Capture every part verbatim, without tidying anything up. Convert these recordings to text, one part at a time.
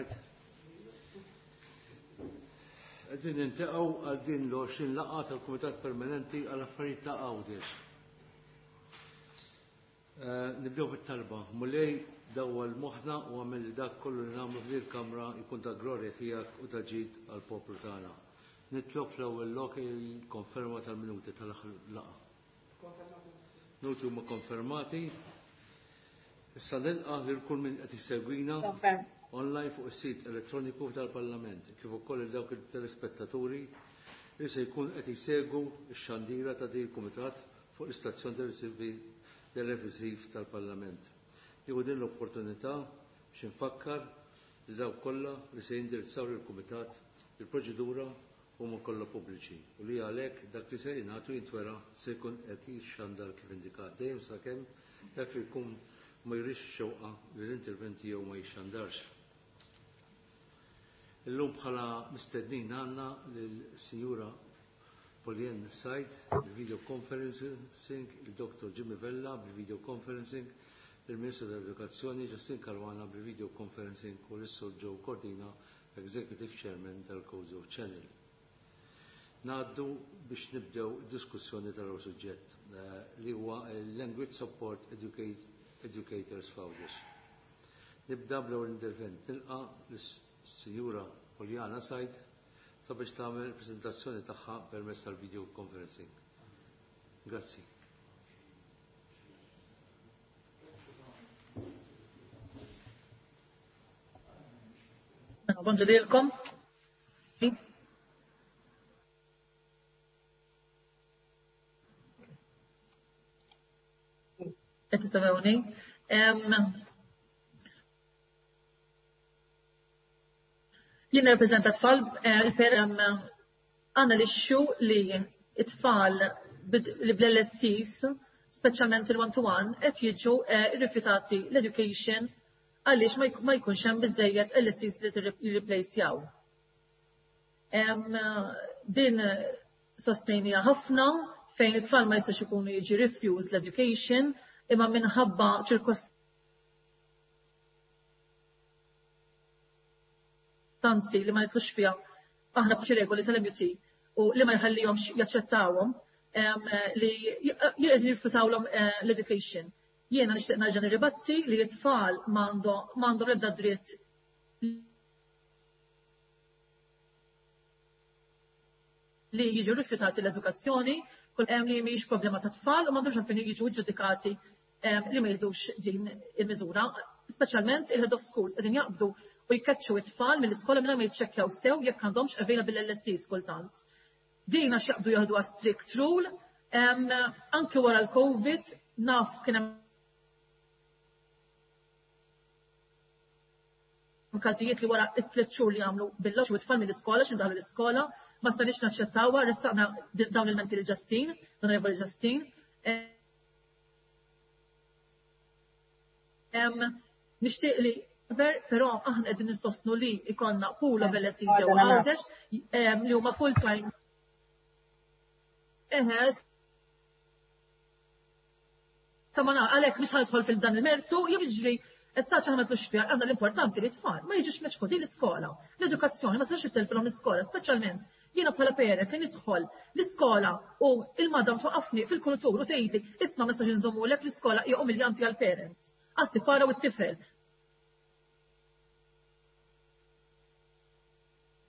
Right? Qegħdin niltaqgħu għal din l-għoxrin laqgħa tal-Kumitat Permanenti għal Affarijiet ta' Għawdex. Eh, nibdew bit-talba. Mulej, dawwal moħħna u agħmel li dak kollu li nagħmlu f'din il-kamra jkun ta' glorja tiegħek u ta' ġid għall-poplu tagħna. Nitlob fl-ewwel lok il-konferma tal-minuti tal-aħħar laqgħa. Minuti huma konfermati. Issa nilqa' lil kull min qed jsegwina online fuq is-sit elettroniku tal-Parlament, kif ukoll il dawk il-telespettaturi li se jkun qed jsegwu x-xandira ta' din il-kumitat fuq l-istazzjon televisiv tal-Parlament. Nieħu din l-opportunità biex infakkar li dawk kollha li se jindirizzaw lill-kumitat, il-proċedura huma kollha pubbliċi u li għalhekk dak li se jingħatu jintwera se jkun qed jixxandar kif indikat, dejjem sakemm dak li jkun ma jurix xewqa li l-intervent tiegħu ma jixxandarx. Illum bħala mistednin għandna lill-Sinjura Paulienne Said bil-video conferencing, il-Doktor Jimmy Vella bil-video conferencing, il-Ministru tal-Edukazzjoni Justyne Caruana bil-video conferencing u l-Sur Joe Cordina, Executive Chairman tal-Gozo Channel. Ngħaddu biex nibdew diskussjoni tal suġġett eh, li huwa Language Support Educators f'Għawdex. Nibda bl-ewwel intervent, nilqa' lis-Sinjura Poliana Said sabiex tagħmel il-preżentazzjoni tagħha permezz tal-video conferencing. Grazzi. Bonġu lilkom. Qed tisimgħuni? Jien nirrappreżenta tfal, eh, il-per għandna l-issue li it-tfal li bl-L S Cs, speċjalment il-one-to-one, qed jiġu eh, rifjutati l-education għaliex ma jkunx hemm biżejjed L S Cs li jirreplacejaw. Din sostnejnija ħafna fejn it-tfal ma jistax ikunu jiġi refused l-education imma minħabba ċirkostanzi li ma nidħlux fiha aħna b'xi regoli tal-M U T u li ma jħallihomx jaċċettawhom li jqegħdu jirrifjutawlhom eh, l-education. Jiena nixtieq nerġa' nirribatti li t-tfal m'għandhom l-ebda dritt li jiġu rifjutati l-edukazzjoni, kull hemm li mhijiex problema ta' tfal u m'għandhomx għalfejn jiġu ġudikati li ma jridux din il-miżura. Speċjalment il-head of schools qegħdin jaqbdu u jkeċċu it-tfal mill-iskola mingħajr ma jiċċekkjaw sew jekk għandhomx available L S Cs kultant. Din għax jaqbdu jaħdu strict rule, anke wara l-Covid naf kien hemm każijiet li wara it-tliet xhur li għamlu bil-lox u t-tfal mill-iskola x'indaħlu l-iskola, ma stajniex naċċettawha, ressaqna dawn il-menti lil Justyne, l-Onorevoli Justyne. Nixtieq li ver, però aħna qegħdin nissostnu li ikollna pool of L S Cs ġewwa Għawdex li huma full time. Eħe, ta' ma għalhekk mhux ħa nidħol fil-dan il-mertu, jiġri Issa ċaħna ma fiha, għandna l-importanti li tfal ma jiġux meċħudin l-iskola. L-edukazzjoni ma tistax ittelfilhom l-iskola, speċjalment jiena bħala parent li nidħol l-iskola u il-madam twaqqafni fil-kuritur u tgħidli, "Isma', ma nistax inżommulek l-iskola", hija umiljanti għall-parent. Għassi para u t-tifel.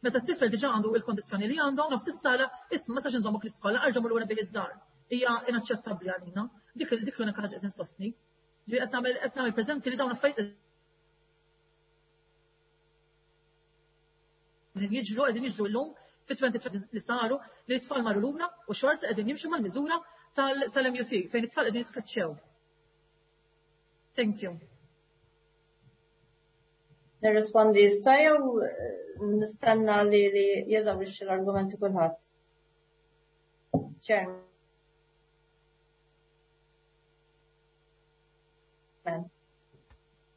Meta t-tifel diġà għandu il-kondizzjoni li għandu, nofs is-sala, "Isma', ma nistax inżommok l-iskola, erġa' lura bih id-dar." Hija inaċċettabbli għalina. Dik dik l-unika ħaġa qed insostni. Ġifieri qed nagħmel qed nagħmel preżenti li dawn affarijiet qegħdin jiġru qegħdin jiġru llum fit-twenty li saru li t-tfal marru lura u xorta qegħdin jimxu mal-miżura tal-M U T fejn it-tfal qegħdin jitkaċċew. Thank you. Nirrispondi issa jew nistenna li li jeżawrixxi l-argumenti kulħadd? Chairman.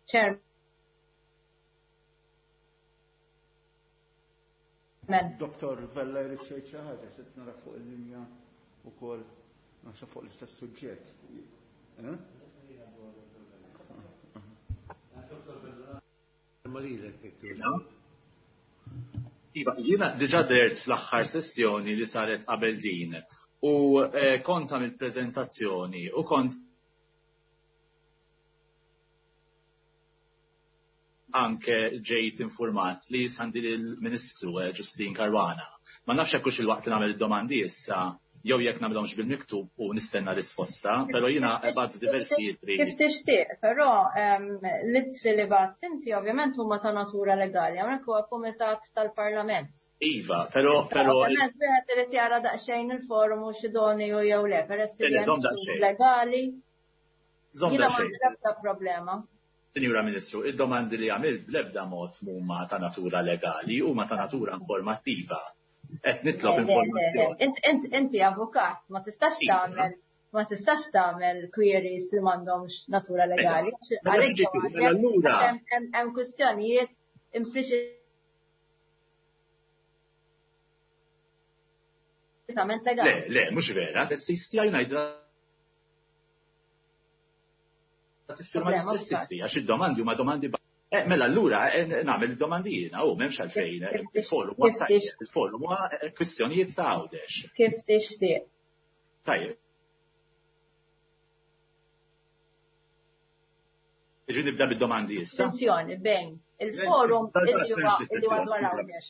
Chairman. Doktor Vella jrid xejn xi ħaġa, se nara fuq il-linja wkoll, naħseb fuq l-istess suġġett. Eh? il-kelma lilek jekk togħġbok. Iva, jiena diġà dert fl-aħħar sessjoni li saret qabel din u kont għamilt preżentazzjoni u kont anke ġejt informat li sandi lill-Ministru Justyne Caruana. Ma nafx hekk hux il-waqt li nagħmel id-domandi issa jew jekk nagħmilhomx bil-miktub u nistenna risposta, però jiena bgħatt diversi ittri. Kif tixtieq, però l-ittri li bgħatt inti ovvjament huma ta' natura legali, hawnhekk huwa kumitat tal-Parlament. Iva, però però Ovvjament wieħed irid jara daqsxejn il-forum u x'idoni u jew le, peress li hemm legali. Żomm Jiena daqsxejn. m'għandi l-ebda problema. Sinjura Ministru, id-domandi li għamilt bl-ebda mod huma ta' natura legali, huma ta' natura informattiva. Qed nitlob Le, le, le, le. informazzjoni. Int, int, inti avukat, ma tistax Iva. tagħmel, ma tistax tagħmel queries li m'għandhomx natura legali. Mela, Għalhekk ġifieri, għandek mela allura hemm, hemm, hemm kwistjonijiet impliċitament legali. Le, le, mhux vera, l-S C tiegħi ngħidha tiffirma Problema l-istess mhux ittri, għax id-domandi huma domandi ba- Eh, mela allura eh, nagħmel id-domandi jiena, u m'hemmx għalfejn, eh, Kif tix- il-forum huwa kif tajjeb, tix- il-forum huwa eh, kwistjonijiet ta' Għawdex. Kif tixtieq. Tajjeb. Ġi nibda bid-domandi issa. Attenzjoni bejn il-forum Le, illi huwa le, illi huwa dwar Għawdex.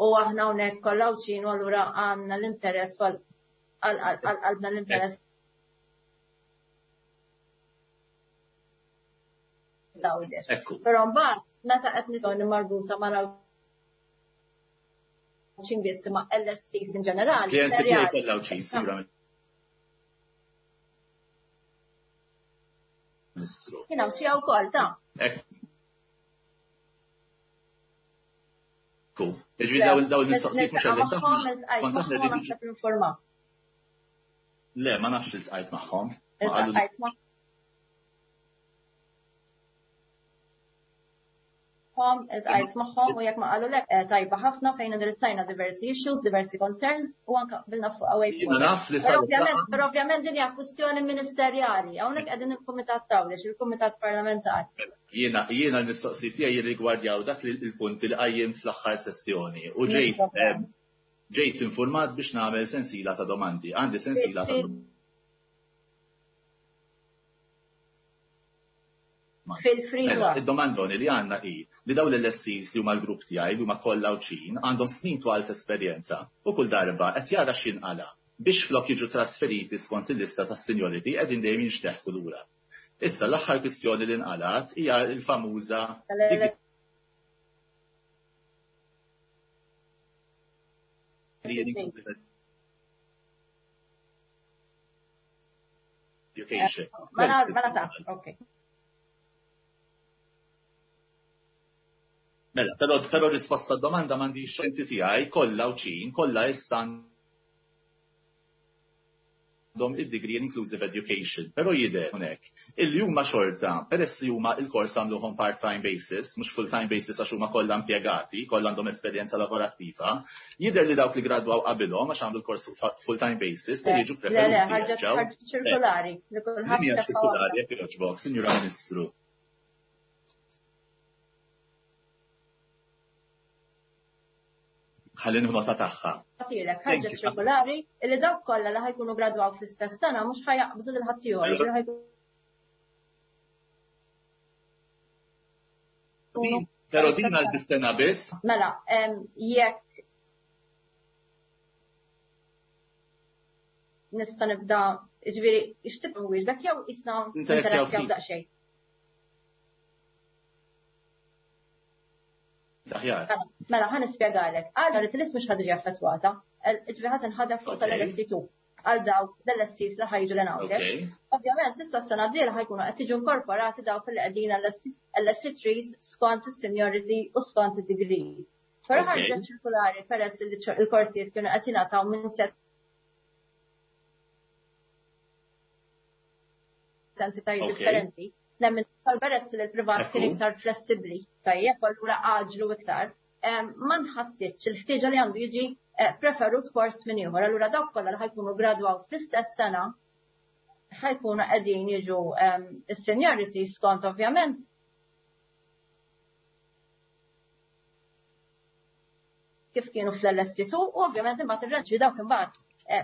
U aħna hawnhekk kollha Għawdxin u allura għandna l-interess għal għal l-interess Għawdex. Ekku. Però mbagħad meta qed nitkellmu marbuta mal-Għawdxin biss ma' L S Cs in ġenerali. Klijenti tiegħi serjali. kollha Għawdxin, Sinjura Ministru. Jien Għawdxija wkoll ta'. Ekku. Jiġifieri dawn dawn il-mistoqsijiet mhux Niltaqa' qegħdin magħhom, taħna. iltqajt Kont aħna magħhom qegħdin naħseb informat. Le, ma nafx iltqajt magħhom. Ma qalu Iltqajt magħhom, iltqajt magħhom u jekk ma qalu lek eh, tajba ħafna fejn indirizzajna diversi issues, diversi concerns u anke qbilna fuq away Jiena forward. naf li Però saret ovvjament, laqgħa. però ovvjament din hija kwistjoni ministerjali. Hawnhekk qegħdin il-Kumitat Tawdex, il-Kumitat Parlamentari. Jiena jiena l-mistoqsijiet tiegħi jirrigwardjaw dak li l-punti li qajjim fl-aħħar sessjoni u ġejt, Mhux eh, ġejt informat biex nagħmel sensiela ta' domandi. Għandi sensiela ta' domandi. Fil-free Mela, work. id-domandoni li għandna hi li dawn l-L S Cs li huma l-grupp tiegħi li huma kollha Għawdxin għandhom snin twal ta' esperjenza u kull darba qed jara x'inqala biex flok jiġu trasferiti skont il-lista tas-seniority qegħdin dejjem jinxteħtu lura. Issa l-aħħar kwistjoni li nqalat hija l-famuża Tal-L S Education. Mela, mela ta' ok. Mela, però, però risposta domanda m'għandix inti tiegħi kollha Għawdxin, kollha issa għandhom id-degree in inclusive education, però jidher hawnhekk illi huma xorta, peress li huma il-kors għamluhom part-time basis, mhux full-time basis għax huma kollha impjegati, kollha għandhom esperjenza lavorattiva, jidher li dawk li gradwaw qabilhom għax għamlu l-kors full-time basis se jiġu Le, le, preferuti ħarġet jerġgħu. ħarġet ċirkolari li kulħadd Din hija tefa' ċirkolari, waħda. jekk jogħġbok, Sinjura Ministru. Ħalli nieħu nota tagħha. Għatilek, Thank ħarġet you. ċirkolari illi dawk kollha li ħajkunu gradwaw fl-istess sena mhux ħajaqbżu lil ħaddieħor, jiġifieri ħajkunu Però din għal sena biss. Mela, em, jekk nista' nibda, jiġifieri x'tib nwieġbek jew isna Interazzjaw interazzjaw ftit. daqsxejn. Aħjar. Mela, mela, ħa nispjegalek. Għal li l-list mhux ħa tiġi affettwata. Ġifieri ħa tinħadem fuq Ok. tal-L S C two. Għal dawk l-L S Cs li ħajġu l hawnhekk. Ok. Ovvjament, issa s-sena d-dieħla ħajkunu qed jiġu inkorporati dawk li qegħdin L S C threes skont is-seniority u skont id-degree. Però Ok. ħarġet ċirkulari peress li il-korsijiet kienu qed jingħataw minn tliet entitajiet Ok. differenti. Nemmen tal-peress li l-privat kien Ekku. iktar flessibbli, tajjeb, allura għaġlu iktar. Em, ma nħassitx il-ħtieġa li għandu jiġi, eh, preferut kors minn ieħor. Allura dawk kollha li ħajkunu gradwaw fl-istess sena ħajkunu qegħdin jiġu, em, is-seniority skont ovvjament kif kienu fl-L S C two u ovvjament imbagħad ir-reġi dawk imbagħad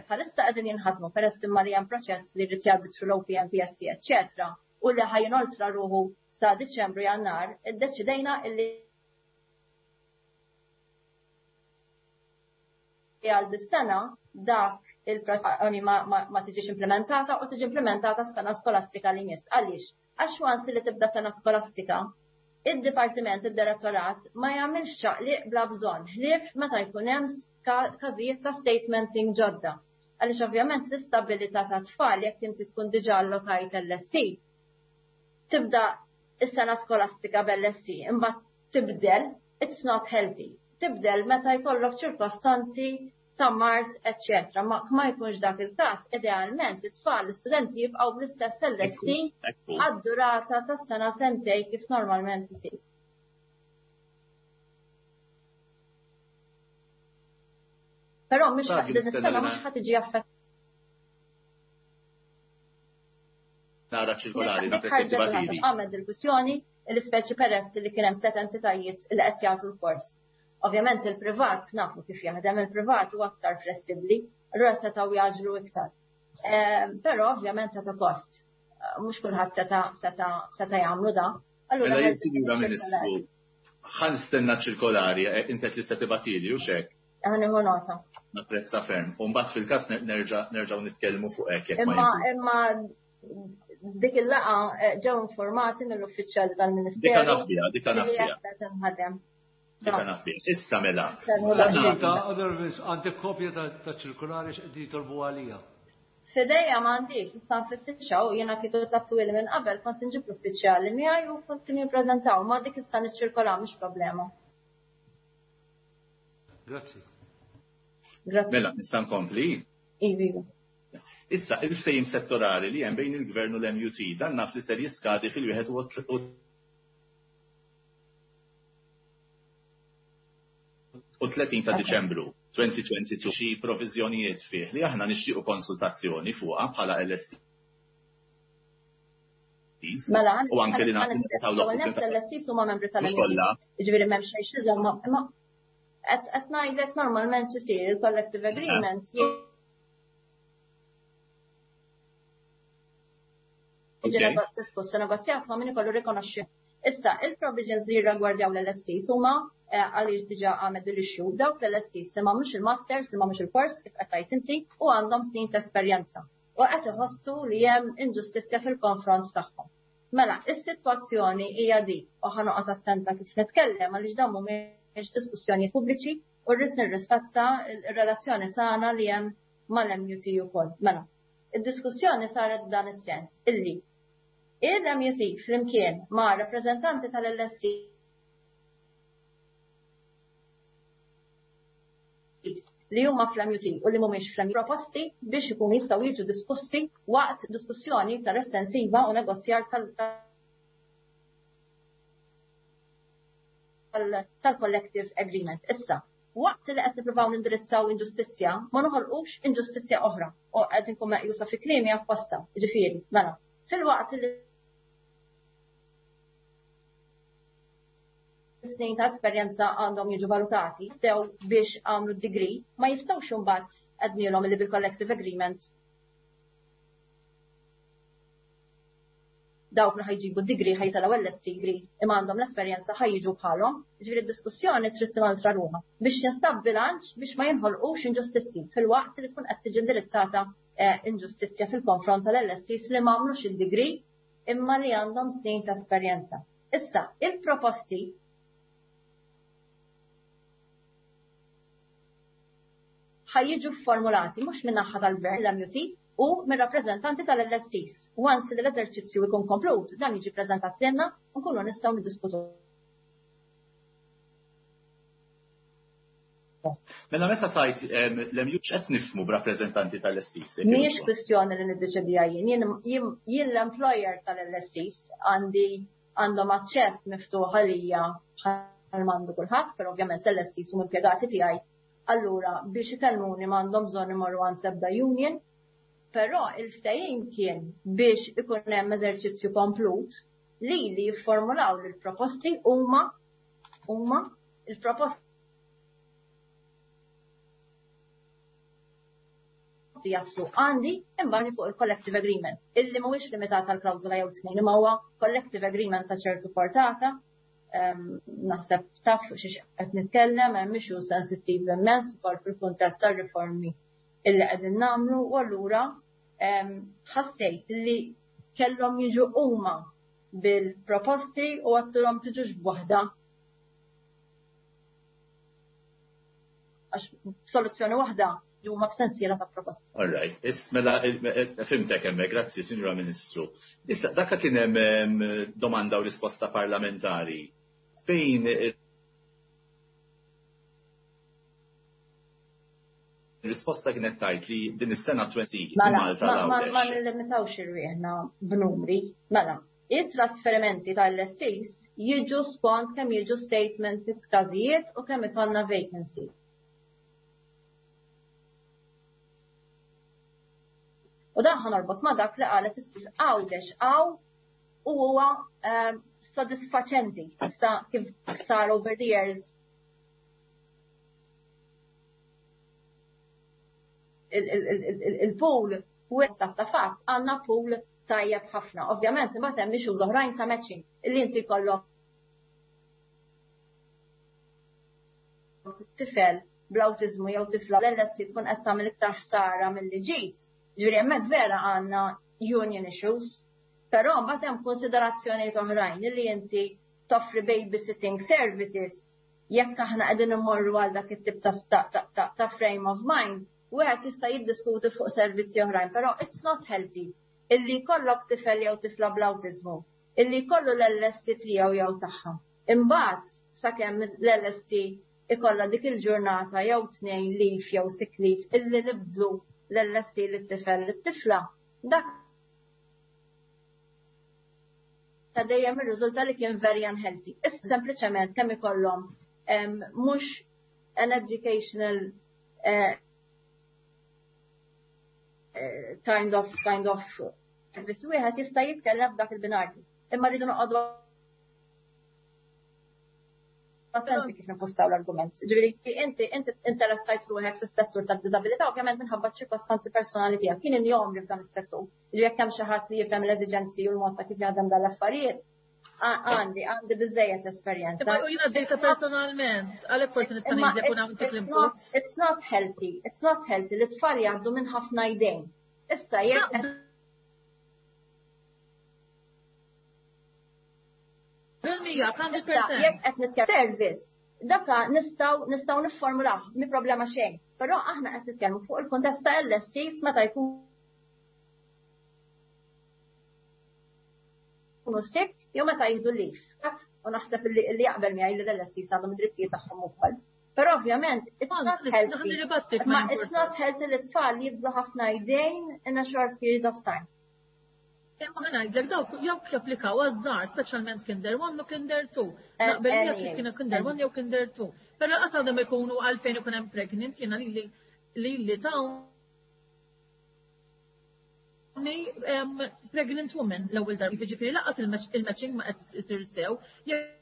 bħalissa qegħdin jinħadmu peress imma li hemm proċess li jrid jgħaddi through l-O P M, P S C, eċċetera, u li ħa jinoltra ruħu sa Diċembru, Jannar, iddeċidejna illi għal dis-sena dak il-proċess ma, ma, ma tiġix implementata u tiġi implementata s-sena skolastika li jmiss. Għaliex? Għax once li tibda sena skolastika, id-dipartiment, id-direttorat ma jagħmilx ċaqliq bla bżonn, ħlief meta jkun hemm każijiet ta' statementing ġodda. Għaliex ovvjament l-istabilità ta' tfal, jekk inti tkun diġà allokajt L S C, tibda is-sena skolastika b'L S C, imbagħad tibdel, it's not healthy. Tibdel meta jkollok ċirkostanzi ta' mard, eccetera. Ma ma jkunx dak il-każ, idealment it-tfal, l-istudenti jibqgħu bl-istess L S C għad-durata tas sena sentej kif normalment isir. Però mhux din is-sena mhux ħa tiġi affettata. Nara ċirkolari, dik. Għamed il-kwistjoni, l-ispeċi peress li kien hemm tliet entitajiet li qed jagħtu l-kors. Ovvjament il-privat nafu kif jaħdem, il-privat u aktar flessibbli, allura setgħu jagħġlu iktar. Ehm, però ovvjament ta' kost. Mhux kulħadd seta' seta' seta' jagħmlu da. Allura mela Sinjura Ministru, ħa nistenna ċirkolari, eh, inti li se tibgħatili u xek. Ħa nieħu nota. Napprezza ferm. U mbagħad fil-każ nerġgħu nitkellmu fuq hekk. Imma imma dik il-laqgħa eh, ġew informati mill-uffiċjali tal-Ministeru. Dika naf biha, dika naf biha. Dika naf biha. Issa mela. Għandek kopja ta' ċirkolari x'qed jitolbu għalija? F'idejja m'għandix, issa nfittixha u jiena kieku tlabtu minn qabel kont inġib l-uffiċjali miegħi u kont nippreżentaw, ma dik issa niċċirkola, mhux problema. Grazzi. Grazzi. Mela, nista' nkompli? Iva. Issa, il-ftehim settorali li hemm bejn il-Gvern u l-M U T, dan naf li ser jiskadi fil-wieħed u tletin ta' Diċembru elfejn u tnejn u għoxrin, xi proviżjonijiet fih li aħna nixtiequ konsultazzjoni fuqha bħala L S C. Mela, u anke li nagħtu l-L S C huma membri tal-M U T. Ġifieri m'hemm xejn xi imma qed ngħidlek normalment isir il-collective agreement jiġi diskussa, negozjat ma' min ikollu rikonoxxi. Issa, il-provisions li jirragwardjaw l-L S Cs huma eh, għaliex diġà għamed l-issue, dawk l-L S Cs li m'għamlux il-masters, li m'għamlux il-kors, kif qed tgħid inti, u għandhom snin ta' esperjenza. U qed iħossu li hemm inġustizzja fil-konfront tagħhom. Mela, is-sitwazzjoni hija di, u ħa noqgħod attenta kif nitkellem għaliex dawn mhumiex diskussjoni pubbliċi u rrid nirrispetta r-relazzjoni sana li hemm mal-M U T ukoll. Mela, id-diskussjoni saret f'dan is-sens illi il-M U T flimkien ma' rappreżentanti tal-L S C li huma fl-M U T u li mhumiex fl-M U T proposti biex ikunu jistgħu jiġu diskussi waqt diskussjoni iktar estensiva u negozjar tal-collective agreement. Issa, waqt li qed nippruvaw nindirizzaw inġustizzja, ma noħolqux inġustizzja oħra u qed inkun meqjusa fi kliemi apposta. Ġifieri, mela, fil-waqt li snin ta' esperjenza għandhom jiġu valutati, sew biex għamlu d-degree, ma jistgħux imbagħad għednielhom li bil-collective agreement dawk li ħa jġibu degree ħa jitilgħu L S C degree imma għandhom l-esperjenza ħa jiġu bħalhom. Ġifieri d-diskussjoni trid tinoltra ruħha biex jinstab bilanċ biex ma jinħolqux inġustizzji fil-waqt li tkun qed tiġi indirizzata eh, inġustizzja fil-konfront tal-L S Cs li m'għamlux il-degree imma li għandhom snin ta' esperjenza. Issa, il-proposti ħa jiġu formulati mhux minn naħa tal-Gvern, l-M U T, u minn rappreżentanti tal-L S Cs. Once li l-eżerċizzju jkun komplut, dan jiġi preżentat lilna u nkunu nistgħu niddiskutu. Mela meta tajt l-M U T, x'qed nifhmu b'rappreżentanti tal-L S Cs? Mhijiex kwistjoni li niddeċidija jien. Jien l-employer tal-L S Cs, għandi għandhom aċċess miftuħ għalija bħal m'għandu kulħadd, però ovvjament l-L S Cs huma impjegati tiegħi. Allura biex ikellmuni m'għandhom bżonn imorru għand l-ebda union, però il-ftehim kien biex ikun hemm eżerċizzju komplut li li jifformulaw l proposti huma huma il-proposti jaslu għandi imbarni fuq il-collective agreement, illi mhuwiex limitat għal klawżola jew tnejn, imma huwa collective agreement ta' ċertu portata. Naħseb taf xiex qed nitkellem, hemm issue sensittiv immens ukoll fil-kuntest tar-riformi illi qegħdin nagħmlu, u allura ħassejt li kellhom jiġu huma bil-proposti u għattilhom tiġux b'waħda. Għax soluzzjoni waħda huma b'sensiela ta' proposti. All right. Mela fimtek hemmhekk, grazzi Sinjura Ministru. Issa dakka kien hemm domanda u risposta parlamentari fejn risposta kienet tajt li din is-sena twenty Malta Mela, ma nillimitawx irwieħna b'numri. Mela, it-trasferimenti tal-L S Cs jiġu skont kemm jiġu statements każijiet u kemm ikollna vacancies. U dan ħanorbot ma dak li qalet is-sis Għawdex għaw u huwa sodisfaċenti issa kif sar over the years il-pool u ta' fatt għandna pool tajjeb ħafna. Ovvjament imbagħad hemm issues oħrajn ta' matching illi inti jkollok tifel bl-awtiżmu jew tifla l-L S C tkun qed tagħmel iktar ħsara milli ġid. Ġifieri hemmhekk vera għandna union issues, però mbagħad hemm konsiderazzjonijiet oħrajn illi inti toffri babysitting services jekk aħna qegħdin immorru għal dak it-tip ta' frame of mind, wieħed jista' jiddiskuti fuq servizzi oħrajn, però it's not healthy illi jkollok tifel jew tifla bl-awtiżmu, illi jkollu l-L S C tiegħu jew tagħha. Imbagħad sakemm l-L S C ikollha dik il-ġurnata jew tnejn leave jew sick leave illi nibdlu l-L S C lit-tifel lit-tifla, dak ta' dejjem ir-riżulta li kien very unhealthy. Issa sempliċement kemm ikollhom mhux an educational eh, kind of kind of service wieħed jista' jitkellem f'dak il-binarju. Imma rridu noqogħdu attenti kif nipostaw l-argument. Ġifieri inti inti interessajt ruħek fis-settur tad-diżabilità ovvjament minħabba ċirkostanzi personali tiegħek. Kien injomri f'dan is-settur. Ġifieri jekk hemm xi ħadd li jifhem l-eżiġenzi u l-mod ta' kif jaħdem dan l-affarijiet, għandi għandi biżejjed esperjenza. Imma jiena għaddejta personalment, għalhekk forsi nista' ngħidlek u nagħmel it's l-input. It's not healthy, it's not healthy li t-tfal jgħaddu minn ħafna jdejn. Issa jekk Bil-mija, hundred percent. Jekk qed nitkellem service, daka nistgħu nistgħu nifformulaw, mi problema xejn. Però aħna qed nitkellmu fuq il-kuntest ta' L S Cs meta jkunu sick jew meta jieħdu leave. U naħseb li li jaqbel miegħi li l-L S Cs għandhom id-drittijiet tagħhom ukoll. Però ovvjament, it's not healthy. Ma it's not healthy li tfal jibdu ħafna jdejn in a short period of time. Imma ħa ngħidlek dawk jekk japplikaw għaż-żgħar, speċjalment Kinder one u Kinder two. Eh, Naqbel eh, jekk kienu Kinder one jew Kinder two. Però qas għandhom ikunu għalfejn ikun hemm pregnant, jiena lili lili tawni, em, pregnant woman l-ewwel darba. Jiġifieri laqas il-matching ma qed isir sew. Jekk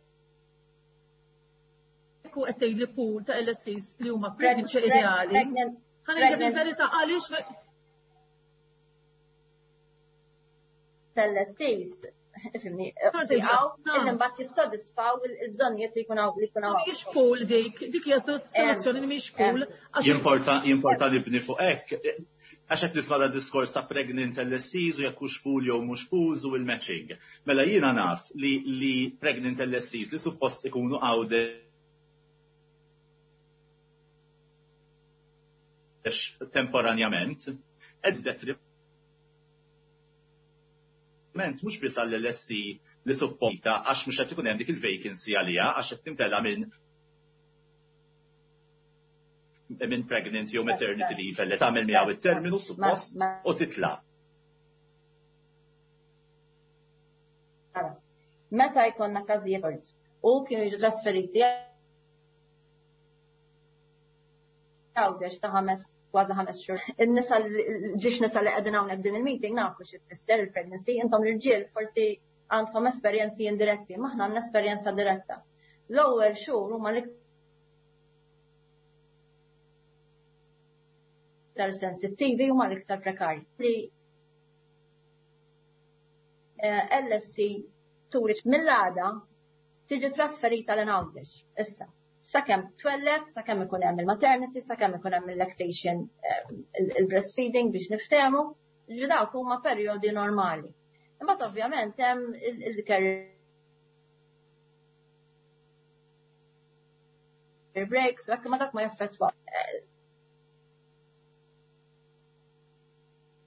hu qed tgħidli pool ta' L S Cs li huma pregnant xi ideali. Pregnant, Ħa ngħidlek pregnant. il-verità għaliex L S Cs, ifhimni, Sorry, għaw, no. illi mbagħad jissodisfaw il-bżonnijiet li jkun hawn, li jkun hawn. Mhijiex pool dik, dik hija soluzzjoni li mhijiex pool. Għax Jimporta, jimporta li bni fuq hekk. Għax qed nisma' da diskors ta' pregnant L S Cs u jekk hux pool jew mhux pools u l-matching. Mela jiena naf li, li pregnant L S Cs li suppost ikunu Għawdex temporanjament, qed detriment mhux biss għall-L S C li supposta għax mhux qed ikun hemm dik il-vacancy għaliha għax qed timtela minn minn pregnant jew maternity leave li tagħmel miegħu it-terminu suppost u titla'. Meta jkollna każijiet u kienu jiġu trasferiti Għawdex ta' ħames kważi ħames xhur. In-nisa ġiex nisa li qegħdin hawnhekk din il-meeting nafu xi tfisser il-pregnancy, intom l-irġiel forsi għandkom esperjenzi indiretti, ma aħna għandna esperjenza diretta. L-ewwel xhur huma l-iktar l-iktar sensittivi huma l-iktar prekarji. Li L S E turi mill-għada tiġi trasferita lejn Għawdex. Issa, sakemm twelled, sakemm ikun hemm il-maternity, sakemm ikun hemm il-lactation, il-breastfeeding biex niftehmu, ġifieri dawk huma perjodi normali. Imbagħad ovvjament hemm il-career breaks, u hekk, ma dak ma jaffettwa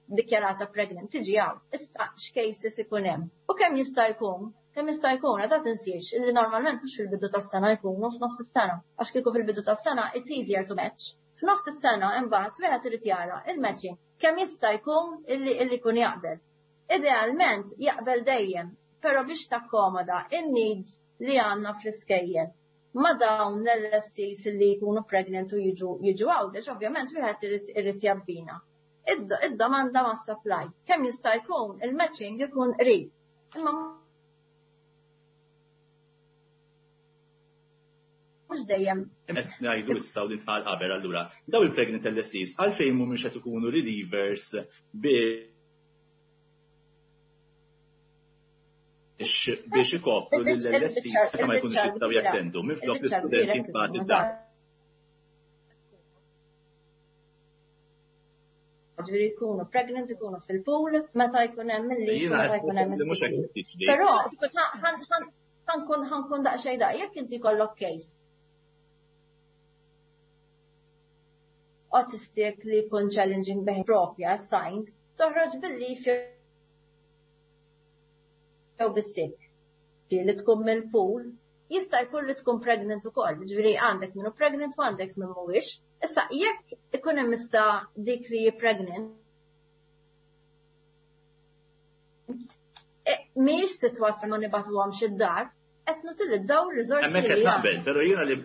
dikjarata pregnant tiġi hawn. Issa x'cases ikun hemm. U kemm jista' jkun, kemm jista' jkun, għada tinsiex illi normalment mhux fil-bidu tas-sena jkunu, f'nofs is-sena. Għax kieku fil-bidu tas-sena it's easier to match. F'nofs is-sena imbagħad wieħed irid jara il-matching kemm jista' jkun illi illi jkun jaqbel. Idealment jaqbel dejjem, però biex takkomoda in-needs li għandna fl-iskejjel ma dawn l-L S Es li jkunu pregnant u jiġu jiġu Għawdex, ovvjament wieħed irid irid jabbina id-domanda ma' supply. Kemm jista' jkun il-matching ikun qrib. Imma mhux dejjem. Qed ngħidu issa u li tqal qabel allura, daw il-pregnant L S Es għalfejn mhumiex qed ikunu relievers biex biex ikopru lill-L S Es meta ma jkunux jistgħu jattendu minflok l-istudenti imbagħad id-dar? Ġifieri jkunu pregnant, ikunu fil-pool, meta jkun hemm il-leave, meta jkun hemm il. Però ħa nkun ħa nkun daqsxejn daq, jekk inti kollok case autistic li jkun challenging behavior propja assigned, toħroġ bil-leave jew bis-sick. Li tkun mill-pool, jista' jkun li tkun pregnant ukoll, ġifieri għandek minnu pregnant u għandek minn mhuwiex. Issa jekk ikun hemm issa dik li pregnant, e, mhijiex sitwazzjoni ma nibagħtuhomx id-dar, qed nutilizzaw ir-riżorsi. Hemmhekk qed naqbel, però jiena li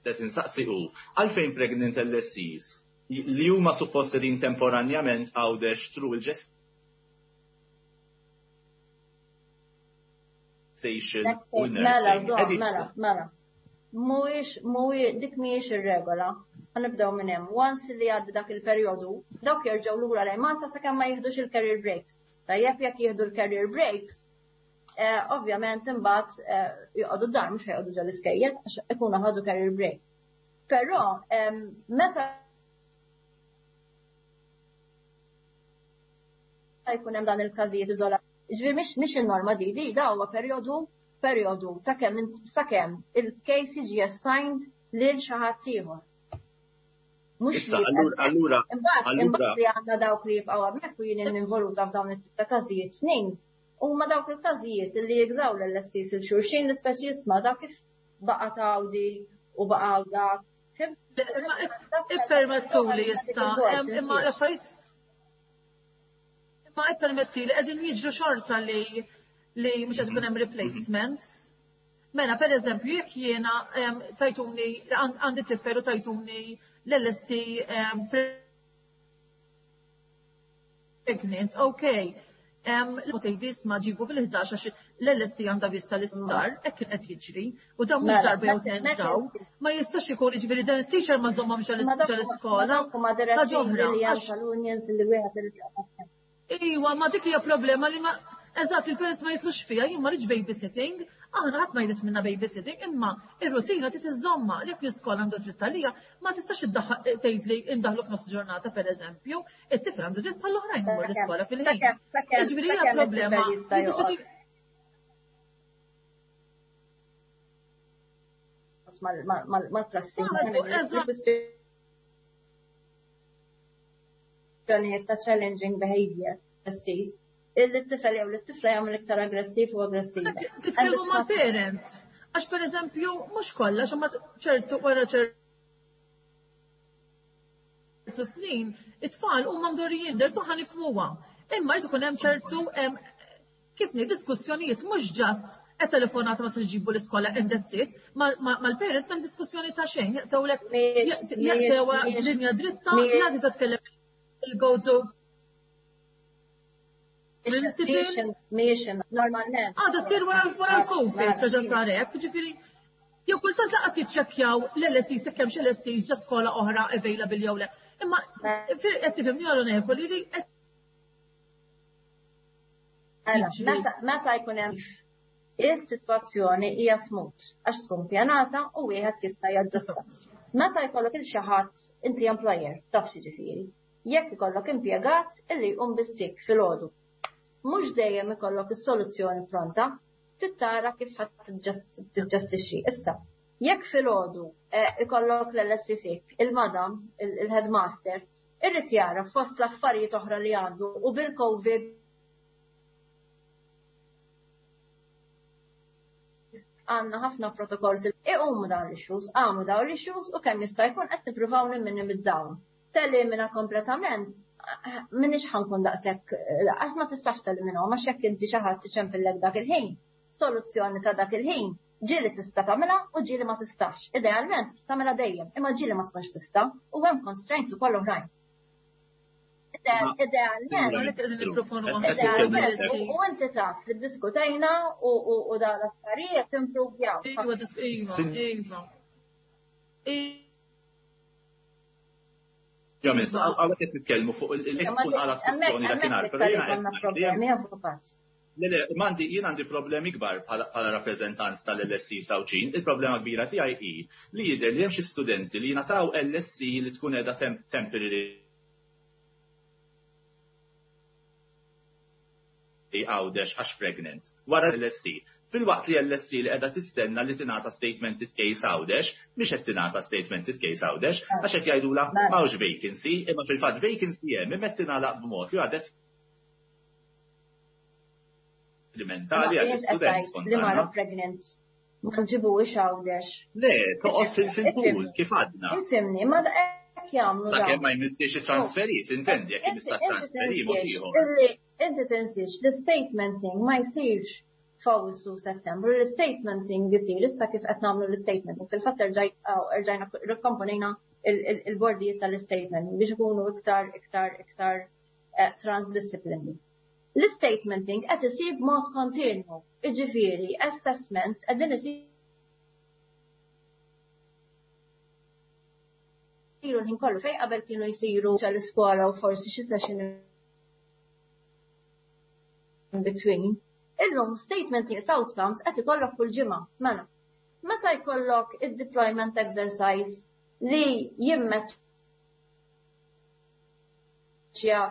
qed insaqsi hu għalfejn pregnant L S Es li huma suppost qegħdin temporanjament Għawdex through il-gestation u Mela, mela, mela. Mhuwiex, mhuwiex, dik mhijiex ir-regola. Nibdew minn hemm. Once li għaddi dak il-perjodu, dawk jerġgħu lura lejn Malta sakemm ma jieħdux il-career breaks. Tajjeb, jekk jieħdu l-career breaks, eh, ovvjament imbagħad eh, joqogħdu dar, mhux ħa joqogħdu ġol iskejjel għax ikunu ħadu career break. Però meta jkun hemm dan il-każijiet iżolat. Ġifieri mhix mhix in-norma di, di da huwa perjodu perjodu ta' kemm sakemm il-case jiġi assigned lil xi ħadd ieħor. Mhux allura imbagħad imbagħad li għandna dawk li jibqgħu hemmhekk u jien involuta f'dawn it-tip ta' każijiet snin, huma dawk il-każijiet li jigżaw l-L S Es il xulxin, l-ispeċi jisma' dak kif baqa' tawdi u baqa' dak. Ippermettu li issa, imma l-affarijiet ma ippermetti li qegħdin jiġru xorta li li mhux qed ikun hemm replacements. Mela, per eżempju, jekk jiena tajtuni għandi tifel u tajtuni l-L S E pregnant, okay. L-tgħidis ma ġibu fil-ħdax għax l-L S E għandha vista l-isptar, hekk kien qed jiġri, u dan mhux darba jew tnejn ġraw, ma jistax ikun, jiġifieri dan it-teacher ma żommhomx għall-iskola. Ħaġa oħra. Iwa, ma dik hija problema li ma eżatt il-parents ma jitlux fija, jien ma rridx babysitting, aħna ħadd ma jrid minna babysitting, imma ir-rutina trid iżomma li fl-iskola għandu dritt għalija, ma tistax tgħid li indaħlu f'nofs ġurnata, pereżempju, it-tifel għandu dritt bħall-oħrajn imur l-iskola fil-ħin. Jiġifieri hija problema. Mal-klassi. Ta' challenging behavior, illi t-tifel jew l-tifla jagħmel iktar aggressiv u aggressiva. Titkellmu mal-parents. Għax per eżempju, mhux kollha, x'ma ċertu wara ċertu snin, it-tfal huma mdorrijin, dertu ħa nifhmuha. Imma jrid ikun hemm ċertu kif ngħid diskussjonijiet, mhux just e telefonata ma ġibu l-iskola and that's it. Mal-parents m'hemm diskussjoni ta' xejn, jaqtawlek jaqtewa linja dritta, la tista' tkellem il-gozo. Mhijiex normalment. Għada sir wara l-Covid, ċaġa sarek, ġifieri, jew kultant laqas jiċċekkjaw l-L S Es, jekk hemmx L S Es ġa skola oħra available jew le. Imma qed tifhimni onorevoli li qed Meta jkun hemm is-sitwazzjoni hija smooth għax tkun pjanata u wieħed jista' jaġġusta. Meta jkollok il xi ħadd inti employer taf x'jiġifieri. Jekk ikollok impjegat illi jqum bis-sick filgħodu. Mhux dejjem ikollok is-soluzzjoni pronta, tittara kif ħadd tiġġestixxi. Issa, jekk filgħodu ikollok l-L S C sick, il-madam, il-headmaster, irrid jara fost l-affarijiet oħra li għandu u bil-COVID għandna ħafna protokolls iqumu dawn l-issues, għamu dawn l-issues u kemm jista' jkun qed nippruvaw nimminimizzawhom. Telimina kompletament, minix ħa nkun daqshekk, għax ma tistax teliminahom, għax jekk inti xi ħadd iċempillek dak il-ħin, soluzzjoni ta' dak il-ħin, ġieli tista' tagħmilha u ġieli ma tistax. Idealment tagħmilha dejjem, imma ġieli ma tkunx tista' u hemm constraints ukoll oħrajn. Idealment, u inti taf li ddiskutejna u da l-affarijiet improvjaw. Iva, iva. Ja, miss, għawek qed nitkellmu fuq il-tkun għala kwistjoni dakinhar, però jiena problemi, avukat. Le, le, mandi, jien għandi problemi kbar bħala rappreżentant tal-L S C Għawdxin. Il-problema kbira tiegħi hi li jidher li hemm xi studenti li jingħataw L S C li tkun qiegħda temporary Għawdex għax pregnant. Wara L S C. Filwaqt li L S C li qiegħda tistenna li tingħata statemented case Għawdex, mhix qed tingħata statemented case Għawdex, għax qed jgħidula m'hawnx vacancy, imma fil-fatt vacancy hemm imma qed tingħalaq b'mod li għadet mentali għall-istudent. Li mara pregnant ma nġibuhiex Għawdex. Le, toqgħod fil-pool kif għadna. Ifhimni, ma hekk jagħmlu. Sakemm ma jmissiex it-transferi, intendi jekk imissa transferi mod ieħor. Inti tinsiex l-statementing ma jsirx f'Awwissu Settembru, l-statementing isir issa kif qed nagħmlu l-statementing. Fil-fatt erġajna rikkomponejna il-bordijiet tal-statementing biex ikunu iktar iktar iktar transdisciplinary. L-statementing qed isir b'mod kontinwu, jiġifieri assessments qegħdin isiru l-ħin kollu fejn qabel kienu jsiru l-iskola u forsi xi session in between. Illum statementing outcomes qed ikollok kull ġimgħa. Mela, meta jkollok id-deployment exercise li jimmeċċja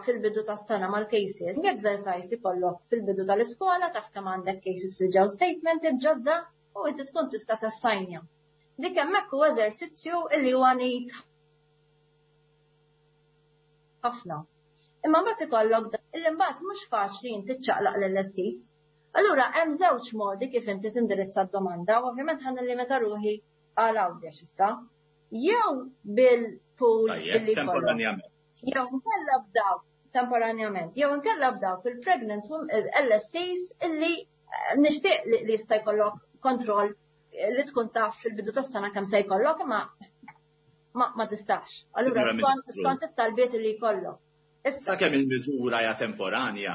fil-bidu tas-sena mal-cases, exercise ikollok fil-bidu tal-iskola taf kemm għandek cases li ġew statemented ġodda u inti tkun tista' tassajnja. Dik hemmhekk huwa eżerċizzju illi huwa neat ħafna. Imma mbagħad ikollok illi mbagħad mhux faċli inti ċċaqlaq lill-L S Cs. Allura hemm żewġ modi kif inti tindirizza d-domanda, u ovvjament ħa nillimita ruħi għal Għawdex issa. Jew bil-pool illi temporanjament. Jew nkella b'dawk temporanjament, jew nkella b'dawk il-pregnant L S Cs illi nixtieq li jista' jkollok kontroll li tkun taf fil-bidu tas-sena kemm se jkollok, imma ma tistax. Allura skont it-talbiet li jkollok. Sakemm il-miżura hija temporanja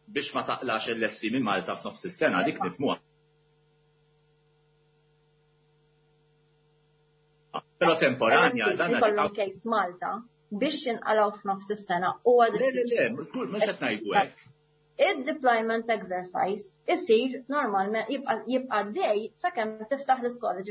biex ma taqlax L S C minn Malta f'nofs is-sena dik nifhmuha. Però temporanja dan ikollhom case Malta biex jinqalgħu f'nofs is-sena huwa Le, le, le, mhux qed ngħidu hekk. Id-deployment exercise isir normalment jibqa' dej sakemm tiftaħ l-iskola.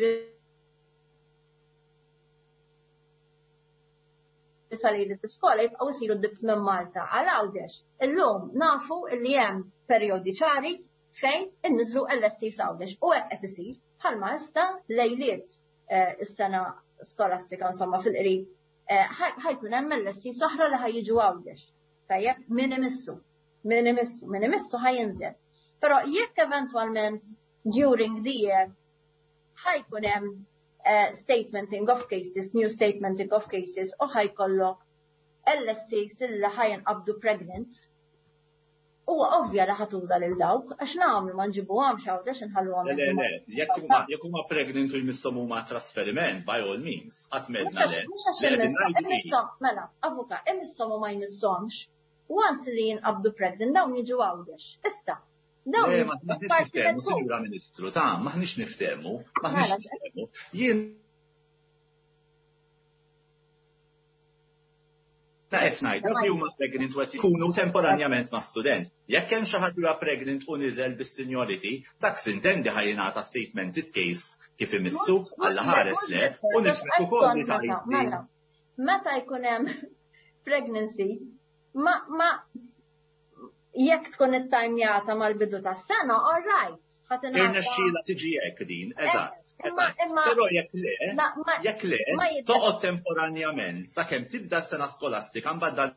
Sali l-iskola jibqgħu jsiru dip minn Malta għal Għawdex. Illum nafu li hemm perjodi ċari fejn inniżlu L S C Għawdex u hekk qed isir bħalma issa lejliet is-sena skolastika insomma fil-qrib ħa jkun hemm L S C oħra li ħa jiġu Għawdex. Tajjeb, min imissu, min imissu, min imissu ħa jinżel. Però jekk eventwalment during the year ħa jkun hemm Uh, statementing of cases, new statementing of cases, u ħa jkollok L S Cs illi ħa jinqabdu pregnant. Huwa ovvja li ħa tuża lil dawk, għax nagħmlu ma nġibuhomx Għawdex inħalluhom. Le, le, jekk huma pregnant u jmisshom huma trasferiment, by all means, qatt medna le. Mhux għax imisshom, mela, avuka, imisshom u ma jmisshomx, once li jinqabdu pregnant dawn jiġu Għawdex. Issa, Le, m'aħniex niftehmu, Sinjura Ministru, ta' m'aħniex niftehmu, m'aħniex niftehmu. Jien Ta' qed ngħid, dawk li huma pregnant u qed jkunu temporanjament ma' student. Jekk hemm xi ħadd huwa pregnant u niżel bis-seniority, dak s'intendi ħa jingħata statemented case kif imissu, Alla ħares le, u nifhem ukoll li tgħid. Mela, meta jkun hemm pregnancy, ma ma jekk tkun ittajmjata mal-bidu tas-sena, all right. Irnexxiela tiġi hekk din, eżatt. Però jekk le, jekk le, toqgħod temporanjament sakemm tibda s-sena skolastika, mbagħad dan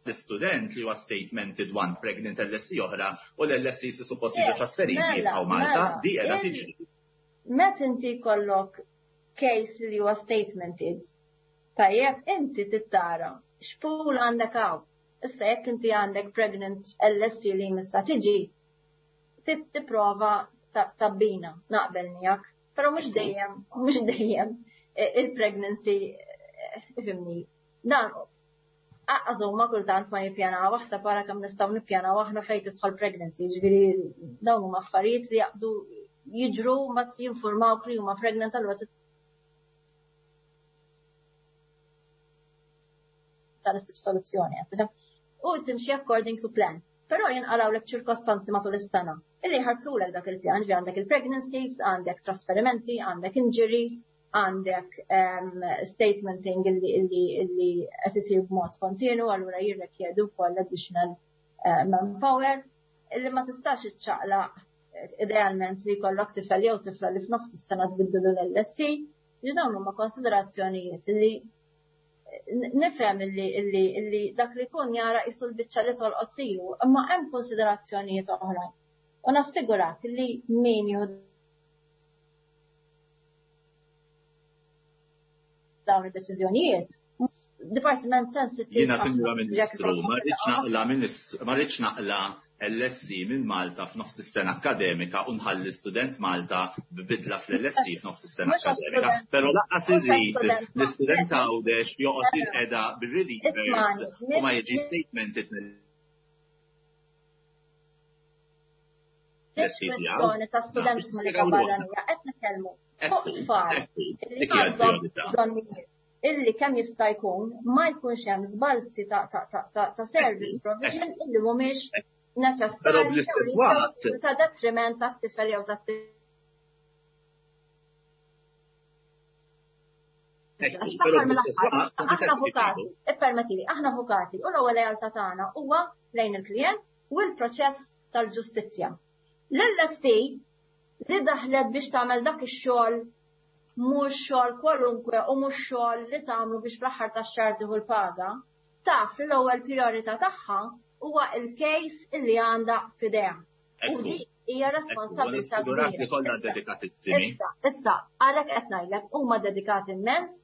l-istudent li huwa statemented one pregnant L S E oħra u l-L S E si suppost jiġu trasferiti jibqgħu Malta, di qiegħda tiġri. Meta inti jkollok case li huwa statemented, tajjeb, inti tittara x'pool għandek hawn. Issa jekk inti għandek pregnant L S E li missa tiġi, tipprova tabbina, naqbel miegħek, però mhux dejjem, mhux dejjem il-pregnancy, ifhimni. Dan Aqqas huma kultant ma jippjanaw, aħseb wara kemm nistgħu nippjanaw aħna fejn tidħol pregnancy, ġifieri dawn huma affarijiet li jaqdu jiġru ma jinformawk li huma pregnant, allura tal-issib soluzzjoni. U timxi according to plan. Però jinqalgħu ċirkostanzi matul is-sena illi ħartulek dak il-pjan, ġi għandek il-pregnancies, għandek trasferimenti, għandek injuries, għandek um, statementing illi illi illi qed isir b'mod kontinu, allura jirrikjedu wkoll additional uh, manpower illi ma tistax iċċaqlaq idealment li jkollok tifel jew tifla li f'nofs is-sena tbiddilu l-L S E. Ġi dawn huma konsiderazzjonijiet illi nifhem illi illi illi dak li jkun jara qisu l-biċċa li tolqot lilu, imma hemm konsiderazzjonijiet oħrajn. U nassigurak li min jieħu dawn id-deċiżjonijiet, dipartiment sensitiv. Jiena, Sinjura Ministru, ma rridx naqla ma rridx naqla L S E minn Malta f'nofs is-sena akkademika u nħalli student Malta b'bidla fl-L S E f'nofs is-sena akkademika. Però lanqas irrid l-istudent Għawdex joqgħod jinqeda bir-relievers u ma jiġi statemented mill ta' student barranija, qed nitkellmu fuq tfal li għandhom bżonnijiet illi kemm jista' jkun ma jkunx hemm żbalzi ta' service provision illi mhumiex neċessarji ta' detriment tat-tifel jew tat Aħna avukati, ippermettili, aħna avukati, u l-ewwel lealtà tagħna huwa lejn il-klient u l-proċess tal-ġustizzja. L-L S E li daħlet biex tagħmel dak ix-xogħol, mhux xogħol kwalunkwe u mhux xogħol li tagħmlu biex fl-aħħar tax-xahar tieħu l-paga, taf li l-ewwel priorità tagħha huwa il-case illi għandha f'idejha. U dik hija responsabilità kbira. Li kollha dedikatissimi. Issa, issa, għalhekk qed ngħidlek huma dedikati immens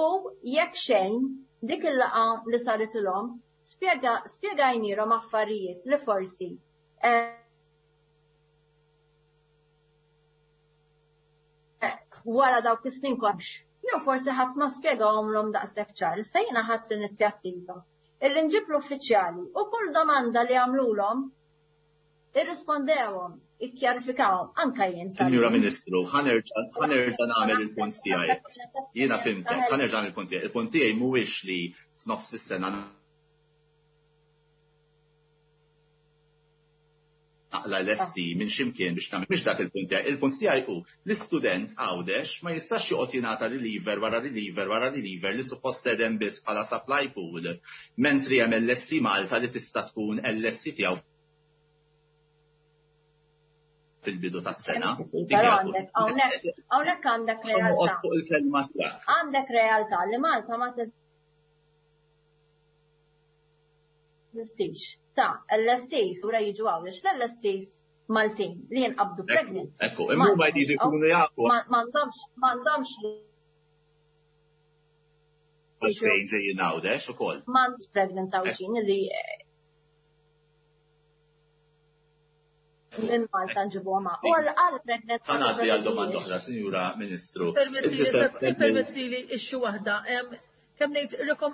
u jekk xejn dik il-laqgħa li saritilhom spjega spjegajnilhom affarijiet li forsi eh, wara dawk is-snin kollox. Jew forsi ħadd ma spjegahomlhom daqshekk ċar. Issa jiena ħadt l-inizjattiva illi nġib l-uffiċjali u kull domanda li għamlulhom irrispondewhom, ikkjarifikawhom anka jien. Sinjura Ministru, ħa nerġa' nagħmel il-punt tiegħi. Jiena fhimtek, ħa nerġa' il-punt tiegħi. Il-punt tiegħi mhuwiex li f'nofs is-sena naqla L S E minn ximkien biex nagħmel, mhix dak il-punt tiegħi. Il-punt tiegħi hu l-istudent Għawdex ma jistax joqgħod jingħata reliever wara reliever wara reliever li suppost edem biss bħala supply pool, mentri hemm L S E Malta li tista' tkun L S E tiegħu fil-bidu tas-sena. Però għandek hawnhekk għandek realtà. Fuq il-kelma tiegħek. Għandek realtà li Malta ma teżistix. Ta' L S Es ura jiġu Għawdex, l-L S Es Maltin li jinqabdu pregnant. Ekku, imma ma jridu jkunu jafu. M'għandhomx m'għandhomx Għalfejn ġejjin Għawdex ukoll. M'għandx pregnant Għawdxin li minn Malta nġibu ma. U għal pregnant. Ħa ngħaddi għal domanda oħra, Sinjura Ministru. Permetti li issue waħda. Kemm ngħid rekom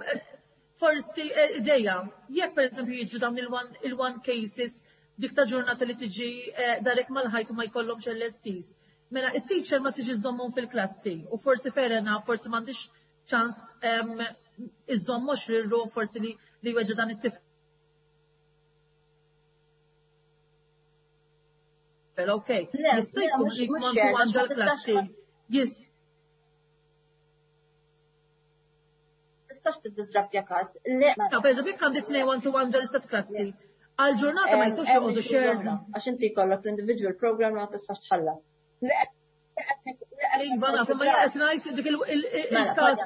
forsi eh, ideja, jekk per eżempju jiġu dawn il-one cases dik ta' ġurnata li tiġi eh, darek mal-ħajt u ma jkollhomx L S Es. Mela, it-teacher ma tiġi żommhom fil-klassi u forsi ferena, forsi m'għandix ċans iżomm għoxrin ruħ forsi li li weġġa dan it-tifel. Okej, jista' jkun li one to one ġol-klassi. Tistax tiddisrabtja każ. Per eżempju, jekk għandi tnejn one to one ġol-istess klassi, għal-ġurnata ma jistgħux joqogħdu shared. Għax inti jkollok l-individual program ma tistax tħallas. Iva, naf, imma jien qed ngħid dik il-każ.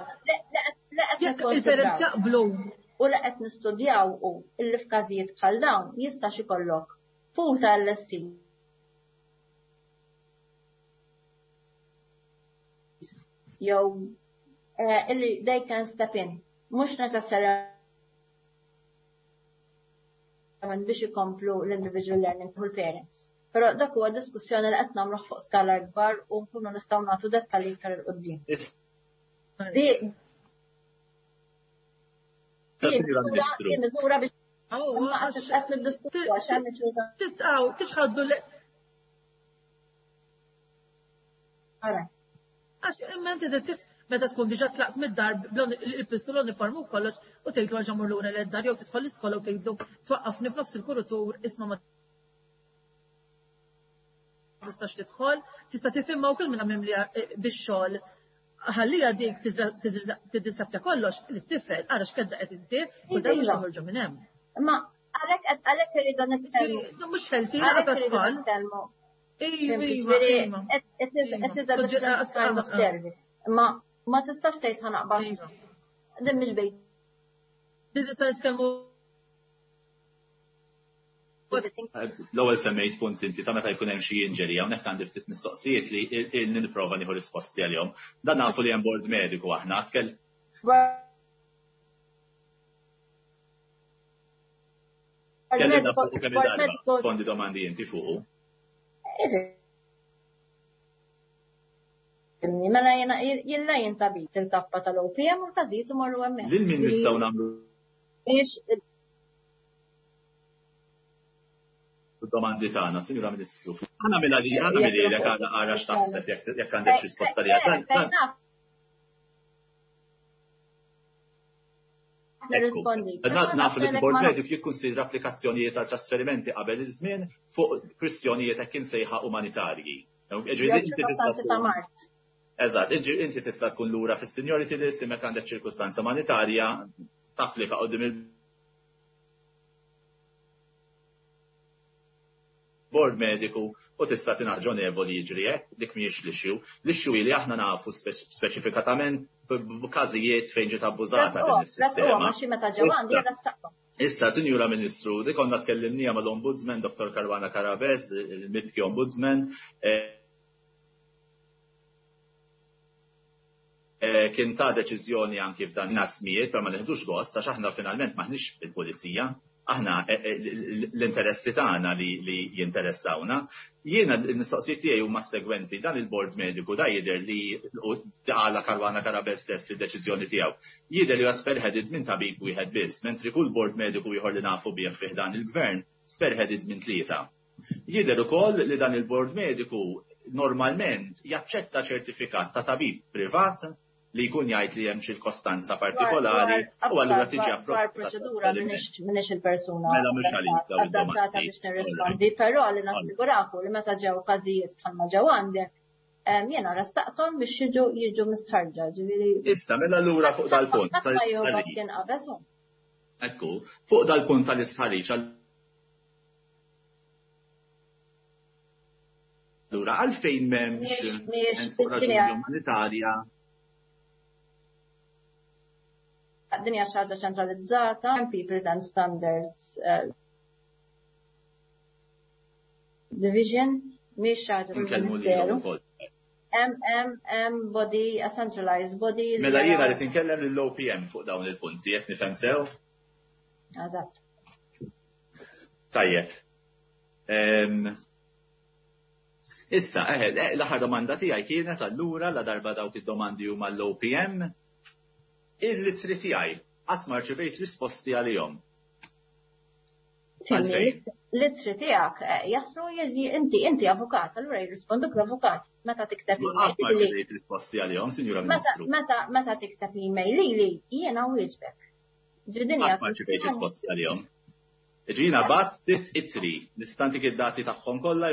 Jekk il-parents jaqblu. U li qed nistudjaw u illi f'każijiet bħal dawn jistax ikollok pool ta' L S C jew illi they can step in. Mhux neċessarjament biex ikomplu l-individual learning u l-parents. Però dak huwa diskussjoni li qed nagħmluh fuq skala kbar u nkunu nistgħu nagħtu dettalji iktar 'il quddiem. Miżura biex qed niddiskutu għax hemm Titqaw, tixħaddu li. Għax imma inti meta tkun diġà tlaqt mid-dar il-pistu l-uniform u kollox u tgħidlu għal ġamur lura lid-dar jew tidħol l-iskola u tgħidlu twaqqafni f'nofs il-kuritur, isma' ma tistax tidħol, tista' tifhimha wkoll minn mimli bix-xogħol. Ħallija dik tiddisabta kollox li t-tifel ara x'kedda qed inti u dan mhux toħorġu minn hemm. Imma għalhekk għalhekk irridu nitkellmu. Mhux healthy laqgħa tfal. Iva, iva. It is a different kind of service. Imma ma tistax tgħid ħa naqbad. Din mhix bejt. Din nista' nitkellmu. L-ewwel semmejt punt inti ta' meta jkun hemm xi injury, hawnhekk għandi ftit mistoqsijiet li ilni nipprova nieħu risposti għalihom. Dan nafu li hemm bord mediku aħna tkell. Tkellimna fuq kemm darba, fondi domandi inti fuqu. Mela jena jilla jintabit il-kappa tal-O P M u l-każijiet imorru hemmhekk. Lil min nistgħu nagħmlu domandi tagħna, Sinjura Ministru? Aħna mela li aħna mililek għara għara x'taħseb jekk jekk għandek risposta li għad. Nirrispondi. Nafu li l-Bord Mediku jikkunsidra applikazzjonijiet għal trasferimenti qabel iż-żmien fuq kwistjonijiet hekk insejħa umanitarji. Eżatt, inti tista' tkun lura fis-seniority list imma għandek ċirkustanza umanitarja tapplika qudiem il-Bord Mediku u tista' tingħaġonevoli jiġri hekk, dik mhijiex l-issue. L-issue li aħna nafu speċifikatament b'każijiet fejn ġiet abbużata din is-sistema. Issa, Sinjura Ministru, dik konna tkellimnija mal-Ombudsman, Dottor Caruana Carabez, il-Mibki Ombudsman, kien ta' deċiżjoni anki f'dan nasmijiet, per ma neħdux gost, għax aħna finalment maħniex il-pulizija, aħna l-interessi tagħna li jinteressawna. Jiena l-mistoqsijiet tiegħi huma segwenti: dan il-bord mediku da jidher li għala Caruana Carabez stess fid-deċiżjoni tiegħu. Jidher li huwa spearheaded minn tabib wieħed biss, mentri kull bord mediku ieħor li nafu bih fih dan il-gvern spearheaded minn tlieta. Jidher ukoll li dan il-bord mediku normalment jaċċetta ċertifikat ta' tabib privat li jkun jgħid li hemm ċirkostanza partikolari u allura tiġi approvata. Proċedura m'iniex il-persuna Mela mhux għalik dawn adattata biex nirrispondi, però li nassiguraku li meta ġew każijiet bħalma ġew għandek, jiena ressaqthom biex jiġu jiġu mistħarġa, ġifieri. Issa, mela allura fuq dal-punt. Ħadd ma jogħġob kien qabeż. Ekku, fuq dal-punt tal-istħarriġ allura għalfejn m'hemmx raġuni umanitarja? Din hija xi ħaġa ċentralizzata, People and Standards uh, Division, mhix xi ħaġa tal-Ministeru. M M M body, a centralized body. Mela jiena li tinkellem lill-O P M fuq dawn il-punti, qed nifhem sew? Eżatt. Tajjeb. Issa, eħe, l-aħħar domanda tiegħi kienet allura la darba dawk id-domandi huma l-O P M, il-ittri tiegħi qatt ma rċevejt risposti għalihom. L-ittri tiegħek jaslu inti inti avukat, allura jirrisponduk l-avukat meta tikteb email. Ma rċevejt risposti għalihom, Sinjura Ministru. Meta meta tikteb email lili jiena wieġbek. Ġifieri ma rċevejt risposti għalihom. Ġifieri bgħatt sitt ittri, nista' ntik id-dati tagħhom kollha.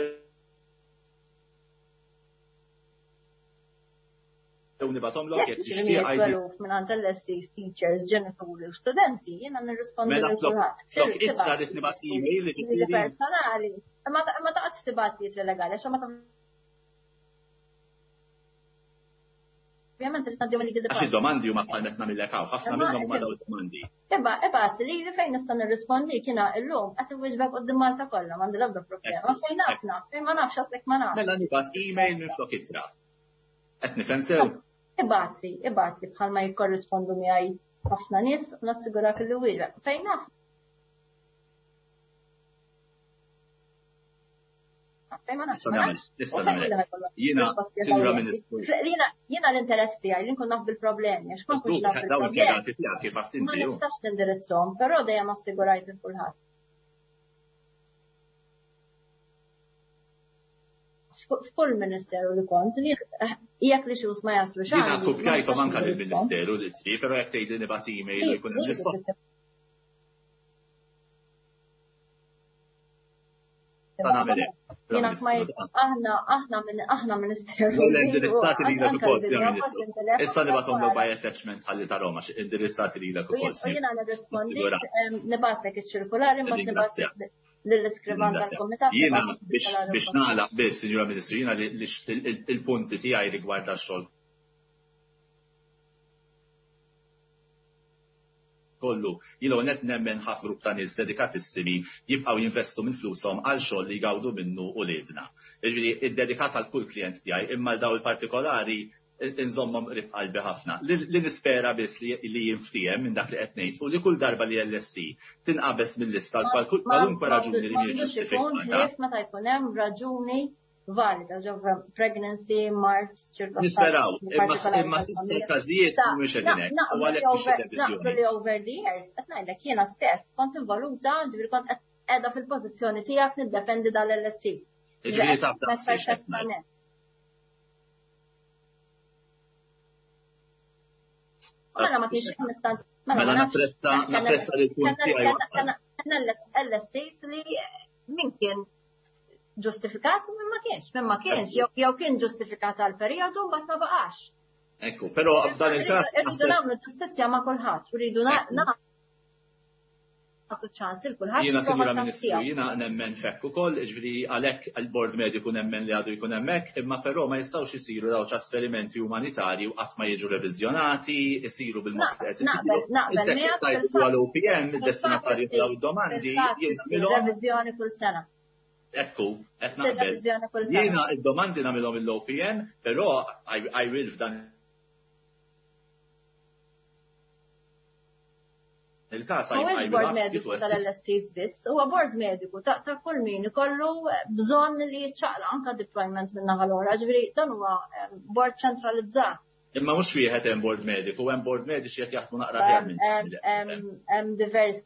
Jew nibgħathomlok jekk tixtieq għajdi. Mingħand L S Cs, teachers, ġenituri u studenti, jiena nirrispondi lil kulħadd. Mela flok ittra li tnibgħat email li ġifieri personali. Ma taqgħodx tibgħat li legali għax ma Ovvjament trid tgħaddi mill Għax id-domandi huma bħal meta nagħmillek hawn, ħafna minnhom huma dawn id-domandi. Iba, ibgħat li fejn nista' nirrispondi jiena llum qed inwieġbek quddiem Malta kollha, m'għandi l-ebda problema. Fejn naf naf, fejn ma nafx għadlek ma nafx. Mela nibgħat email minflok ittra. Qed nifhem sew? Ibgħatli, ibgħatli bħalma jikkorrispondu miegħi ħafna nies u nassigurak li wieġbek. Fejn naf Fejn ma nafx. Nista' nagħmel. Jiena, Sinjura Ministru. Jiena l-interess tiegħi li nkun naf bil-problemi, għax ma nkunx naf bil-problemi. Kif għadt inti. Ma nistax nindirizzhom, però dejjem assigurajt lil kulħadd. F'kull ministeru li kont, jekk li xus ma jaslu xejn. Jiena kopjajthom anke lill-Ministeru li tri, però jekk tgħidli nibgħat email u jkun hemm risposta. Jiena ma aħna aħna minn aħna ministeru. Indirizzati lilek ukoll, Sinjura Ministru. Issa nibgħathom by attachment ħalli tarahom għax indirizzati lilek ukoll. Jiena nirrispondi nibgħatlek iċ-ċirkulari mbagħad nibgħat lill-iskrivan tal-kumitat. Jiena biex nagħlaq biss, Sinjura Ministru, jiena il-punti tiegħi rigward tax-xogħol kollu. Jiena net nemmen ħafna grupp ta' nies dedikatissimi jibqgħu jinvestu minn flushom għal xogħol li jgawdu minnu uliedna. Jiġifieri iddedikat għal kull klient tiegħi, imma l daw il-partikolari inżommhom qrib qalbi ħafna. Li nispera biss li jinftiehem minn dak li qed ngħid u li kull darba li L S C tinqabeż mill-lista kwalunkwe raġuni li mhijiex ġustifikata. Meta jkun hemm raġuni valida, ġo pregnancy, mart, ċirkostanzi. Nisperaw, imma s'issa l-każijiet mhumiex qegħdin hekk. U għalhekk mhix reviżjoni. Naqbel li over the years, qed ngħidlek jiena stess kont involuta, ġifieri kont qiegħda fil-pożizzjoni tiegħek niddefendi dal-L S C. Ġifieri taf perfettament. Mela ma kienx nista' mela napprezza napprezza li l-punt tiegħi. Kellna L S Cs li min kien ġustifikat u min ma kienx, min ma kienx, jew kien ġustifikat għal perjodu mbagħad ma baqax. Ekku, però f'dan il-każ irridu nagħmlu ġustizzja ma' kulħadd, uridu nagħtu ċans il kulħadd. Jiena Sinjura Ministru, jiena nemmen fekk ukoll, jiġifieri għalhekk il-bord mediku nemmen li għadu jkun hemmhekk, imma però ma jistgħux isiru daw trasferimenti umanitarji u qatt ma jiġu reviżjonati, isiru bil-mod li qed isiru. Naqbel miegħek għal O P M, id-destinatarju daw id-domandi jien reviżjoni kull sena. Ekku, qed naqbel. Jiena id-domandi nagħmilhom il-O P M, però I will f'dan il-każ I will mediku tal-L S Cs biss, huwa bord mediku ta' kull min ikollu bżonn li jiċċaqla anke deployment minn naħa l-oħra, ġifieri dan huwa bord ċentralizzat. Imma mhux wieħed hemm bord mediku, hemm bord mediċi qed jaħdmu naqra aħjar minn. Hemm diversi.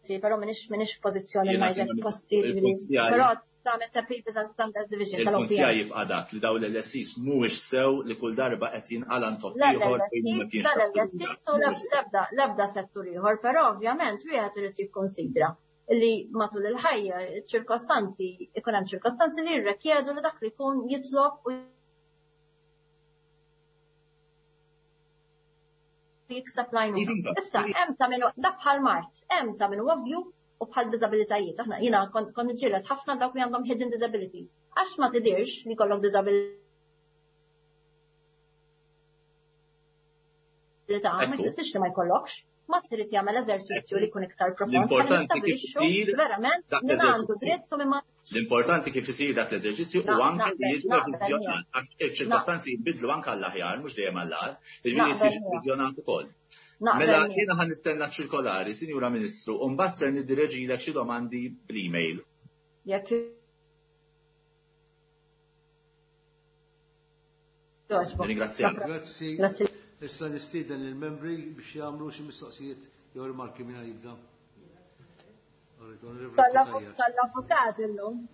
Però minix minix pożizzjoni ma jgħid posti però tagħmel ta' Papers and Standards Division tal-O P M. Il-punt tiegħi jibqa' dak li dawn l-L S Cs mhuwiex sew li kull darba qed jinqala ntokk ieħor fejn ma kienx. L-L S Cs u l-ebda settur ieħor, però ovvjament wieħed irid jikkonsidra li matul il-ħajja ċirkostanzi ikun hemm ċirkostanzi li jirrikjedu li dak li jkun jitlob u jikseb l-għajnuna. Issa, hemm ta' minn dak bħal mart, hemm ta' minn ovvju u bħal diżabilitajiet. Aħna jiena kont niġġieled ħafna dawk li għandhom hidden disabilities. Għax ma tidirx li kollok diżabilità, ma jfissirx li ma jkollokx. Ma trid jagħmel eżerċizzju li jkun iktar profond. L-importanti kif isir verament min għandu dritt u min ma. L-importanti kif isir dak l-eżerċizzju u anke li jiġi reviżjonat għax iċ-ċirkostanzi jinbidlu anke għall-aħjar mhux dejjem għall-agħar, jiġifieri jiġi reviżjonat ukoll. Mela jiena ħa nistenna ċirkolari, Sinjura Ministru, u mbagħad ser niddireġilek xi domandi bl-email. Jekk Ringrazzjak. Grazzi. Issa nistieden lill-membri biex jagħmlu xi mistoqsijiet jew rimarki minn jibda. Tal-avukat illum.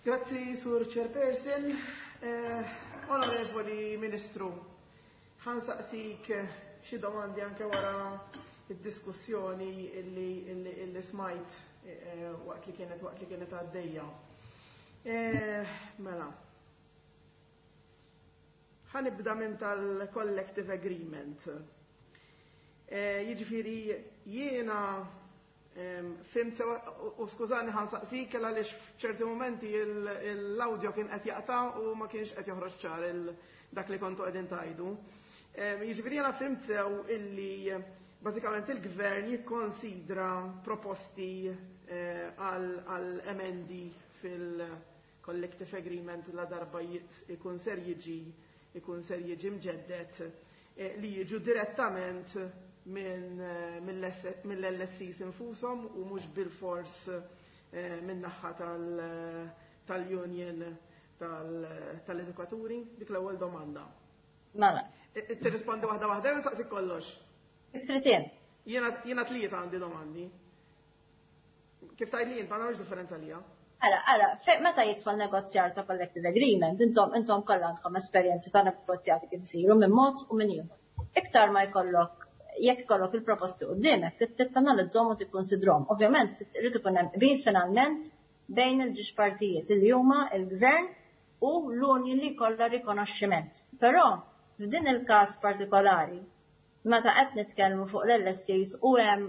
Grazzi, Sur Chairperson. Eh, onorevoli Ministru, ħansaqsik xi domandi anke wara id-diskussjoni illi, illi, illi smajt eh, waqt li kienet waqt li kienet għaddejja. Eh, mela. Ħanibda minn tal-collective agreement. Eh, jiġifieri jiena fimt u skużani ħansaqsik għaliex f'ċerti momenti l-audio kien qed jaqta' u ma kienx qed joħroġ ċar dak li kontu qegħdin tajdu. Jiġifieri jiena fimt sew illi bażikament il-gvern jikkonsidra proposti għal emendi fil-collective agreement la darba ikun ser jiġi ikun ser jiġi mġeddet li jiġu direttament mill-L S Cs infushom u mhux bil-fors min-naħa tal-union tal-edukaturi. Dik l-ewwel domanda. Mela. Tirrispondi waħda waħda jew nsaqsik kollox? Tritien. Jiena tlieta għandi domandi. Kif tgħid li jien ma nagħmilx differenza lija. Ara, ara, meta jidħol negozjar ta' collective agreement, intom intom kollha għandkom esperjenzi ta' negozjati kif isiru minn mod u minn ieħor. Iktar ma jkollok jekk ikollok il-proposti quddiemek, trid tanalizzhom u tikkunsidrhom. Ovvjament irid ikun hemm qbil finalment bejn il-ġiex partijiet li huma il-gvern u l-union li jkollha rikonoxximent. Però f'din il-każ partikolari, meta qed nitkellmu fuq l-L S Cs u hemm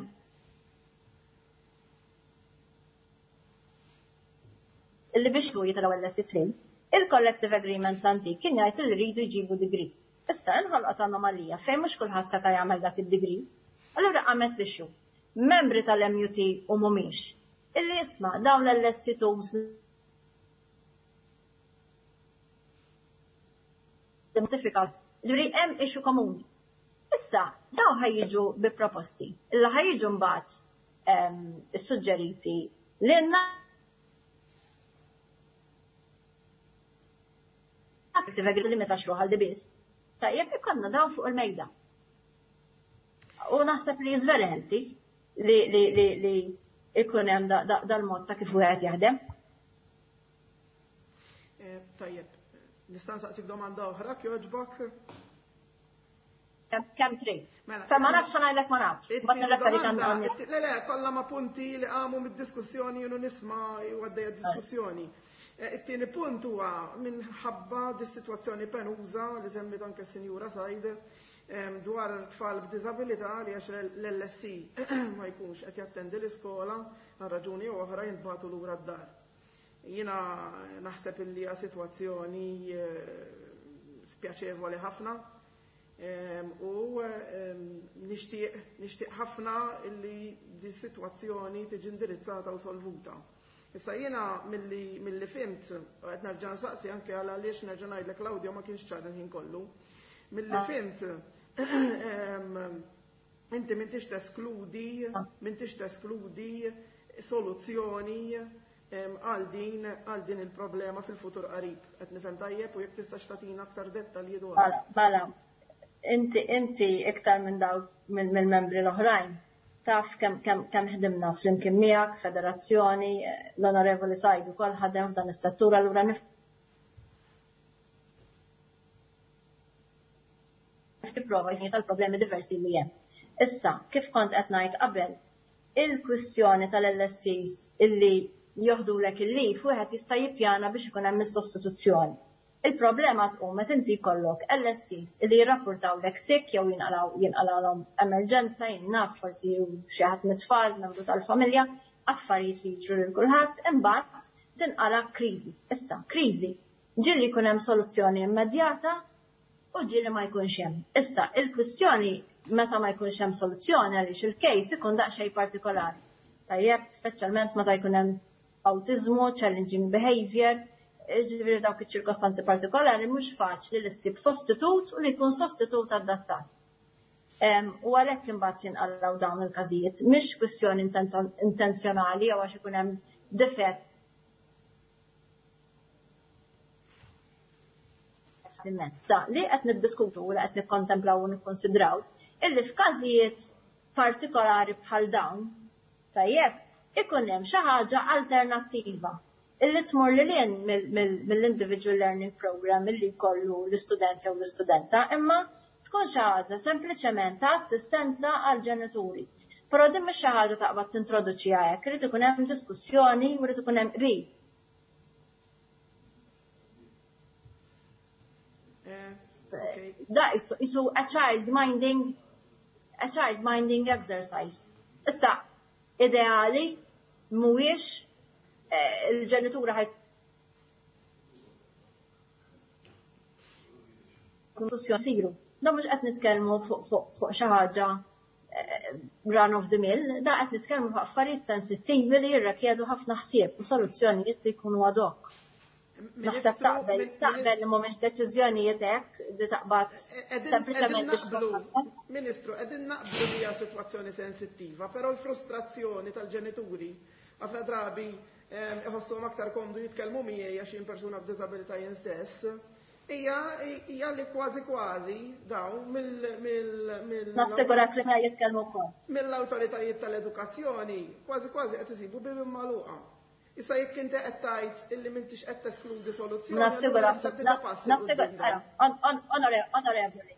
illi biex hu jitilgħu L S C three, il-collective agreement l-antik kien jgħid li rridu jġibu degree. Issa inħolqot anomalija fejn mhux kulħadd seta' jagħmel dak id-degree. Allura qamet l-issue. Membri tal-M U T u mhumiex. Illi isma' dawn l-L S C twos notifikat. Ġifieri hemm issue komuni. Issa dawn ħajjiġu bi proposti. Illa ħajjiġu mbagħad issuġġeriti lilna li meta xruħal di biss. Tajjeb ikonna dawn fuq il-mejda. U naħseb li very healthy li li li li ikun hemm dal-mod ta' kif wieħed jaħdem. Tajjeb, nista' nsaqsik domanda oħra kjoġbok? Kemm trid. Fa ma nafx ngħidlek ma nafx. Mbagħad nirreferi għand. Le le, kollha ma' punti li qamu mid-diskussjoni u nisma' għaddejja diskussjoni. It-tieni punt huwa minħabba dis-sitwazzjoni penuża li semmit anke s-Sinjura Said dwar tfal b'diżabilità li għax l-L S C ma jkunx qed jattendi l-iskola għal raġuni jew oħra jintbagħtu lura d-dar. Jiena naħseb illi hija sitwazzjoni spjaċevoli ħafna u nixtieq nixtieq ħafna illi di sitwazzjoni tiġi indirizzata u solvuta. Issa jiena milli milli fimt, qed nerġa' nsaqsi anke għal għaliex nerġa' ngħidlek l-awdjo ma kienx ċar il-ħin kollu. Milli fimt, inti m'intix teskludi, m'intix teskludi soluzzjoni għal din għal din il-problema fil-futur qarib. Qed nifhem tajjeb u jekk tistax tagħtina aktar dettalji dwar. Mela, mela, inti inti iktar minn dawk mill-membri l-oħrajn. Taf kemm kemm kemm ħdimna flimkien miegħek, federazzjoni, l-Onorevoli Said ukoll ħadem f'dan is-settur, allura nif tipprova jsir tal-problemi diversi li hemm. Issa, kif kont qed ngħid qabel, il-kwistjoni tal-L S Cs illi joħdulek il-lif wieħed jista' jippjana biex ikun hemm is-sostituzzjoni. Il-problema tqum meta inti jkollok L S Cs illi jirrapportawlek sick jew jinqalgħu jinqalgħulhom emerġenza, jien naf forsi xi ħadd mit-tfal, membru tal-familja, affarijiet li jiġru lil kulħadd, imbagħad tinqala' kriżi. Issa, kriżi ġieli jkun hemm soluzzjoni immedjata u ġieli ma jkunx hemm. Issa, il-kwistjoni meta ma jkunx hemm soluzzjoni għaliex il-case ikun daqsxejn partikolari. Tajjeb, speċjalment meta jkun hemm autizmu, challenging behavior, ġifieri dawk iċ-ċirkostanzi partikolari mhux faċli li ssib sostitut u li jkun sostitut adattat. U għalhekk imbagħad jinqalgħu dawn il-każijiet, mhix kwistjoni intenzjonali jew għax ikun hemm difett immens. Li qed niddiskutu u li qed nikkontemplaw u nikkonsidraw illi f'każijiet partikolari bħal dawn, tajjeb, ikun hemm xi ħaġa alternattiva illi tmur lil hinn mill-individual learning program illi jkollu l-istudent jew l-istudenta, imma tkun xi ħaġa sempliċement ta' assistenza għal ġenituri. Però din mhix xi ħaġa taqbad tintroduċiha hekk, irid ikun hemm diskussjoni u irid ikun hemm qbil. Da isu a child minding a child minding exercise. Issa ideali mhuwiex il-ġenitura ħaj siru. Da mhux qed nitkellmu fuq xi ħaġa run of the mill, da qed nitkellmu fuq affarijiet sensittivi li jirrikjedu ħafna ħsieb u soluzzjonijiet li jkunu ad hoc. Naħseb taqbel taqbel li mhumiex deċiżjonijiet hekk li taqbad sempliċement biex Ministru, qegħdin naqblu li hija sitwazzjoni sensittiva, però l-frustrazzjoni tal-ġenituri ħafna drabi iħossuhom aktar komdu jitkellmu miegħi għax jien persuna b'diżabilità jien stess. Hija hija li kważi kważi dawn mill mill mill Nassigurak li ma jitkellmu wkoll. Mill-awtoritajiet tal-edukazzjoni kważi kważi qed isibu bibien magħluqa. Issa jekk inti qed tgħid illi m'intix qed teskludi soluzzjoni. Nassigurak, nassigurak, onorevoli.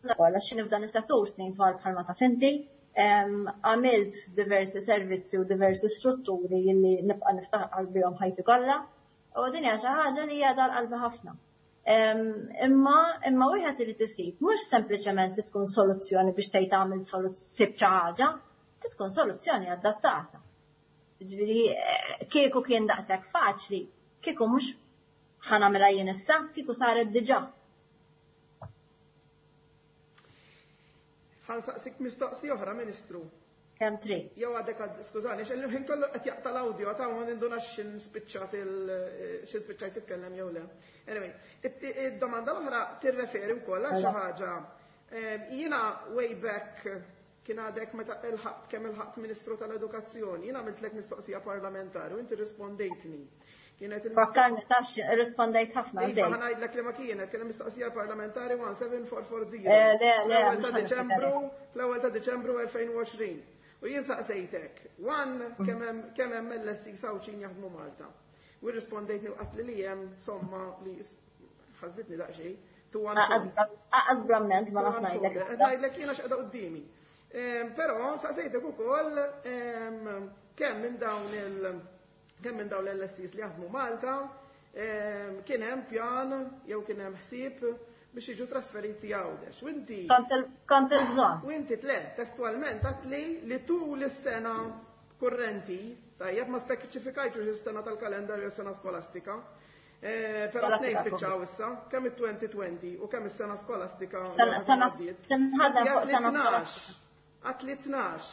Għax nibda is-settur snin twal bħalma taf inti, għamilt diversi servizzi u diversi strutturi illi nibqa' niftaħar bihom ħajti kollha. U din hija xi ħaġa li hija dal-qalbi ħafna. Imma imma wieħed irid isib mhux sempliċement li tkun soluzzjoni biex tgħid tagħmel sib xi ħaġa, tkun soluzzjoni adattata. Ġifieri kieku kien daqshekk faċli, kieku mhux ħa nagħmilha jien issa, kieku saret diġà. Ħa nsaqsik mistoqsija oħra, Ministru. Kemm trid. Jew għadek, skużani, x'il ħin kollu qed jaqta' l-awdjo, għad hawn ma nindunax x'inspiċċat il x'inspiċċajt titkellem jew le. Anyway, id-domanda l-oħra tirreferi wkoll għal xi ħaġa. Jiena way back kien għadek meta ilħaqt kemm ilħaqt Ministru tal-Edukazzjoni, jiena għamiltlek mistoqsija parlamentari u inti rispondejtni. Kienet il- Fakkarni tax rispondejt ħafna. Iva, ħa ngħidlek li ma kienet, kienet mistoqsija parlamentari one seven four four zero. Le, le, Fl-ewwel ta' Diċembru, fl-ewwel ta' Diċembru elfejn u għoxrin. U jien saqsejtek, one kemm hemm kemm hemm L S C Sawċin jaħdmu Malta. U rispondejtni u qatli li hemm somma li ħażitni daqsxejn. Two one four. Aqas bramment ma naf ngħidlek. Qed ngħidlek jiena x'qegħda quddiemi. Però saqsejtek ukoll kemm minn dawn il kemm minn dawn l-L S Cs li jaħdmu Malta kien hemm pjan jew kien hemm ħsieb biex jiġu trasferiti Għawdex. U inti Kont il-bżonn. U inti tle, testualment għatli li tul is-sena kurrenti, tajjeb ma speċifikajtx is-sena tal-kalendarju s-sena skolastika. Però tnejn spiċċaw issa, kemm it-twenty twenty u kemm is-sena skolastika. Sena sena skolastika. Għatli tnax.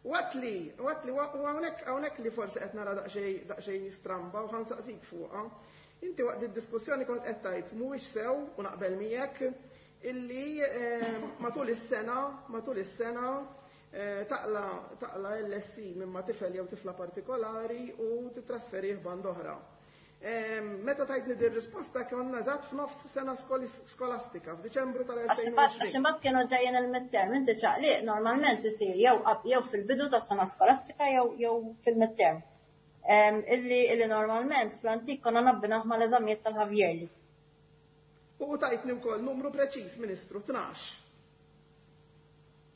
U għatli, u għatli, u hawnhekk, hawnhekk li forsi qed nara daqsxejn, daqsxejn stramba u ħansaqsik fuqha. Inti waqt id-diskussjoni kont qed tgħid mhuwiex sew u naqbel miegħek illi matul is-sena, matul is-sena taqla, taqla L S C minn ma tifel jew tifla partikolari u titrasferih band oħra. Meta tajtni din risposta konna eżatt f'nofs sena skolastika, f'Diċembru tal-elfejn u għoxrin. Għax imbagħad kienu ġejjin il-midterm, inti ċaqliq normalment isir jew jew fil-bidu tas-sena skolastika jew jew fil-midterm. Illi, illi normalment fl-antik konna nabbinaħ mal-eżamijiet tal-Ħavjerli. U tajtni wkoll numru preċiż, Ministru, tnax.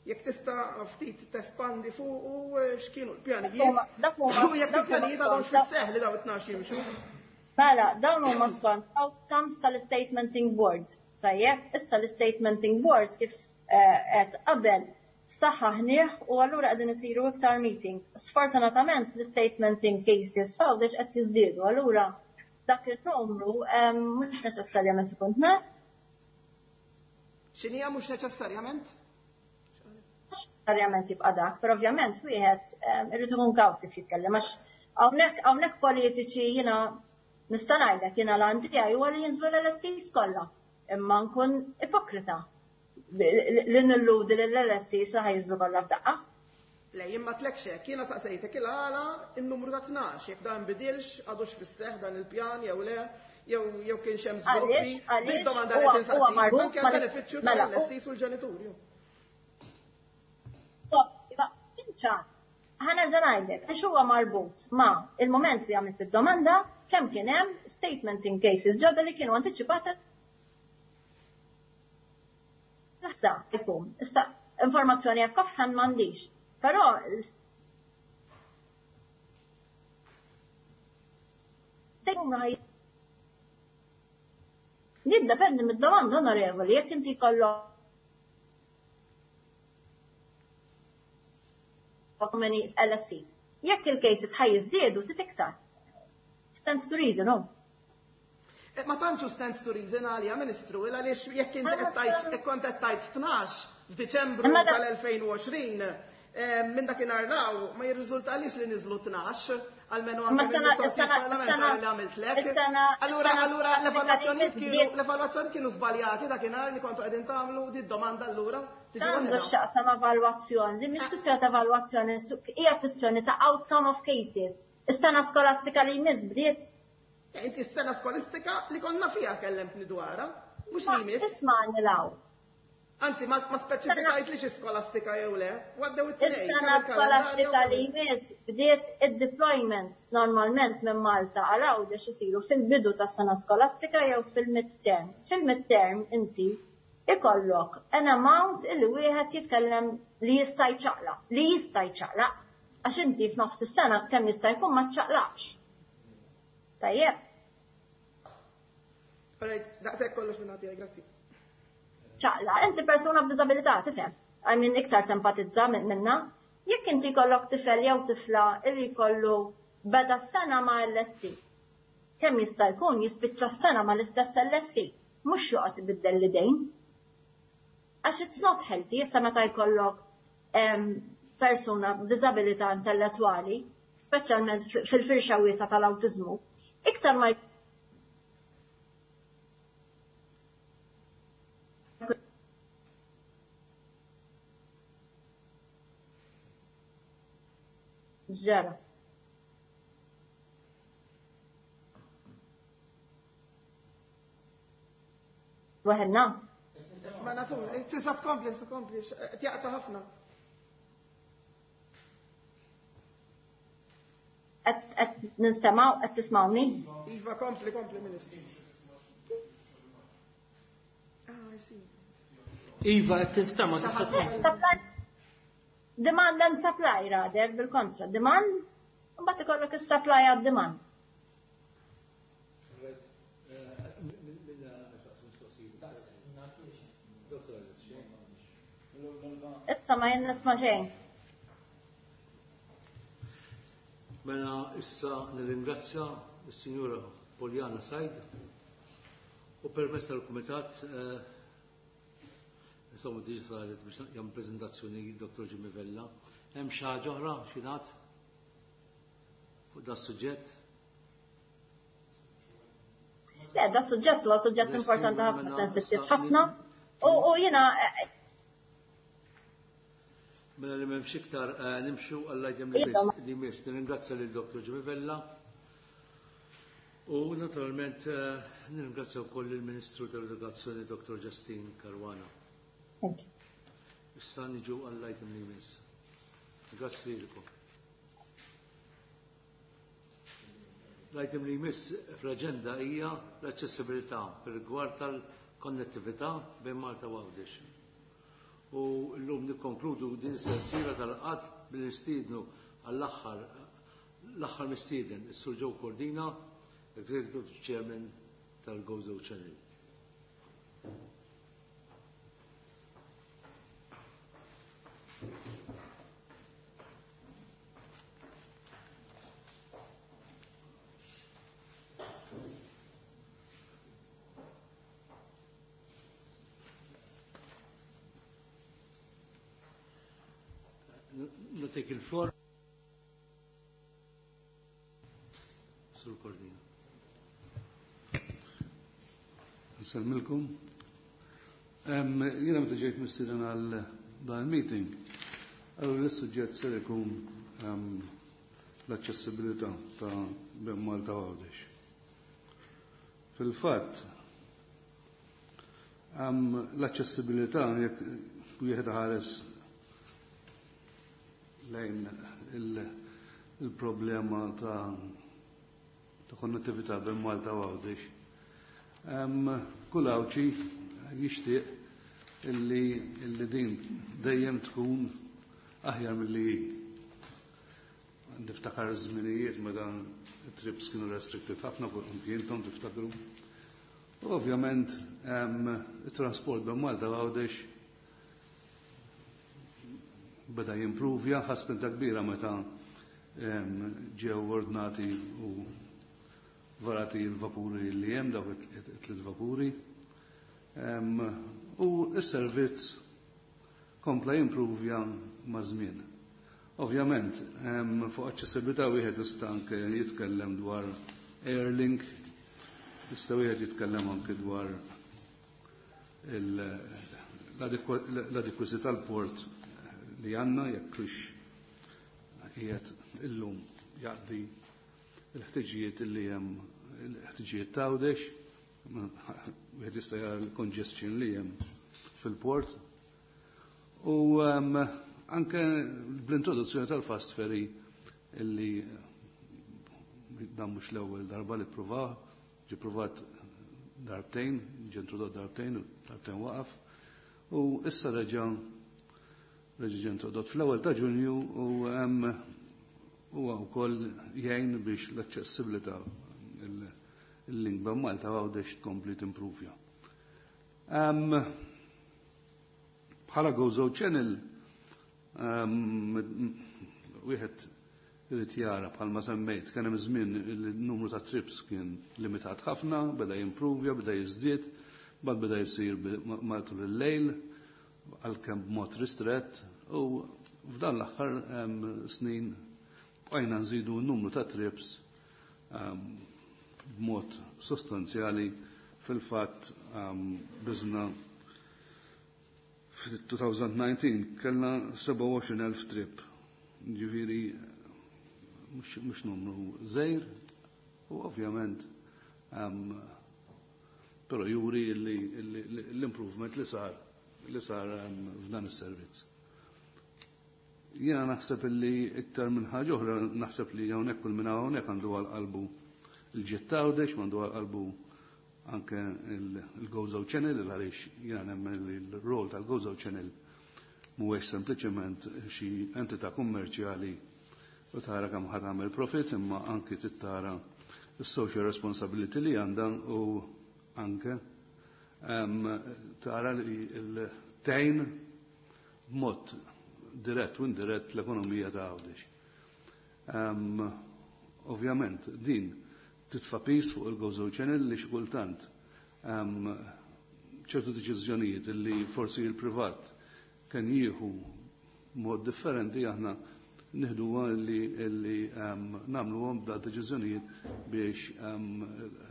Jekk tista' ftit tespandi fuq u x'kienu l-pjanijiet? Dak huma, U jekk il-pjanijiet għadhom fis-seħħ li dawn it-tnax jimxu? Mela, dawn huma skont outcomes tal-statementing board. Tajjeb, issa l-statementing board kif qed qabel saħħaħnieh u allura qegħdin isiru iktar meeting. Sfortunatament l-statementing cases f'Għawdex qed jiżdiedu, allura dak il-numru mhux neċessarjament ikun tnax. X'inhija mhux neċessarjament? Neċessarjament jibqa' dak, però ovvjament wieħed irid ikun kawt kif jitkellem għax hawnhekk hawnhekk politiċi jiena nista' ngħidlek jiena l-għan tiegħi huwa li jinżlu l-L S Cs kollha, imma nkun ipokrita li nilludi lill-L S Cs li ħajżlu kollha f'daqqa. Le, jien ma tlekx hekk, jiena saqsejtek il-għala in-numru ta' tnax, jekk dan bidilx, għadux fis-seħħ dan il-pjan jew le, jew jew kienx hemm żviluppi. Din domanda li qed insaqsik, anke għall-benefiċċju tal-L S Cs u l-ġenituri. Ħa nerġa' ngħidlek, għax huwa marbut ma' il-moment li għamilt id-domanda kemm kien hemm statement in cases ġodda li kienu antiċipati. Issa jkun, issa informazzjoni hekk offhand m'għandix. Però se jkun jiddependi mid-domanda, onorevoli, jekk inti jkollok many L S Cs. Jekk il-cases ħa jiżdiedu tit iktar. Stands to reason, no? Eh, ma tantx stands to reason għalija, Ministru, għaliex jekk inti qed tgħid jekk kont qed tgħid tnax f'Diċembru tal-elfejn u għoxrin, eh, minn dakinhar law ma jirriżultalix li niżlu tnax, almenu anke mill-mistoqsijiet parlamentari li għamiltlek. Allura allura l-evalwazzjonijiet kienu l-evalwazzjoni kienu żbaljati dakinhar li kontu qegħdin tagħmlu di domanda allura. Għandu x'jaqsam evalwazzjoni, din mhix kwistjoni ta' evalwazzjoni, hija kwistjoni ta' outcome of cases. Is-sena skolastika li jmiss bdiet. Inti s-sena skolastika li konna fiha kellemtni dwarha, mhux li jmiss. Ismagħni law. Anzi, ma speċifikajt li xi skolastika jew le, għaddew it-tnejn. Is-sena skolastika li jmiss bdiet, id-deployments normalment minn Malta għal Għawdex isiru fil-bidu tas-sena skolastika jew fil-midterm. Fil-midterm inti ikollok an amount illi wieħed jitkellem li jista' jċaqlaq, li jista' jċaqlaq, għax inti f'nofs is-sena kemm jista' jkun ma ċċaqlaqx. Tajjeb. Alright, daqshekk kollox minn għatija, grazzi. Ċaqla, inti persuna b'diżabilità, tifhem. I mean, iktar tempatizza minna. Jekk inti jkollok tifel jew tifla illi jkollu beda s-sena ma' L S C. Kemm jista' jkun jispiċċa s-sena ma' l-istess L S C, mhux joqgħod ibiddel l-idejn. Għax it's not healthy, issa meta jkollok persuna b'diżabilità intellettwali, speċjalment fil-firxa wiesgħa tal-awtiżmu, iktar ma ġara. Waħedna? Ma nafu, tista' tkompli, tkompli, tjaqta ħafna. Qed ninstemaw, qed tismawni? Iva, kompli, kompli, Ministru. Ah, I see. Iva, qed tinstema', tista' tkompli. Demand and supply rather, bil-kontra. Demand, mbagħad ikollok is-supply għad demand. Issa ma jien nisma' xejn. Mela issa nirringrazzja s-Sinjura Poliana Said u permess tal-Kumitat, eh, insomma, diġà saret biex jagħmel preżentazzjoni Dottor Jimmy Vella. Hemm xi ħaġa oħra xi fuq da suġġett? Le, da suġġett huwa suġġett importanti ħafna, sensittiv ħafna. U jiena Mela li m'hemmx iktar, eh, nimxu għall-item li jmiss. Nirringrazzja lil Dottor Jimmy Vella. U naturalment eh, nirringrazzja wkoll il-Ministru tal-Edukazzjoni Dottor Justyne Caruana. Issa niġu għall-item li jmiss. Grazzi lilkom. L-item li jmiss fl-aġenda hija l-aċċessibilità fir-rigward tal-konnettività bejn Malta u Għawdex. U llum nikkonkludu din is-sensiela tal-qatt bil-nistiednu għall-aħħar l-aħħar mistieden, is-Sur Joe Cordina, Executive Chairman tal-Gozo Channel. Nagħtik il-floor. Sur Cordina. Nsellmilkom. Jiena meta ġejt mistieden għal dan il-meeting, Allora l-suġġett ser ikun ehm, l-aċċessibilità ta' bejn Malta u Għawdex. Fil-fatt, ehm, l-aċċessibilità jekk wieħed ħares lejn il-problema ta' ta' konnettività bejn Malta u Għawdex. Ehm, kull Għawdxi jixtieq illi, illi din dejjem tkun aħjar milli hi. Niftakar żminijiet meta trips kienu restricted ħafna fuq intom tiftakru. U ovvjament it-trasport bejn Malta u Għawdex beda jimpruvja, ħa spinta kbira meta ġew ordnati u varati l-vapuri li hemm dawk it-tliet vapuri. U s-servizz kompla jimpruvja ma' żmien. Ovvjament, fuq aċċessibilità wieħed jista' anke jitkellem dwar Airlink, jista' wieħed jitkellem anke dwar l-adekwazità tal-port li għandna jekk hux qiegħed illum jaqdi l-ħtiġijiet li hemm il-ħtiġijiet ta' Għawdex, wieħed jista' jara l-congestion li hemm fil-port. U anke bl-introduzzjoni tal-fast ferry illi dan mhux l-ewwel darba li ppruvaw, ġie pruvat darbtejn, ġie introdott darbtejn, darbtejn waqaf, u issa reġa' reġa' ġie introdott fl-ewwel ta' Ġunju u hemm huwa wkoll jgħin biex l-aċċessibilità il-link bejn Malta u Għawdex tkompli timpruvja. Bħala Gozo Channel wieħed irid jara bħalma semmejt kien hemm żmien il-numru ta' trips kien limitat ħafna, beda jimpruvja, beda jiżdied, bad beda jsir matul il-lejl, għalkemm b'mod ristrett, u f'dan l-aħħar snin bqajna nżidu n-numru ta' trips b'mod sostanzjali. Fil-fatt biżna fil-elfejn u dsatax kellna sebgħa u għoxrin elf trip, ġifieri mhux numru żgħir, u ovvjament però juri l-improvement li sar li sar f'dan is-servizz. Jiena naħseb li iktar minn ħaġa oħra naħseb li hawnhekk kull minn hawnhekk għandu għal qalbu il-ġid t'Għawdex, għandu għal qalbu anke il-Gozo Channel, għaliex jiena nemmen li l-rol tal-Gozo Channel mhuwiex sempliċement xi entità kummerċjali u tara kemm ħa tagħmel profit, imma anke tittara s-social responsibility li għandha u anke tara li l-tejn b'mod dirett u indirett l-ekonomija ta' Għawdex. Ovvjament, din titfa' piż fuq il-Gozo Channel li xi kultant ċertu deċiżjonijiet li forsi il-privat kien jieħu mod differenti aħna nieħdu li li nagħmluhom da deċiżjonijiet biex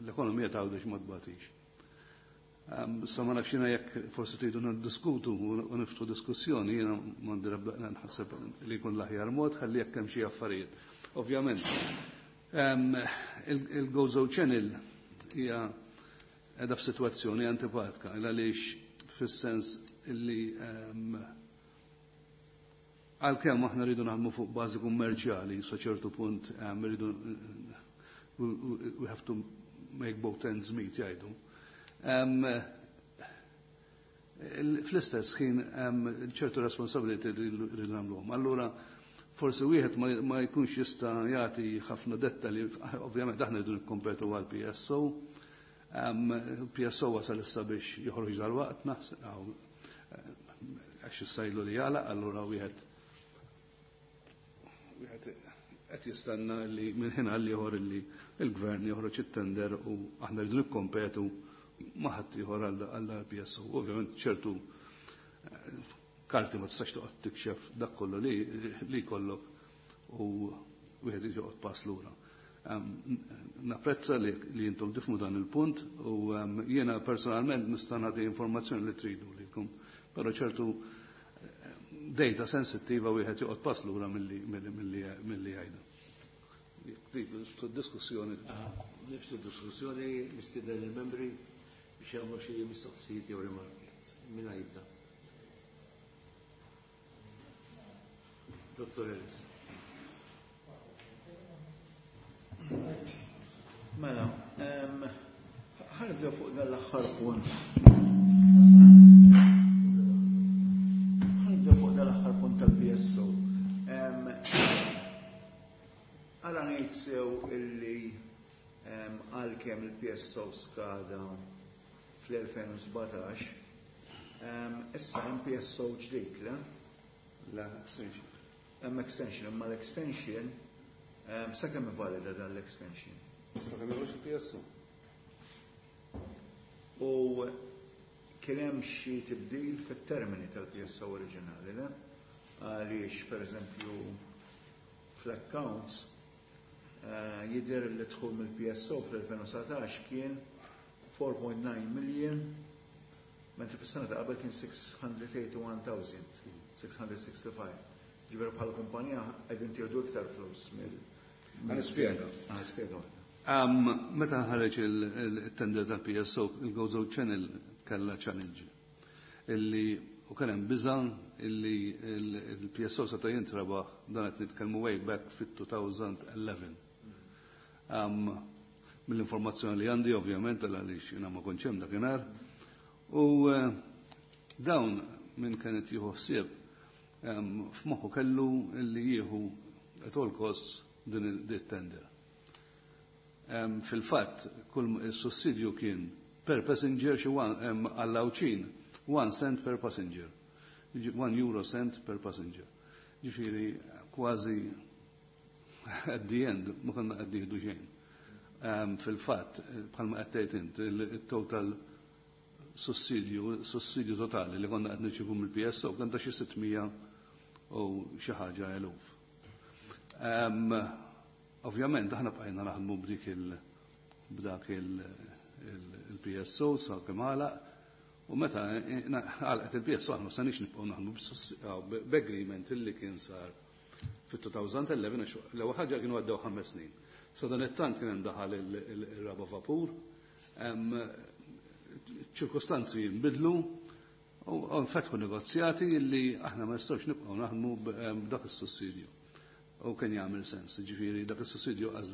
l-ekonomija ta' Għawdex ma tbatix. Sa ma nafx jiena jekk forsi tridu niddiskutu u niftħu diskussjoni, jiena m'għandi nħasseb li jkun l-aħjar mod ħalli jekk hemm xi affarijiet. Ovvjament, il-Gozo Channel hija qiegħda f'sitwazzjoni antipatika għaliex fis-sens illi għalkemm aħna rridu naħdmu fuq bażi kummerċjali, sa ċertu punt rridu we have to make both ends meet, jgħidu. Fl-istess ħin ċertu responsability li rridu nagħmluhom. Allura forsi wieħed ma jkunx jista' jagħti ħafna dettalji, ovvjament aħna rridu nikkompetu għal P S O. P S O wasal issa biex joħroġ dal-waqt, naħseb għax issa ilu li jagħlaq, allura wieħed wieħed qed jistenna li minn ħin għal ieħor li l-gvern joħroġ it-tender u aħna rridu nikkompetu ma' ħadd ieħor għal P S O. Ovvjament ċertu karti ma tistax toqgħod tikxef dak kollu li li jkollok u wieħed joqgħod pass lura. Napprezza li, li intom tifhmu dan il-punt u jiena personalment nista' nagħti informazzjoni li tridu lilkom, però ċertu Data sensittiva wieħed joqgħod pass lura milli milli jgħidu. Diskussjoni. Niftħu diskussjoni, nistieden il-membri biex jagħmlu xi mistoqsijiet jew rimarki. Min jibda? Dottor Ellis. Mela, ħa nibdew fuq dan l-aħħar punt. Ħa nibdew fuq dan l-aħħar punt tal-P S O. Għala ngħid sew illi għalkemm il-P S O skada fl-elfejn u sbatax, issa hemm P S O ġdid, le? La, extension. Hemm extension, imma l-extension sakemm valida dan l-extension? Sakemm joħroġ il-P S O. U kien hemm xi tibdil fit-termini tal-P S O oriġinali, le? Għaliex, per eżempju, fl-accounts eh, jidher li dħul mill-P S O fl-elfejn u dsatax kien four point nine million, mentri fis-sena ta' qabel kien six hundred eighty-one thousand six hundred sixty-five. Ġifieri bħala kumpanija qegħdin tieħdu iktar flus mill. Ħa nispjega. Ħa nispjega. Meta ħareġ il-tender tal-P S O, il-Gozo Channel kella challenge. Illi u kien hemm biża' illi il-P S O seta' jintrabaħ, dan qed nitkellmu way back fit-elfejn u għaxra. Mill-informazzjoni li għandi, ovvjament, għaliex jiena ma kontx hemm dakinhar. U eh, dawn minn kienet jieħu ħsieb f'moħħu kellu illi jieħu at all costs din il-tender. Fil-fatt, kull il-sussidju kien per passenger xi għall-Għawdxin, one cent per passenger. One euro cent per passenger. Ġifieri, kważi at the end, ma konna qed nieħdu xejn. Fil-fatt, bħalma qed tgħid int, il-total sussidju, sussidju totali li konna qed nirċievu mill-P S O kien ta' xi sitt mija u xi ħaġa eluf. Ovvjament, aħna bqajna naħdmu b'dik il b'dak il-P S O sa kemm għalaq, u meta għalqet il-P S O aħna ma stajniex nibqgħu naħdmu b'agreement illi kien sar fit-elfejn u għaxra. L-ewwel ħaġa kienu għaddew ħames snin. Sa dan it-tant kien hemm daħal il-raba vapur, ċirkostanzi jinbidlu u nfetħu negozjati li aħna ma nistgħux nibqgħu naħdmu b'dak is-sussidju. U kien jagħmel sens, ġifieri dak is-sussidju qas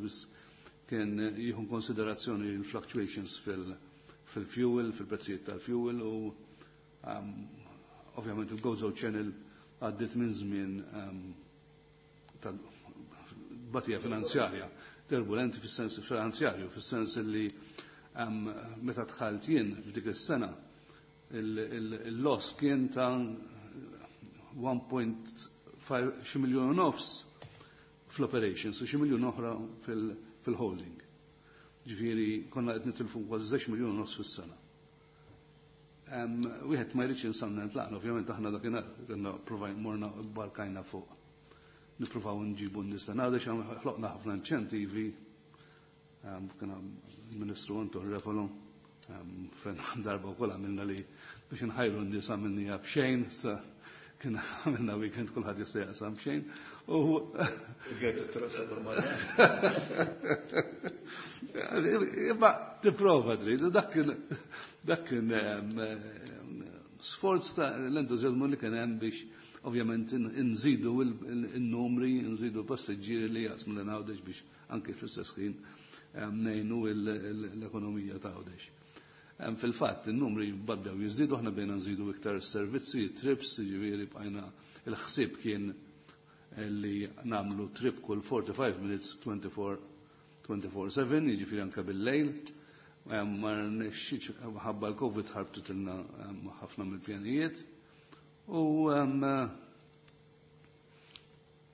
kien jieħu konsiderazzjoni l-fluctuations fil-fuel, fil-prezzijiet tal-fuel u ovvjament il-Gozo Channel għaddit minn żmien ta' batija finanzjarja, turbulenti fis-sens finanzjarju, fis-sens li meta dħalt jien f'dik is-sena il-loss kien ta' wieħed punt ħamsa xi miljun u nofs fl-operations u xi miljun oħra fil-holding. Ġifieri konna qed nitilfu kważi żewġ miljun u nofs fis-sena. Wieħed ma jridx jinsamna nitlaqna, ovvjament aħna dakinhar konna provajna morna barkajna fuq. Nippruvaw nġibu n-nies għax ħloqna ħafna inċentivi, kien il-Ministru Anton Refalo, fejn darba wkoll għamilna li biex nħajru n-nies għamilniha b'xejn, sa kien għamilna weekend kulħadd jista' jaqsam b'xejn. U Għetu t-rosa. Imma tipprova trid, dak kien dak kien sforz ta' l-entużjażmu li kien hemm biex ovvjament nżidu il-numri, nżidu passiġġieri li jaqsmu lil Għawdex biex anke fl-istess ħin ngħinu l-ekonomija ta' Għawdex. Fil-fatt, il-numri bdew jiżdiedu, aħna bdejna nżidu iktar servizzi, trips, ġifieri bqajna il-ħsieb kien li nagħmlu trip kull forty-five minutes twenty-four twenty-four seven, jiġifieri anke bil-lejl. Ma rnexxietx ħabba l-Covid, ħarbtitilna ħafna mill-pjanijiet. U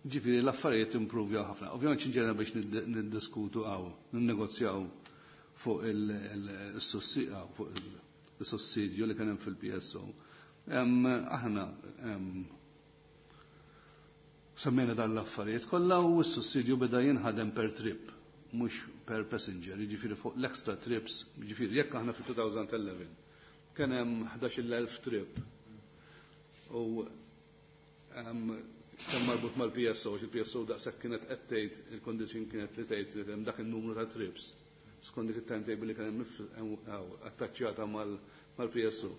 ġifieri l-affarijiet improvjaw ħafna. Ovvjament ġejna biex niddiskutu għaw, ninnegozjaw fuq il-sussidju li kien hemm fil-P S O. Aħna semmejna dan l-affarijiet kollha u s-sussidju beda jinħadem per trip, mhux per passenger, jiġifieri fuq l-extra trips, jiġifieri jekk aħna fil-elfejn u għaxra kien hemm ħdax-il elf trip u Kemm marbut mal-P S O, il-P S O daqshekk kienet qed tgħid, il-condition kienet li tgħid li hemm dak in-numru ta' trips skont dik it-timetable li kien hemm attaċċjata mal-P S O.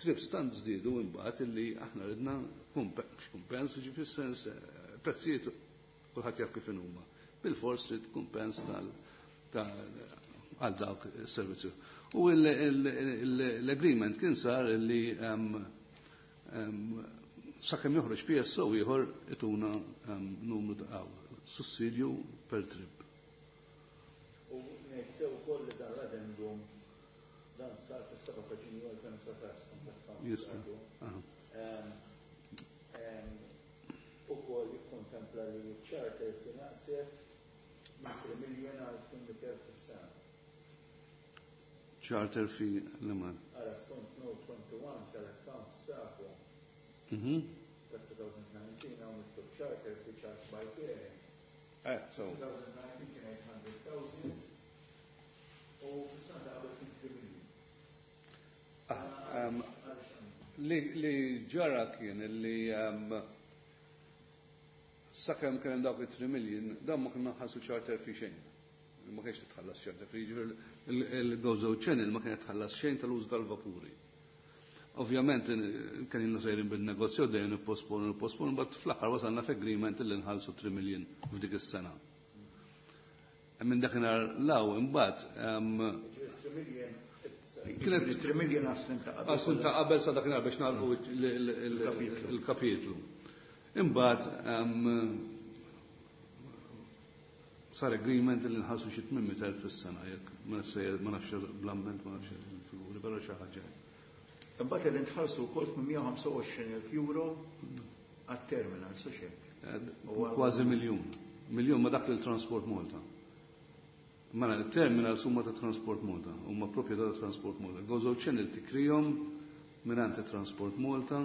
Trips tant żdiedu imbagħad illi aħna ridna kumpens, ġifieri sens prezzijiet kulħadd jaf kif huma. Bil-fors trid kumpens tal għal dawk is-servizzi. U l-agreement kien sar li sakemm joħroġ P S O ieħor ituna numru ta' sussidju per trip. U ngħid sew ukoll li dan l-addendum dan sar fis-seba' ta' Ġunju elfejn u sbatax. Jista. Ukoll jikkontempla li charter kien naqset minn tliet million għal tmien mitt elf fis-sena. Charter fee l-man. Ara skont note wieħed u għoxrin tal-accounts tagħkom Mhm. ta' elfejn u dsatax hawn miktub charter fee charge by parent. Eh, so. elfejn u dsatax kien tmien mitt elf u fis-sena ta' qabel kien tliet million. Ah, um, li, li ġara kien li um, sakemm kien hemm dawk it-three million, dan ma konna nħallsu charter fee xejn. Ma kienx titħallas charter fee, jiġifieri il-Gozo Channel ma kienet tħallas xejn tal-użu tal-vapuri. Ovvjament kien ilna sejrin bil-negozju dejjem nipposponu, nipposponu, but fl-aħħar wasalna f'agreement li nħallsu three million f'dik is-sena. Minn dakinhar law imbagħad Kienet tliet million għas-snin ta' qabel. Għas-snin ta' qabel sa dakinhar biex nagħlqu il-kapitlu. Imbagħad sar agreement li nħallsu xi tmien mitt elf fis-sena, jekk ma ma nafx bl-amment, ma nafx il-figuri, però xi ħaġa. Imbagħad li nħallsu wkoll tmien mija u ħamsa u għoxrin elf euro għat-terminal, so xek. Kważi miljun. Miljun ma dak lil Transport Malta. Mela, il-terminal huma ta' Transport Malta, huma proprjetà ta' Transport Malta. Gozo Channel tikrihom mingħand Transport Malta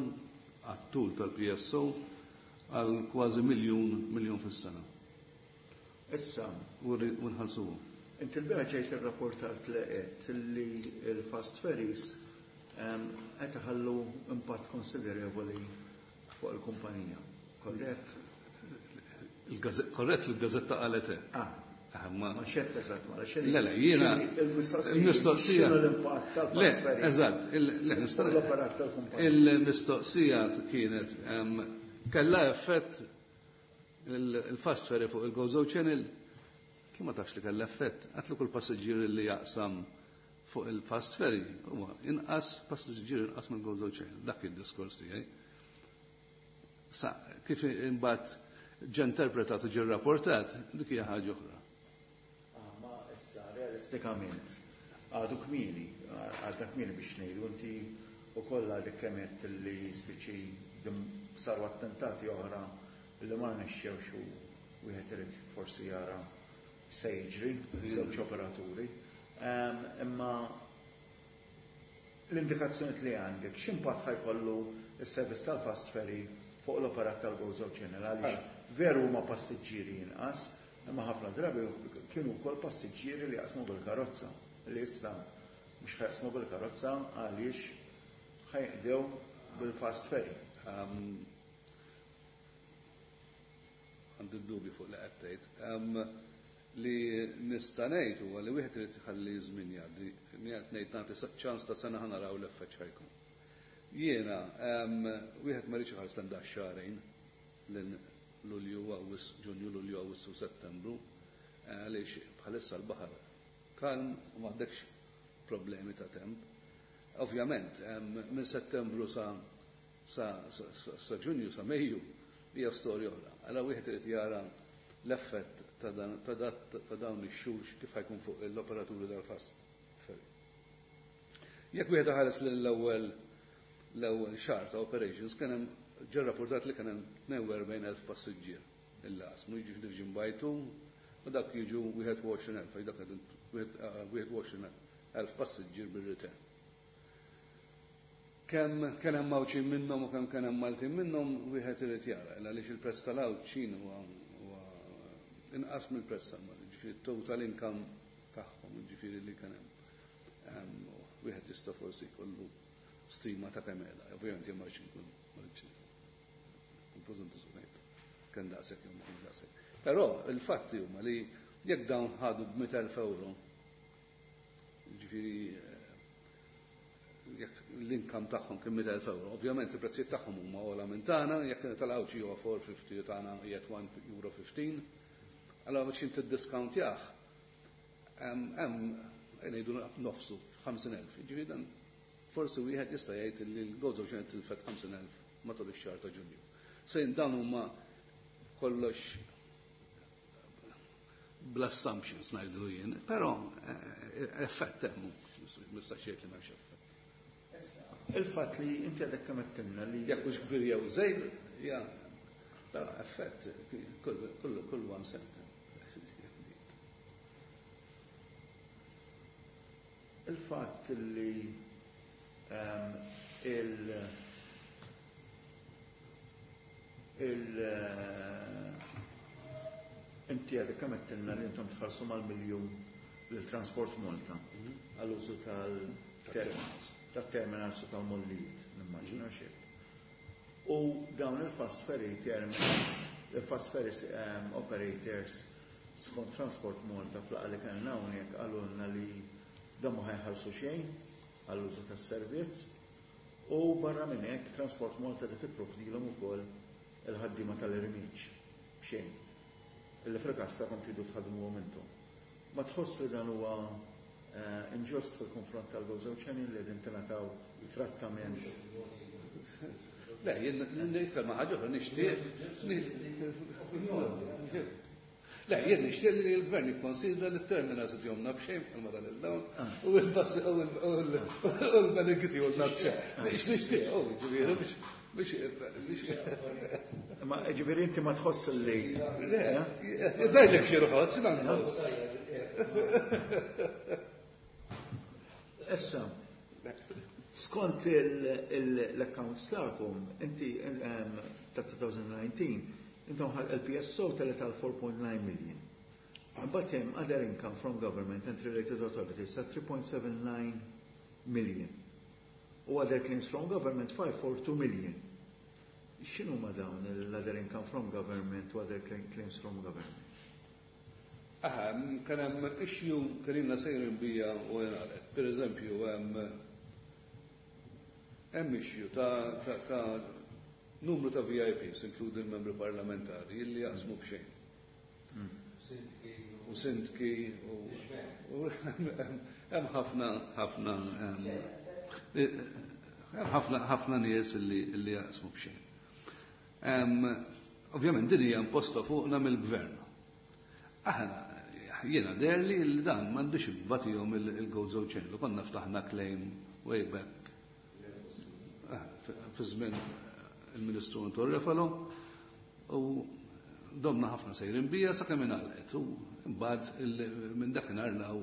għat-tul tal-P S O għal kważi miljun miljun fis-sena. Issa. U nħallsuhom. Inti l-bieraħ ġejt irrapportat li qed li l-fast ferries qed iħallu impatt konsiderevoli fuq il-kumpanija. Korrett? Korrett li l-gazzetta qalet hekk. Ah. Ma Ma xett eżatt, ma Le, le, jiena. Il-mistoqsija. L-impatt tal-fast Le, ferries? eżatt. Le, nista' L-operat tal-kumpanija. Il-mistoqsija kienet kellha effett il-fast ferry fuq il-Gozo Channel? Kif ma tafx li kellha effett? Għatlu kull passiġġier li jaqsam fuq il-fast ferry huwa inqas passiġġier inqas mill Gozo Channel. Dak id-diskors tiegħi. Sa kif imbagħad ġa interpretat u ġie rapportat, dik hija ħaġa oħra. Ah, ma issa realistikament għadu kmieni, għadha kmieni biex ngħidu, inti ukoll għadek kemm li spiċi saru attentati oħra li ma rnexxewx u wieħed irid forsi jara se jiġri żewġ operaturi. Imma l-indikazzjoni li għandek, x'impatt ħa jkollu s-servizz tal-fast ferry fuq l-operat tal-Gozo Channel? Għaliex veru huma passiġġieri inqas, imma ħafna drabi kienu wkoll passiġġieri li jaqsmu bil-karozza li issa mhux ħa jaqsmu bil-karozza għaliex ħa jinqdew bil-fast ferry. Għandi dubju fuq li qed tgħid. Li nista' ngħid huwa li wieħed irid iħalli żmien jgħaddi. Qed ngħid nagħti ċans ta' sena, ħa naraw l-effett x'ħa jkun. Jiena wieħed ma rridx iħares lejn xahrejn lil Lulju, Awwissu, Ġunju, Lulju, Awwissu, Settembru, għaliex bħalissa l-baħar kalm u m'għandekx problemi ta' temp. Ovvjament, minn Settembru sa sa, sa, Ġunju, sa Mejju, hija storja oħra. Allura wieħed irid jara l-effett ta' dawn ix-xhur kif ħa jkun fuq l-operaturi tal-fast ferry. Jekk wieħed ħares l-ewwel l-ewwel xahar ta' operations, kien hemm ġie rapportat li kien hemm tnejn u erbgħin elf passiġġier il-qasmu, jiġi division by two u dak jiġu wieħed u għoxrin elf, dak wieħed u għoxrin elf passiġġier bir-return. Kemm kien hemm Għawdxin minnhom u kemm kien hemm Maltin minnhom wieħed irid jara, għaliex il-prezz tal-Għawdxin huwa inqas mill-prezz tal-Malti, ġifieri total income tagħhom, ġifieri li kien hemm. Wieħed jista' forsi jkollu stima ta' kemm qiegħda, ovvjament jien ma rridx inkun ma rridx. Preżuntu ngħid kemm daqshekk jew ma kienx daqshekk. Però il-fatti huma li jekk dawn ħadu b'mitt elf euro, ġifieri jekk l-income tagħhom kien mitt elf euro, ovvjament il-prezzijiet tagħhom huma ogħla minn tagħna, jekk tal-Għawdxi huwa four fifty u tagħna qiegħed one euro fifteen, allora biex inti ddiscountjah hemm ngħidu nofsu ħamsin elf. Ġifieri dan forsi wieħed jista' jgħid li l-Gozo Channel tilfet ħamsin elf matul ix-xahar ta' Ġunju. Sejn dawn huma kollox bl-assumptions ngħidu jien, però effett hemm, mistax jgħid li m'hemmx effett. Il-fatt li inti għadek kemm għedtilna li jekk hux kbir jew żejr, ja, però effett kull kull kull one cent. Il-fatt li il il inti għadek kemm għedtilna li intom tħallsu mal-miljun lil Transport Malta għall-użu tal-terminals, tat-terminals u tal-mollijiet, nimmaġina xejn. U dawn il-fast ferry terminals, il-fast ferry operators skont Transport Malta fl-laqgħa li kellna hawnhekk qalulna li dan ma ħajħallsu xejn għall-użu tas-servizz u barra minn hekk Transport Malta qed tipprovdilhom ukoll il-ħaddiema tal-irmiġġ b'xejn. Illi fil-każ tagħkom tridu tħaddmuhom intom. Ma tħoss li dan huwa inġust fil-konfront tal-Gozo Channel li qegħdin tingħataw trattament? Le, jien iktar ma ħaġa oħra nixtieq. Le, jien nixtieq li l-gvern jikkonsidra li t-terminals itihomna b'xejn bħalma dan il-dawn u l-banek itihomna b'xejn. Nixtieq, oh, ġifieri biex biex biex Ma ġifieri inti ma tħoss li Le, dajlek xi rħoss, jiena nħoss. Issa, skont l-accounts tagħkom, inti ta' twenty nineteen, intom ħal L P S O telet għal four point nine million. Imbagħad hemm other income from government and related authorities ta' three point seven nine million. U other claims from government five four two million. X'inhu ma dawn l-other income from government u other claims from government? Aha, kien hemm issue kien ilna sejrin bija u ngħalqet. Per eżempju, hemm hemm issue ta', ta, ta' numru ta' V I Ps, inkludi l-membri parlamentari, illi jaqsmu b'xejn. U sindki u hemm ħafna, ħafna, hemm ħafna, ħafna nies illi, illi jaqsmu b'xejn. Ovvjament din hija imposta fuqna mill-gvern. Aħna jiena deherli li dan m'għandux ibbatihom il-Gozo Channel. Konna ftaħna claim way back fi żmien il-Ministru Anton Refalo u domna ħafna sejrin bija sakemm ingħalqet u mbagħad minn dakinhar law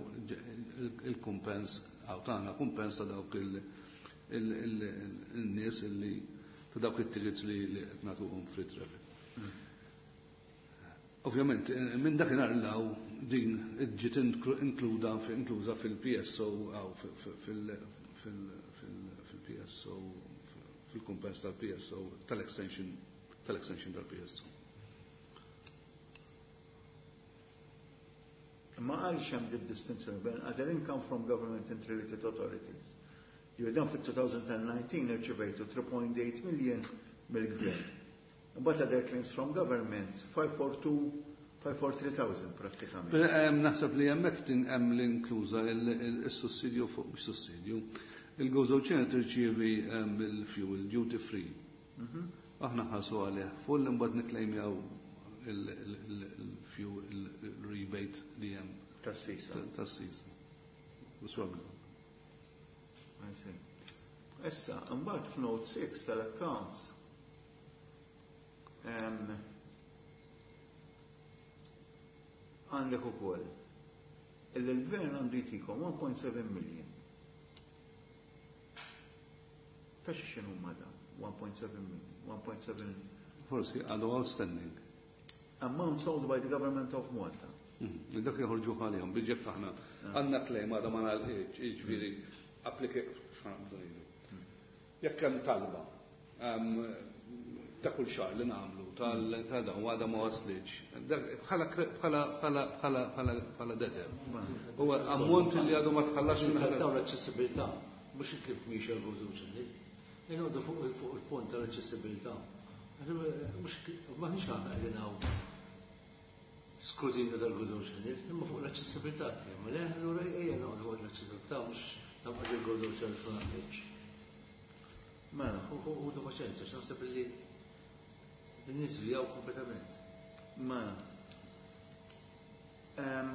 il-kumpens għaw tagħna kumpens ta' dawk il-nies illi ta' dawk it-tickets li qed nagħtuhom free travel. Ovvjament, minn dakinhar law din ġiet inkluda inkluża fil-P S O għaw fil-P S O fil-kumpens tal-P S O tal-extension tal-extension tal-P S O. Ma għaliex hemm din distinzjoni bejn other income from government and related authorities. Jew dan fit-two thousand nineteen irċevejtu three point eight million mill-gvern. Imbagħad other claims from government five four two, five four three thousand prattikament. Però hemm naħseb li hemmhekk hemm l-inkluża il-sussidju fuq mhux sussidju. Il-Gozo Channel tirċievi il-fuel duty free. Aħna ħasu għalih full imbagħad niklejmjaw il-fuel il-rebate li hemm. Tas-sisa. Tas-sisa. U swaglu. Issa, imbagħad f'note six tal-accounts għandek ukoll illi l-gvern għandu jtikom one point seven million. Ta' xi x'inhu ma dan? one point seven million, one point seven Forsi għadu outstanding. Amount sold by the government of Malta. Mm-hmm. Dak joħorġu għalihom, biġġek aħna għandna claim għadha ma nagħlqitx, jiġifieri applika x'għandu ngħidu. Jekk hemm talba, ta' kull xahar li nagħmlu tal dawn għadha ma waslitx. Bħala bħala bħala bħala bħala bħala debtor. Huwa ammont li għadu ma tħallax minn minn taw l-aċċessibilità, mhux kif mhix il-Gozo Channel. Inqogħdu fuq fuq il-punt tal-aċċessibilità. Mhux m'aħniex aħna qegħdin hawn skrutinju tal-Gozo Channel, imma fuq l-aċċessibilità tiegħu. Le, allura ejja noqogħdu fuq l-aċċessibilità mhux nabqa' il-Gozo Channel fuq naqgħodx. Mela, U du paċenzja, x'naħseb li din niżvijaw kompletament. mela. Em,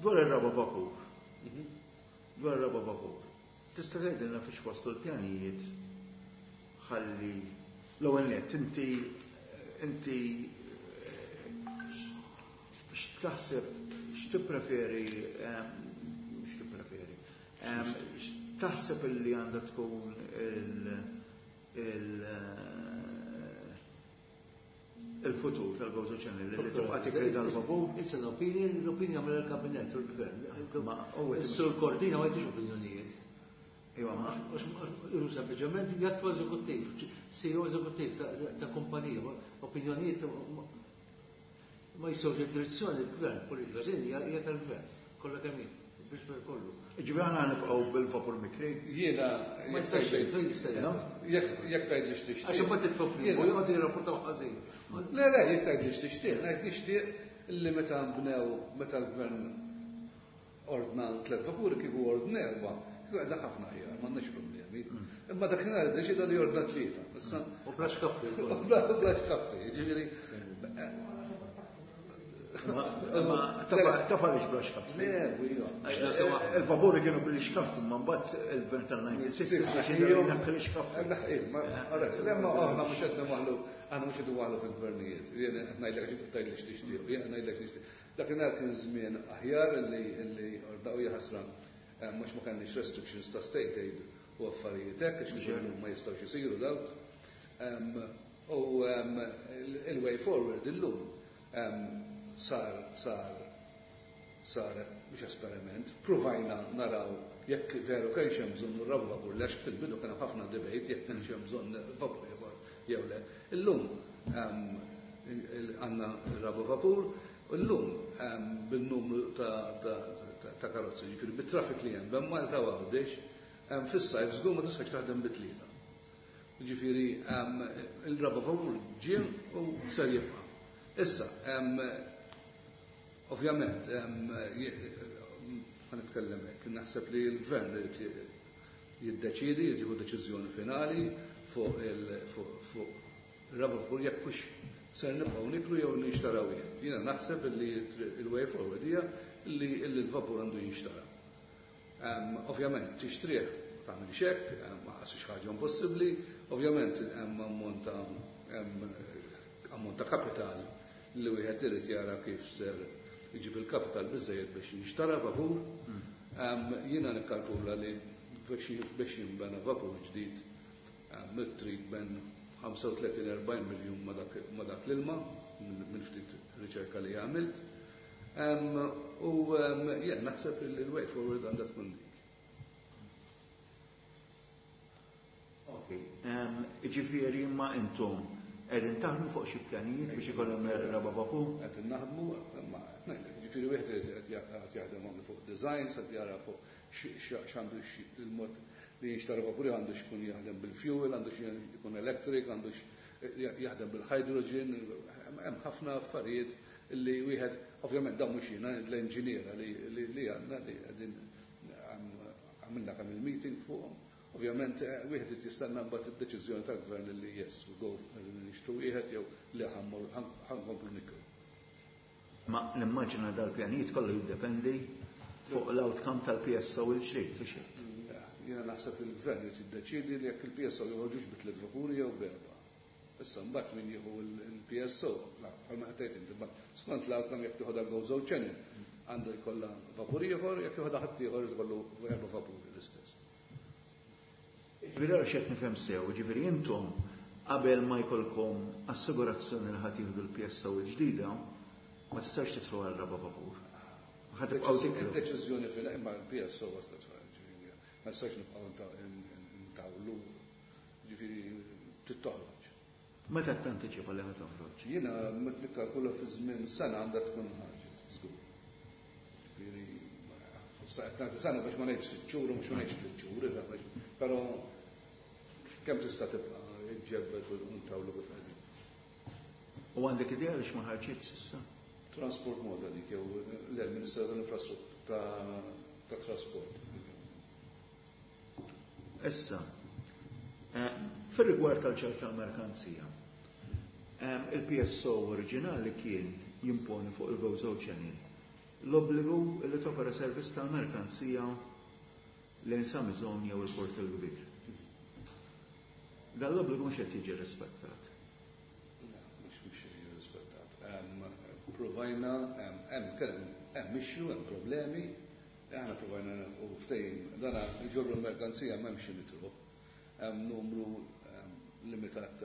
Dwar ir-raba vapur, dwar ir-raba vapur, tista' tgħidilna fiex waslu l-pjanijiet ħalli l-ewwel nett inti inti x'taħseb x'tippreferi em, x'tippreferi em, x'taħseb illi għandha tkun il il il-futur tal-Gozo Channel li tibqa' tikri dal-vapur? It's an opinion, l-opinion għamel il-kabinet u l-gvern. Ma, u Is-sur Cordina ma jtix opinjonijiet. Iva, ma Iru sempliċement jattwa eżekuttiv, C E O eżekuttiv ta' ta' kumpanija, opinjonijiet ma- ma jisewx id-direzzjoni l-gvern, politika ġen hija hija tal-gvern, kollha kemm hi, biex per kollu. Ġifieri aħna nibqgħu bil-vapur mikri. Jiena Ma jistax fejn jista' jgħid. jekk jekk tgħid li x'tixtieq. Għax imbagħad titfgħu fl-limbu joqgħod jirrapportaw ħażin. Le, le, jekk tgħid li x'tixtieq, ngħid nixtieq li meta nbnew, meta l-gvern ordna tliet vapuri, kieku ordna erba', kieku qiegħda ħafna aħjar, m'għandniex problemi. Imma dakinhar iddeċida li ordna tlieta. Issa U bla xkaffi. U bla u bla xkaffi, ġifieri. Ma taf għaliex bla xkaffi. Le, u iva. Il-vapuri kienu bil-xkaffi, ma mbagħad il-gvern tal-disgħa u disgħin deċida li jnaħħi l-xkaffi. Ma, le, ma aħna mhux qed nwaħlu, aħna mhux qed nwaħlu fil-gvernijiet. Jien qed ngħidlek għax tgħid li x'tixtieq, jien qed ngħidlek x'tixtieq. Dakinhar kien żmien aħjar li li ordaw jaħasra mhux ma kellniex restrictions ta' state aid u affarijiet hekk, għax kieku ma jistgħux isiru dawk. U il-way forward illum sar sar sar mhux esperiment, provajna naraw jekk veru kienx hemm bżonn ir-raba vapur, għax fil-bidu kien hemm ħafna debate jekk kienx hemm bżonn vapur ieħor jew le. Illum għandna r-raba vapur, illum bin-numru ta' karozzi, ġifieri bit-traffic li hemm bejn Malta u Għawdex, fis-sajf żgur ma tistax taħdem bit-tlieta. Ġifieri il-raba vapur ġie u ser jibqa'. Issa, ovvjament, ħa nitkellem hekk, naħseb li l-gvern irid jiddeċidi, jieħu deċiżjoni finali fuq il-raba vapur jekk hux ser nibqgħu nikru jew nixtaraw wieħed. Jiena naħseb li il-way forward hija li l-vapur għandu jinxtara. Ovvjament tixtrih tagħmel xekk, ma qasix ħaġa impossibbli, ovvjament hemm ammont ta' ammont ta' kapital li wieħed irid jara kif ser iġib il-kapital biżejjed biex jinxtara vapur. Jiena nikkalkula li biex jinbena vapur ġdid mit-trid bejn ħamsa u tletin erbgħin miljun ma dak l-ilma minn ftit riċerka li għamilt. U jien naħseb li l-way forward għandha tkun dik. Ok, ġifieri ma intom qegħdin taħdmu fuq xi pjanijiet biex ikollhom raba vapur? Qed naħdmu, ma ġifieri wieħed qed jaħdem anke fuq designs, qed jara fuq x'għandu il-mod li jinxtara vapuri, għandu x'ikun jaħdem bil-fuel, għandu jkun electric, għandu jaħdem bil-hydrogen, hemm ħafna affarijiet li wieħed, ovvjament dawn mhux jiena, l-enġiniera li għandna li qegħdin għamilna kemm il-meeting fuqhom. Ovvjament wieħed irid jistenna mbagħad id-deċiżjoni tal-gvern li yes, we go nixtru wieħed jew li ħa nkomplu nikru. Ma nimmaġina dal-pjanijiet kollu jiddependi fuq l-outcome tal-P S O il-ġdid, u xejn. Jiena naħseb li l-gvern irid jiddeċiedi li jekk il-P S O joħorġux bi tliet vapuri jew b'erba'. Issa mbagħad min jieħu il-P S O, bħalma qed tgħid inti, skont l-outcome jekk tieħodha Gozo Channel għandu jkollha vapur ieħor, jekk jieħodha ħadd ieħor jkollu erba' vapuri l-istess. Ġifieri għax qed nifhem sew, ġifieri intom qabel ma jkollkom assigurazzjoni li ħadd jieħdu l-P S O il-ġdida, ma tistax tidħlu għal raba vapur. Ħa tibqgħu tikru. Il-deċiżjoni fil imma l-P S O waslet, ġifieri ma nistax nibqgħu ntawlu, ġifieri tittoħroġ. Meta tantiċipa li ħa toħroġ? Jiena nikkalkula fi żmien sena għandha tkun ħarġet, żgur. Ġifieri nagħti sena biex ma ngħidx sitt xhur u mhux ma ngħidx tliet xhur, però kemm tista' tibqa' iġġebbed u ntawlu kif qegħdin. U għandek idea għaliex ma ħarġitx s'issa? Transport Malta dik jew l-Ministeru tal-Infrastruttura ta' Trasport. Issa, fir-rigward tal-ċert tal-merkanzija, il-P S O oriġinali kien jimponi fuq il-Gozo Channel l-obbligu li topera servizz tal-merkanzija lejn Sa Maison jew il-Port il-Kbir. Dan l-obbligu mhux qed jiġi rispettat. Mhux mhux jiġi rispettat. Provajna, hemm kien hemm issue, hemm problemi, aħna provajna u ftehim, dana jġorru l-merkanzija m'hemmx mitruħ. Hemm numru limitat,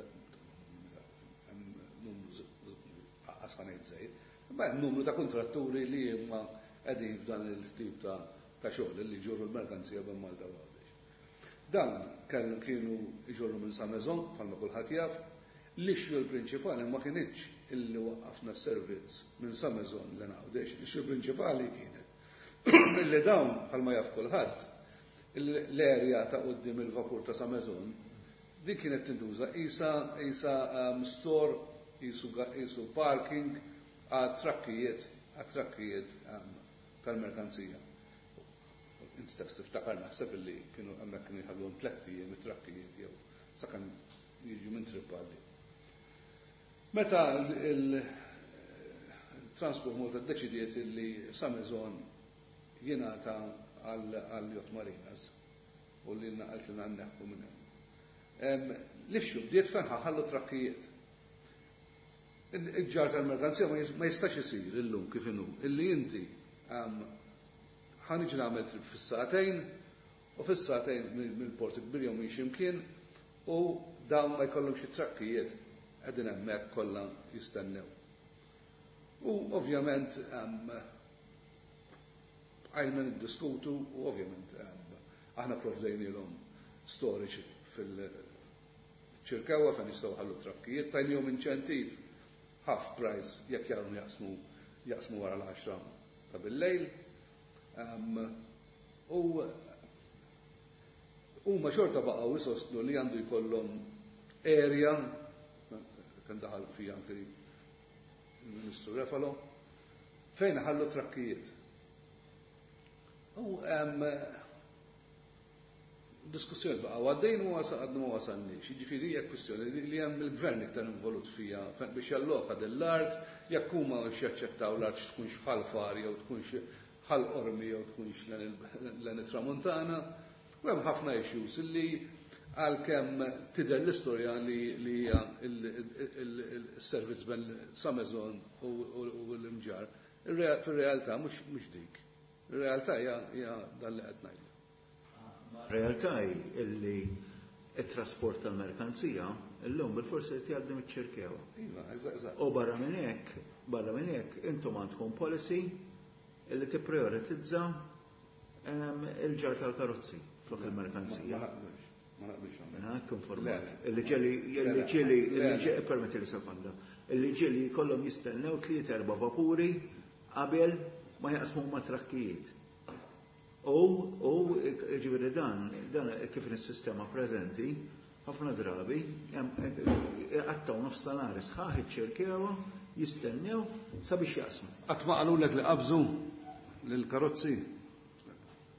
hemm numru qas ħa ngħid żejt, imma hemm numru ta' kontratturi li huma qegħdin f'dan il-tip ta' ta' xogħol li jġorru l-merkanzija bejn Malta u Għawdex. Dan kellu kienu jġorru minn Sa Maison, bħalma kulħadd jaf, l-issue l-prinċipali ma kienitx illi waqqafna s-servizz minn Sa Maison lejn Għawdex, l-issue prinċipali kienet illi dawn bħalma jaf kulħadd l-erja ta' quddiem il-vapur ta' Sa Maison din kienet tintuża isa, isa, um, store, isu, isu parking għal trakkijiet, għal trakkijiet, um, tal-merkanzija. Int stess tiftakar naħseb illi kienu hemmhekk kienu jħallhom tlett ijiem it-trakkijiet jew sakemm jiġu minn trip għalli. Meta il-Transport Malta ddeċidiet illi Sa Maison jingħata għal Yacht Marinas u li naqalt li nneħħu minn hemm. L-issue bdiet fejn ħallu trakkijiet. Il-ġar tal-merkanzija ma jistax isir illum kif inhu, illi inti ħa niġi nagħmel trip fis-sagħtejn u fis-sagħtejn mill-Port Kbir jew minn x'imkien u dawn ma jkollhomx trakkijiet qegħdin hemmhekk kollha jistennew. U ovvjament għajna niddiskutu u ovvjament aħna provdejnilhom storage fil-ċirkewa fejn jistgħu ħallu trakkijiet, tajnihom inċentiv half price jekk jagħmlu jaqsmu, jaqsmu wara l-għaxra ta' bil-lejl. U huma xorta baqgħu jsostnu li għandu jkollhom area, kien daħal fija anke il-Ministru Refalo, fejn ħallu trakkijiet. U diskussjoni baqgħu għaddejn u għadna ma wasalniex. Jiġifieri hija kwistjoni li hemm il-gvern iktar involut fija biex jalloka din l-art, jekk huma jaċċettaw l-art tkunx ħal far jew tkunx ħal qormi jew tkunx lejn it-Tramuntana. U hemm ħafna issues illi għalkemm tidher l-istorja li hija il-servizz bejn Sa Maison u l-Imġarr, fir-realtà mhux dik. Ir-realtà hija dan li qed ngħidu. Realtà hi illi it-trasport tal-merkanzija illum bil-forsi qed jgħaddi miċ-ċirkewa. Iva, eżatt. U barra minn hekk, barra minn hekk intom għandkom policy illi tipprioritizza, ehm, il-ġar tal-karozzi flok il-merkanzija. Ma naqbilx, ma naqbilx hawnhekk. Mela, hekk informat. Le, le. Illi ġeli, Le, illi le. ġeli, Le, illi le. ġeli, permetti li sekonda. Illi ġeli jkollhom jistennew tliet erba' vapuri qabel ma jaqsmu ma' trakkijiet. U, u, ġifieri dan, dan kif is-sistema preżenti, ħafna drabi, għattaw nofs tal-għar sħaħ iċ-ċirkewa jistennew sabiex jaqsmu. Qatt ma qalulek li qabżu lill-karozzi?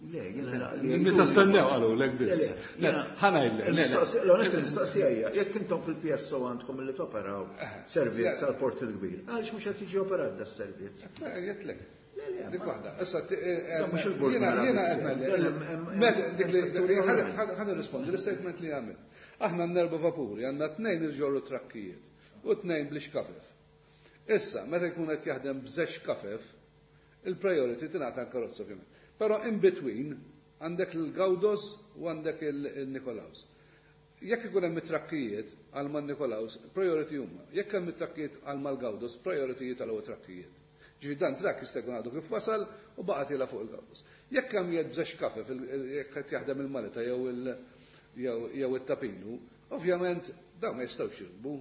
Le, jiena la, li Meta jgħiduli stennew qalulek biss. Le, le, Le, jiena ħa ngħidlek, le, le. il-mistoqsija, l-għonet il-mistoqsija hija, jekk intom fil-P S O għandkom li toperaw Eh, servizz le. għall-Port il-Kbir, għaliex mhux qed jiġi operat da servizz? Le, jgħidlek. Le, le, Dik ma- waħda. Issa, ti-, eh, No, mhux il-bord jiena, mela jiena biss. qed ngħidlek. Le, le, hemm, hemm, Meta, dik li- hemm setturi ħa- oħrajn. ħa-, ħa nirrispondi l-istatement li għamilt. Aħna għandna erba' vapuri, għandna tnejn iġorru trakkijiet u tnejn bl-ixkafef. Issa, meta jkun qed jaħdem b'żewġ kafef, il-priority tingħata l-karozza ovvjament. Però in between għandek il-Gawdos u għandek il-Nikolaus. Jekk ikun hemm it-trakkijiet għal man Nikolaus, priority huma. Jekk hemm it-trakkijiet għal mal-Gawdos, priority tal-ewwel trakkijiet. Ġifieri dan trakk jista' jkun għadu kif wasal u baqa' tiela fuq il-Gawdos. Jekk hemm jgħid b'żewġ kafef, il-, il-, jekk qed jaħdem il-Malta jew il-, jew, jew it-Tapinu, ovvjament Dawn ma jistgħux jirkbu,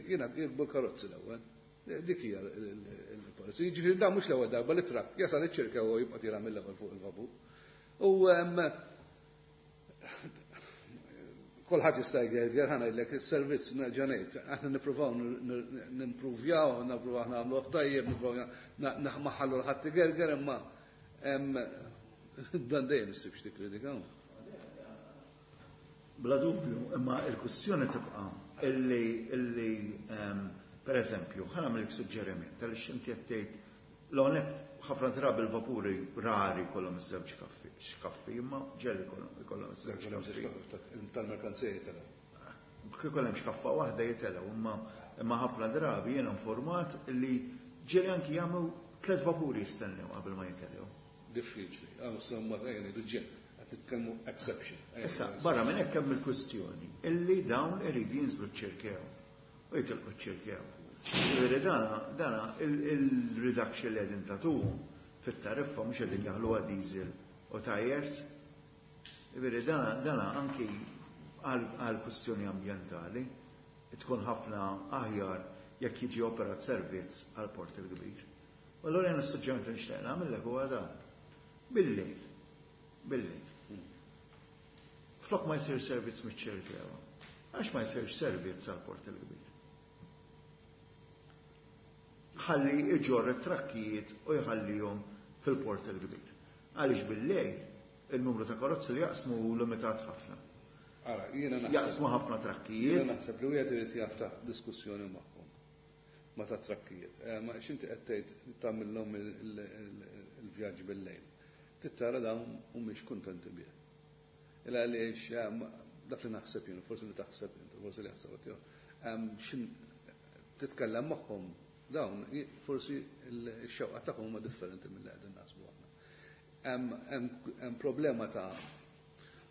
jiena jirkbu l-karozzi l-ewwel. Dik hija l-policy. Jiġifieri dawn mhux l-ewwel darba li trakk jasal iċ-Ċirkewwa u jibqa' tiela' mill-ewwel fuq il-vapur. U kulħadd jista' jgerger, ħa ngħidlek is-servizz nerġa' ngħid, aħna nippruvaw nimpruvjaw, nippruvaw nagħmluh tajjeb, nippruvaw naħallu l-ħadd igerger, imma dan dejjem issib x'tikkritika. Bla dubju, imma il-kwistjoni tibqa' illi illi per eżempju, ħa nagħmilek suġġeriment għaliex inti qed tgħid l-għonet ħafna drabi l-vapuri rari kollhom iż-żewġ kaffi, x'kaffi, imma ġeli kollhom iż-żewġ kaffi. Tal-merkanzija jitelgħu. Kif ikollhom x'kaffa waħda jitelgħu, imma imma ħafna drabi jiena informat li ġeli anki jagħmlu tliet vapuri jistennew qabel ma jitelgħu. Diffiċli, għaw somma tajjeb ngħidu ġen, qed nitkellmu exception. Issa, barra minn hekk hemm il-kwistjoni illi dawn iridu jinżlu ċ-Ċirkewwa u jitilqu ċ-Ċirkewwa. Ġifieri dana, dana il-reduction li qegħdin tagħtuhom fit-tariffa mhux qegħdin jaħluha diesel u tires. Ġifieri dana, dana anki għal kwistjoni ambjentali tkun ħafna aħjar jekk jiġi operat servizz għal port il-kbir. U allura jien is-suġġeriment li nixtieq nagħmellek huwa dan. Bil-lejl, bil-lejl. Flok ma jsir servizz miċ-Ċirkewwa, għax ma jsirx servizz għal port il-kbir. Ħalli iġorr it-trakkijiet u jħallihom fil-port il-kbir. Għaliex bil-lejl il-numru ta' karozzi li jaqsmu hu limitat ħafna. Ara, jiena naħseb Jaqsmu ħafna trakkijiet. Jiena naħseb li wieħed irid jaftaħ diskussjoni magħhom ma ta' trakkijiet. Eh, ma x'inti qed tgħid tagħmilhom il-vjaġġ bil-lejl. Tittara dawn mhumiex kuntenti bih. Illa għaliex dak li naħseb jien, forsi li taħseb inti, forsi li jaħseb tiegħu. Xin titkellem magħhom dawn, forsi x-xewqa tagħhom huma differenti mill-li qegħdin naħsbu aħna. Hemm problema ta'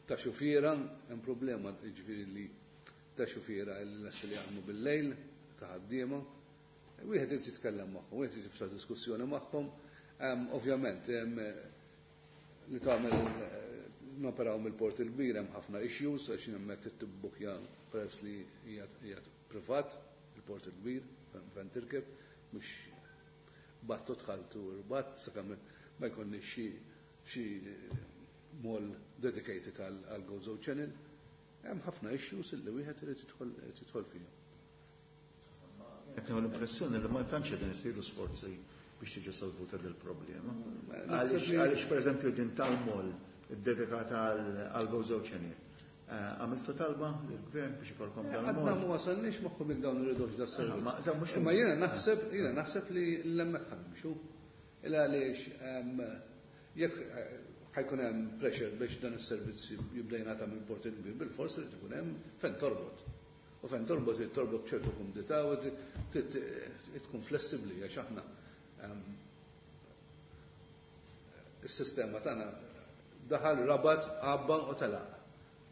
ta' xufiera, hemm problema jiġifieri li ta' xufiera li lesti li jaħdmu bil-lejl, ta' ħaddiema. Wieħed irid jitkellem magħhom, wieħed irid jiftaħ diskussjoni magħhom. Ovvjament, li tagħmel noperaw mill-port il-kbir hemm ħafna issues għax hemmhekk trid tibbukja peress li hija privat il-port il-kbir fejn tirkeb, mhux battu dħaltu rbat sakemm ma jkollniex xi xi mall dedicated għal Gozo Channel. Hemm ħafna issues illi wieħed irid jidħol fihom. Qed nieħu l-impressjoni li ma tantx qegħdin isiru sforzi biex tiġi solvuta dil problema. Għaliex pereżempju din tal-mall iddedikata għal Gozo Channel. Għamiltu talba lill-gvern biex ikolkom dan il-mall? Għadna ma wasalniex magħhom jekk dawn iridux da servizz. Imma jiena naħseb jiena naħseb li l-hemmhekk ħanimxu. Illa għaliex jekk ħajkun hemm pressure biex dan is-servizz jibda jingħata mill-port il-kbir, bil-fors irid ikun hemm fejn torbot. U fejn torbot irid torbot b'ċertu kumdità u tkun flessibbli għax aħna is-sistema tagħna daħal rabat għabba u telaq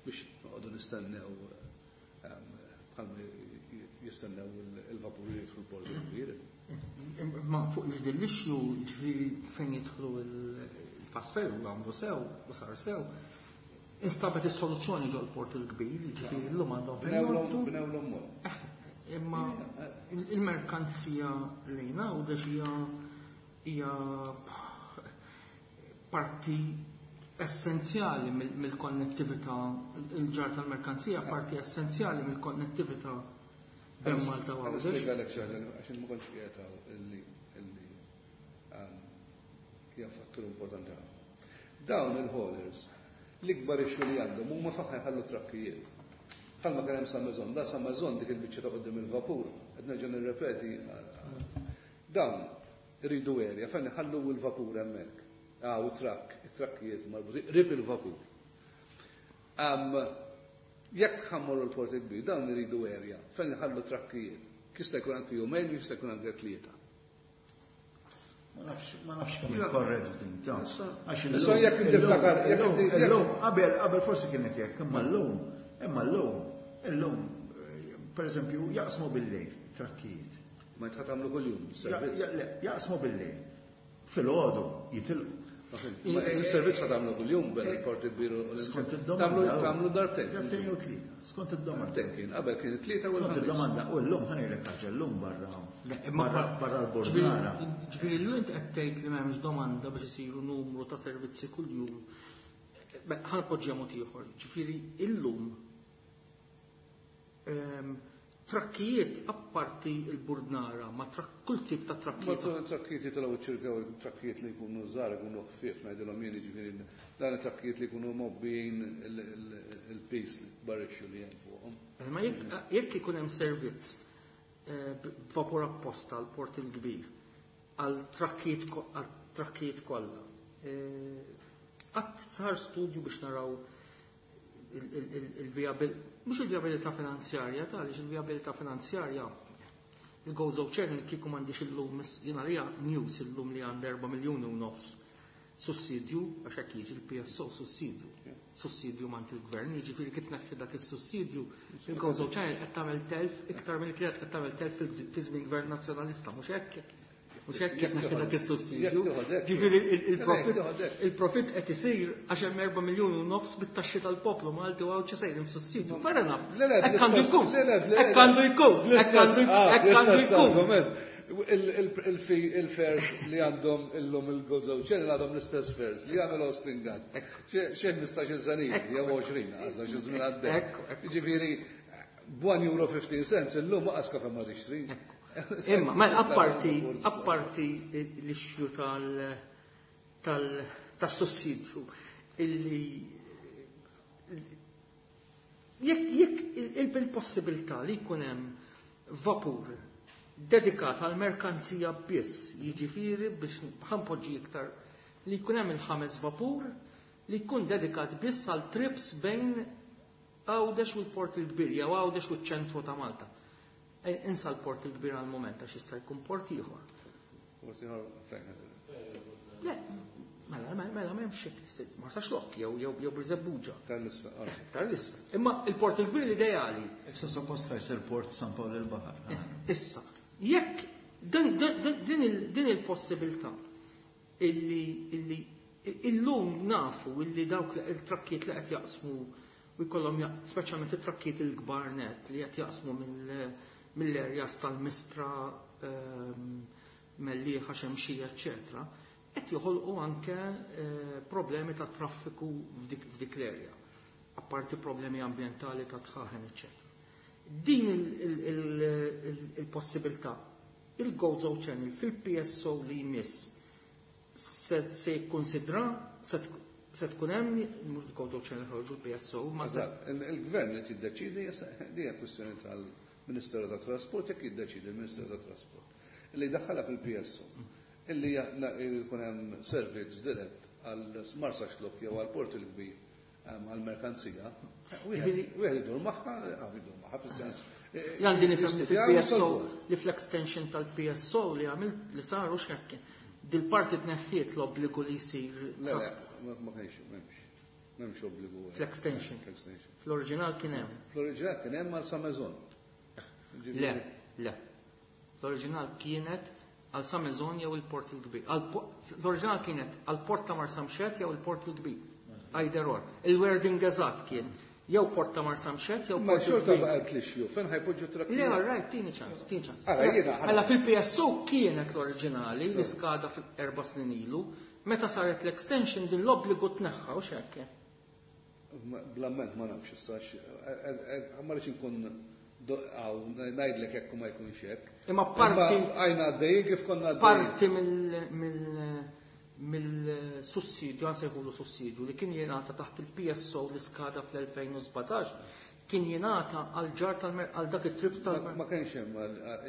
biex noqogħdu nistennew bħalma jistennew il-vapuri jidħlu l-port il-kbir. Ma fuq din l-issue, ġifieri fejn jidħlu il-fast ferry u għamlu sew u sar sew, instabet is-soluzzjoni ġol port il-kbir, ġifieri llum għandhom fejn jorbtu. Bnewlhom mod. Imma il-merkanzija lejna u dex hija parti essenzjali mill-konnettività, il-ġar tal-merkanzija parti essenzjali mill-konnettività bejn Malta u Għawdex. Nispjegalek xi ħaġa għax ma kontx qiegħed hawn illi illi hija fattur importanti ħafna. Dawn il-haulers l-ikbar issue li għandhom huma fejn jħallu trakkijiet. Bħalma kien hemm Sa Maison, da Sa Maison dik il-biċċa ta' quddiem il-vapur, qed nerġa' nirrepeti, dawn iridu area fejn iħallu l-vapur hemmhekk. Ah, u trakk, it-trakkijiet marbutin, rib il-vapur. Jekk ħammorru l-port il-kbir, dawn iridu area fejn iħallu trakkijiet. Jista' jkun anke jumejn, jista' jkun anke tlieta. Ma nafx, ma nafx kemm korrett din, ta' għax Issa jekk inti tiftakar, jekk inti illum, qabel, qabel forsi kienet hekk, imma llum, imma llum, illum, per eżempju, jaqsmu bil-lejl trakkijiet. Ma jitħat għamlu kuljum, servizz. Jaqsmu bil-lejl. Fil-għodu jitilqu. Il-servizz ħa tagħmlu kuljum bejn il-Port il-Kbir u Skont id-domanda. Tagħmlu darbtejn. Darbtejn jew tlieta. Skont id-domanda. Darbtejn kien, qabel kien it-tlieta u Skont l-ħamis. id-domanda u llum ħa ngħidlek ħaġa llum barra barra barra l-Bordnara. Ġifieri llum inti qed tgħid li m'hemmx domanda biex isiru numru ta' servizzi kuljum. Ħa npoġġiha mod ieħor. Ġifieri illum ehm, trakkijiet apparti il-Burdnara, ma kull tip ta' trakkijiet. Ma trakkijiet jitilgħu ċirkaw trakkijiet li jkunu żgħar ikunu ħfief ngħidilhom jien jiġifieri dan it-trakkijiet li jkunu mobbijin il-pis barrixxu li hemm fuqhom. Ma jekk ikun hemm servizz eh, b'vapur apposta għal Port il-Kbir għal trakkijiet kollha. Eh, qatt sar studju biex naraw il-viabilità, mhux il-viabilità finanzjarja, ta' għaliex il-viabilità finanzjarja il-Gozo Channel kieku m'għandix illum jiena li news illum li għand erba' miljuni u nofs sussidju, għax hekk jiġi l-P S O sussidju. Sussidju mant il-gvern, jiġifieri kif tneħħi dak is-sussidju, il-Gozo Channel qed tagħmel telf iktar mill qed tagħmel telf fi żmien gvern nazzjonalista, mhux hekk? Mhux hekk kif tneħħi dak is-sussidju. Ġifieri il-profit qed isir għax hemm erba' miljuni u nofs bit-taxxi tal-poplu Malti u Għawdxi sejrin f'sussidju. Fair enough. Hekk għandu jkun. Hekk għandu jkun. Hekk għandu jkun. Il-fares li għandhom illum il-Gozo Channel għandhom l-istess fares li għamel Austin Gatt. Xi ħmistax-il sena jew għoxrin, għażla xi żmien għaddej. Ġifieri b'one euro fifteen cents illum ma kafe ma tixtri. Imma, ma apparti, apparti l-issue tal tal tas-sussidju illi jekk jekk il-possibilità li jkun hemm vapur dedikat għal merkanzija biss, jiġifieri biex ħa npoġġi iktar li jkun hemm il-ħames vapur li jkun dedikat biss għal trips bejn Għawdex u l-Port il-Kbir jew Għawdex u ċ-ċentru ta' Malta. Insa l-Port il-Kbir għal moment għax jista' jkun port ieħor. Port ieħor fejn? Le, mela, mela, mela m'hemmx hekk, Marsaxlokk jew jew jew Birżebbuġa. Tal-isfel. Tal-isfel. Imma il-Port il-Kbir l-ideali. Issa suppost ħajsir Port San Pawl il-Baħar. Issa, jekk din il-possibilità illi illi illum nafu illi dawk il-trakkijiet li qed jaqsmu u jkollhom speċjalment it-trakkijiet il-kbar net li qed jaqsmu mill-areas tal-Mistra, Mellieħa, Xemxija, eċċetera, qed joħolqu anke problemi ta' traffiku f'dik l-area, apparti problemi ambjentali ta' tħaħen, eċċetera. Din il-possibilità, il-Gozo Channel fil-P S O li jmiss se jikkonsidra, se tkun hemm mhux il-Gozo Channel ħorġu l-P S O, ma Il-gvern li tiddeċidi, din hija kwistjoni tal-Ministeru tat Trasport, jekk jiddeċidi il-Ministeru tat Trasport illi daħħalha fil-P S O illi jkun hemm servizz dirett għal Marsaxlokk jew għal Port il-Kbir għal merkanzija, wieħed idur magħha, idur magħha fis-sens. Għandi nifhem li fil-P S O, li fl-extension tal-P S O li għamilt li saru x'hekk dil-parti tneħħiet l-obbligu li jsir. Ma kienx, m'hemmx. M'hemmx obbligu. Fl-extension. Fl-oriġinal kien hemm. Fl-oriġinal kien hemm għal Sa Maison. Le, le. L-oriġinal kienet għal Sa Maison jew il-Port il-Kbir. L-oriġinal kienet għal Port ta' Marsamxett jew il-Port il-Kbir. Either or. Il-wording eżatt kien jew Port ta' Marsamxett jew Ma xorta baqgħet l-issue, fejn ħa jpoġġu trakkijiet? Le, all right, tini ċans, tini ċans. Mela fil-P S O kienet l-oriġinali li skada erba' snin ilu, meta saret l-extension din l-obbligu tneħħa u x'hekk. Blamment ma nafx issa, ma rridx inkun ngħidlek hekk u ma jkunx hekk. Imma parti għajna għaddejjin kif konna għaddejjin. Parti mill mill-sussidju, għan sejħulu sussidju, li kien jingħata taħt il-P S O li skada fl-elfejn u sbatax, kien jingħata għal ġar għal dak it-trip tal Ma kienx hemm,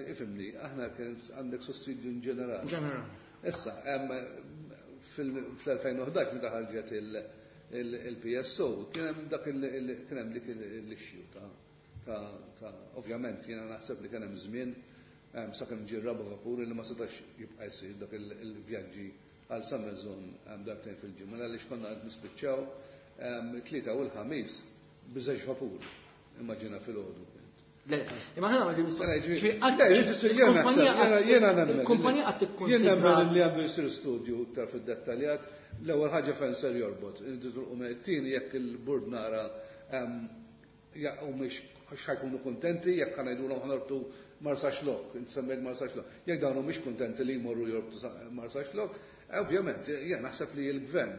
ifhimni, aħna kien għandek sussidju in ġenerali. Ġenerali. Issa, fl-elfejn u ħdax meta ħarġet il-P S O, kien hemm dak kien hemm dik l-issue ta' ta' ovvjament jiena naħseb li kien hemm żmien sakemm ġie raba' vapur li ma setax jibqa' jsir dak il-vjaġġi għal Sa Maison darbtejn fil-ġimgħa għaliex konna qed nispiċċaw tlieta u l-ħamis b'żewġ vapuri. Immaġina filgħodu. Imma ħana għandi mistoqsija. Il-kumpanija qed tikkonsidra. Jien nemmen li għandu jsir studju iktar fid-dettaljat. L-ewwel ħaġa fejn ser jorbot. It-tieni jekk il-bord nara u mhix ħajkunu kuntenti jekk ħa ngħidulhom ħa norbtu Marsaxlokk, inti semmejt Marsaxlokk. Jekk dawn mhumiex kuntenti li jmorru jorbtu Marsaxlokk, ovvjament jien naħseb li l-gvern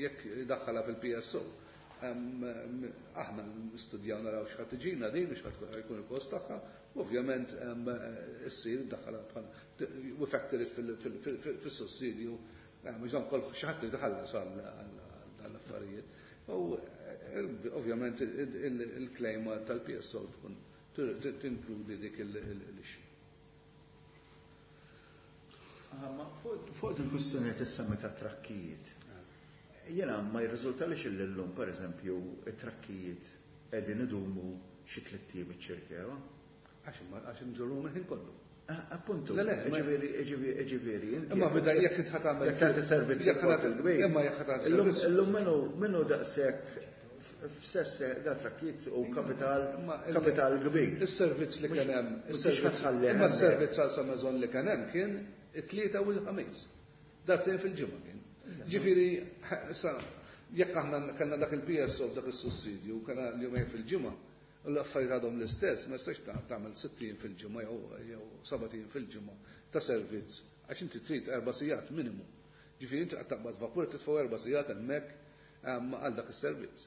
jekk daħħalha fil-P S O, aħna nistudjaw, naraw x'ħa tiġina din, x'ħa jkun il-kost tagħha, ovvjament issir daħħalha bħala we factor it fis-sussidju, mhux dan kol xi ħadd irid iħallas għall-affarijiet. U ovvjament il-claim tal-P S O tkun tinkludi dik l-issue. Fuq il-kwistjoni tissemmi ta' trakkijiet. Jena ma jirriżultalix illum, per eżempju, it-trakkijiet qegħdin idumu xi tliet ijiem iċ-Ċirkewwa. Għax għax nġorru mill-ħin kollu. Appuntu, Le, le, ġifieri, ġifieri. Imma bida jekk int ħa tagħmel Jekk tagħti servizz jekk ħa il-kbir. Imma jekk ħa tagħti Illum servizz. Illum minnu minnu daqshekk f'sesse da trakkijiet u kapital Imma il- kapital kbir. Is-servizz li kien hemm, Mhux is-servizz ħatħalli imma hemmhekk. s-servizz għal Sa Maison li kien hemm kien it-Tlieta u l-Ħamis. Darbtejn fil-ġimgħa kien. Ġifieri, sa jekk aħna kellna dak il-P S O, dak is-sussidju, kellna l-jumejn fil-ġimgħa, u l-affarijiet għadhom l-istess, ma jistax tagħmel sittin fil-ġimgħa jew jew sebat ijiem fil-ġimgħa ta' servizz, għax inti trid erba' sigħat minimu. Ġifieri inti qed taqbad vapur, titfgħu erba' sigħat hemmhekk għal dak is-servizz.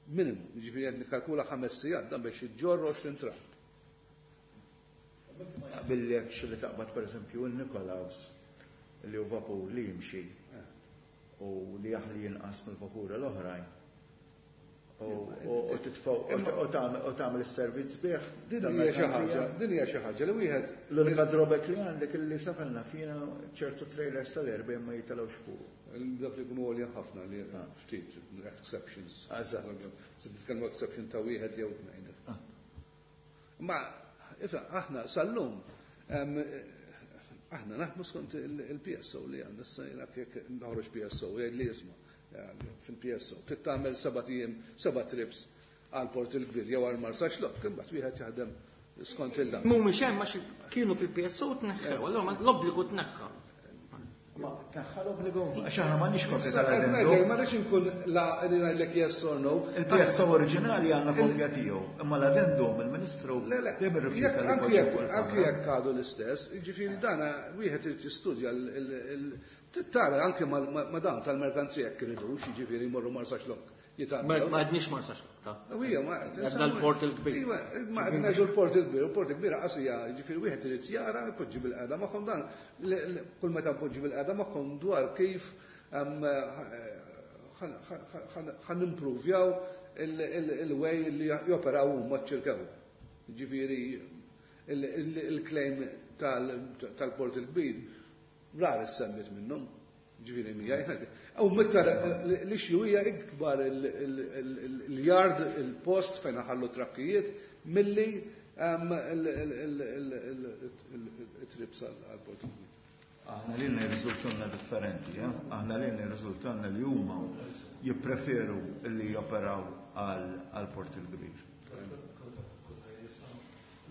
Minimu, ġifieri qed nikkalkula ħames sigħat dan biex iġġorr għoxrin trakk. Jaqbillekx li taqbad, per eżempju, il-Nikolaus, li hu vapur li jimxi u li jaħli jinqas mill-vapuri l-oħrajn. U titfgħu u tagħmel is-servizz bih. Din hija xi ħaġa, din hija xi ħaġa li wieħed L-unika drawback li għandek illi safalna fina ċertu trailers tal-erbgħa ma jitilgħux fuq. Dak li jkunu għolja ħafna li ftit exceptions. Eżatt. Se nitkellmu exception ta' wieħed jew tnejn. Ma ifhem, aħna sal-lum aħna naħdmu skont il-P S O li għandna issa. Jiena jekk noħroġ P S O jgħid li jisma' fil-P S O trid tagħmel seba' ijiem, seba' trips għal Port il-Kbir jew għal Marsaxlokk, imbagħad wieħed jaħdem skont il-dan. Mhumiex hemm għax kienu fil-P S O, tneħħew, allura l-obbligu tneħħa. Ma tneħħa l-obbligu? Għax aħna m'għandniex kopja tal-addendum. Ma rridx inkun la li ngħidlek yes or no. Il-P S O oriġinali għandna kopja tiegħu, imma l-addendum il-Ministru Le, le, dejjem irrifjuta li anki jpoġġi jekk fuq anki il-kamra. Jekk għadu l-istess, jiġifieri dana wieħed irid jistudja tara anke ma' dawn tal-merkanzija jekk iridux, jiġifieri jmorru Marsaxlokk. Ma għadniex Marsaxlokk ta' Ija, ma Għadna l-Port il-Kbir. Iva, ma qed ngħidu l-Port il-Kbir, il-Port il-Kbir qasija, jiġifieri wieħed irid jara, jpoġġi bil-qagħda magħhom dan, kull meta npoġġi bil-qagħda magħhom dwar kif ħa nimprovjaw il-way li joperaw huma ċ-Ċirkewwa. Ġifieri il-claim tal-Port il-Kbir rar issemmit minnhom. Ġifieri mija. U miktar l-issue hija ikbar il-yard, il-post fejn ħallu trakkijiet milli il-trips għal-Port il-Kbir. Aħna li jirriżultanna differenti, eh? Aħna li jirriżultanna li huma jippreferu li joperaw għal Port il-Kbir.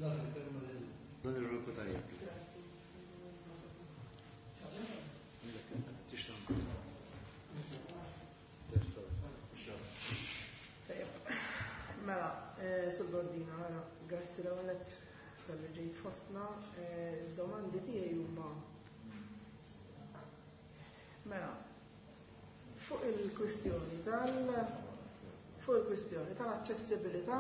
L-Onorevoli Cutajar. Tajjeb. Mela, eh, Sur Bordina, mela, grazzi l-ewwel talli ġejt fostna. Eh, Id-domandi tiegħi huma, mela, fuq il-kwistjoni tal fuq il-kwistjoni tal-aċċessibilità.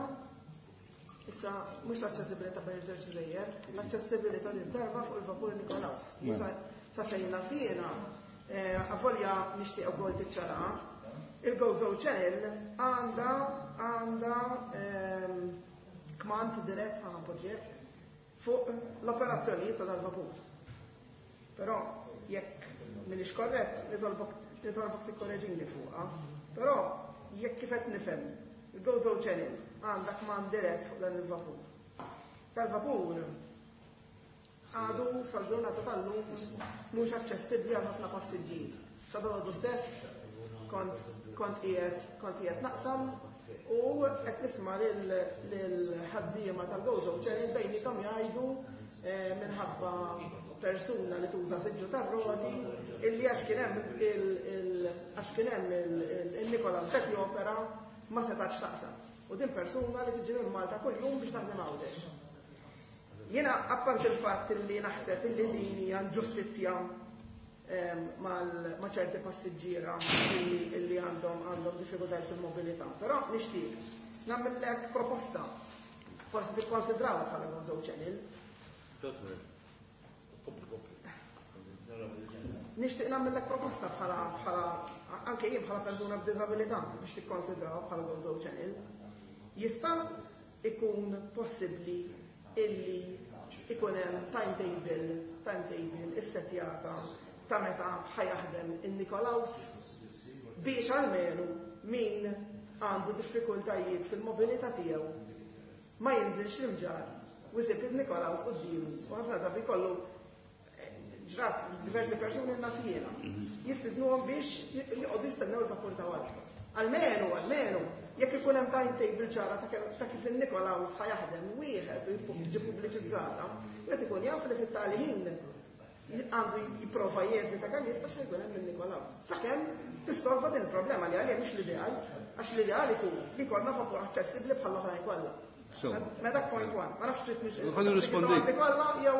Issa, mhux l-aċċessibilità bejn iż-żewġ gżejjer, l-aċċessibilità din darba fuq il-vapur Nikolaus. Sa sa fejn naf jiena, eh, avolja nixtieq ukoll tiċċara, il-Gozo Channel għandha għandha ehm, kmand dirett, ħa npoġġieh, fuq l-operazzjonijiet ta' dal-vapur. Però jekk m'iniex korrett, nitolbok nitolbok tikkoreġini fuqha. Però jekk kif qed nifhem, il-Gozo Channel għandha kmand dirett fuq dan il-vapur. Dal-vapur għadu sal-ġurnata tal-lum mhux aċċessibbli għal ħafna passiġġieri. Sa dalgħodu stess kont kont qiegħed kont qiegħed naqsam U qed nisma' lil-ħaddiema tal-Gozo Channel bejniethom jgħidu minħabba persuna li tuża siġġu tar-roti illi għax kien hemm għax kien hemm il-Nikolaus qed jopera ma setax taqsam. U din persuna li tiġi minn Malta kuljum biex taħdem Għawdex. Jiena apparti il-fatt li naħseb illi din hija inġustizzja ma' ċerti passiġġiera illi għandhom għandhom diffikultajiet fil-mobilità. Però nixtieq nagħmellek proposta. Forsi tikkonsidrawha bħala Gozo Channel. Nixtieq nagħmellek proposta bħala bħala anke jien bħala persuna b'diżabilità biex tikkonsidrawha bħala Gozo Channel. Jista' ikun possibbli illi ikun hemm timetable, timetable issettjata ta' meta ħajaħdem in-Nikolaus biex almenu min għandu diffikultajiet fil-mobilità tiegħu ma jinżilx l-imġar u jsib il-Nikolaus quddiemu u ħafna drabi kollu ġrat diversi persuni naf jiena jistidnuhom biex joqogħdu jistennew il-vapur ta' wara. Almenu, almenu, jekk ikun hemm timetable ċara ta' kif in-Nikolaus ħajaħdem wieħed u jiġi pubbliċizzata, wieħed ikun jaf li fit-tali ħin għandu jipprova jevita kemm jista' xejn jkun hemm il-Nikolaus. Sakemm tissolva din il-problema li għalija mhix l-ideal, għax l-ideal ikun li jkollna vapur aċċessibbli bħall-oħrajn kollha. Ma dak point one, ma nafx trid mhix. Ħa nirrispondi.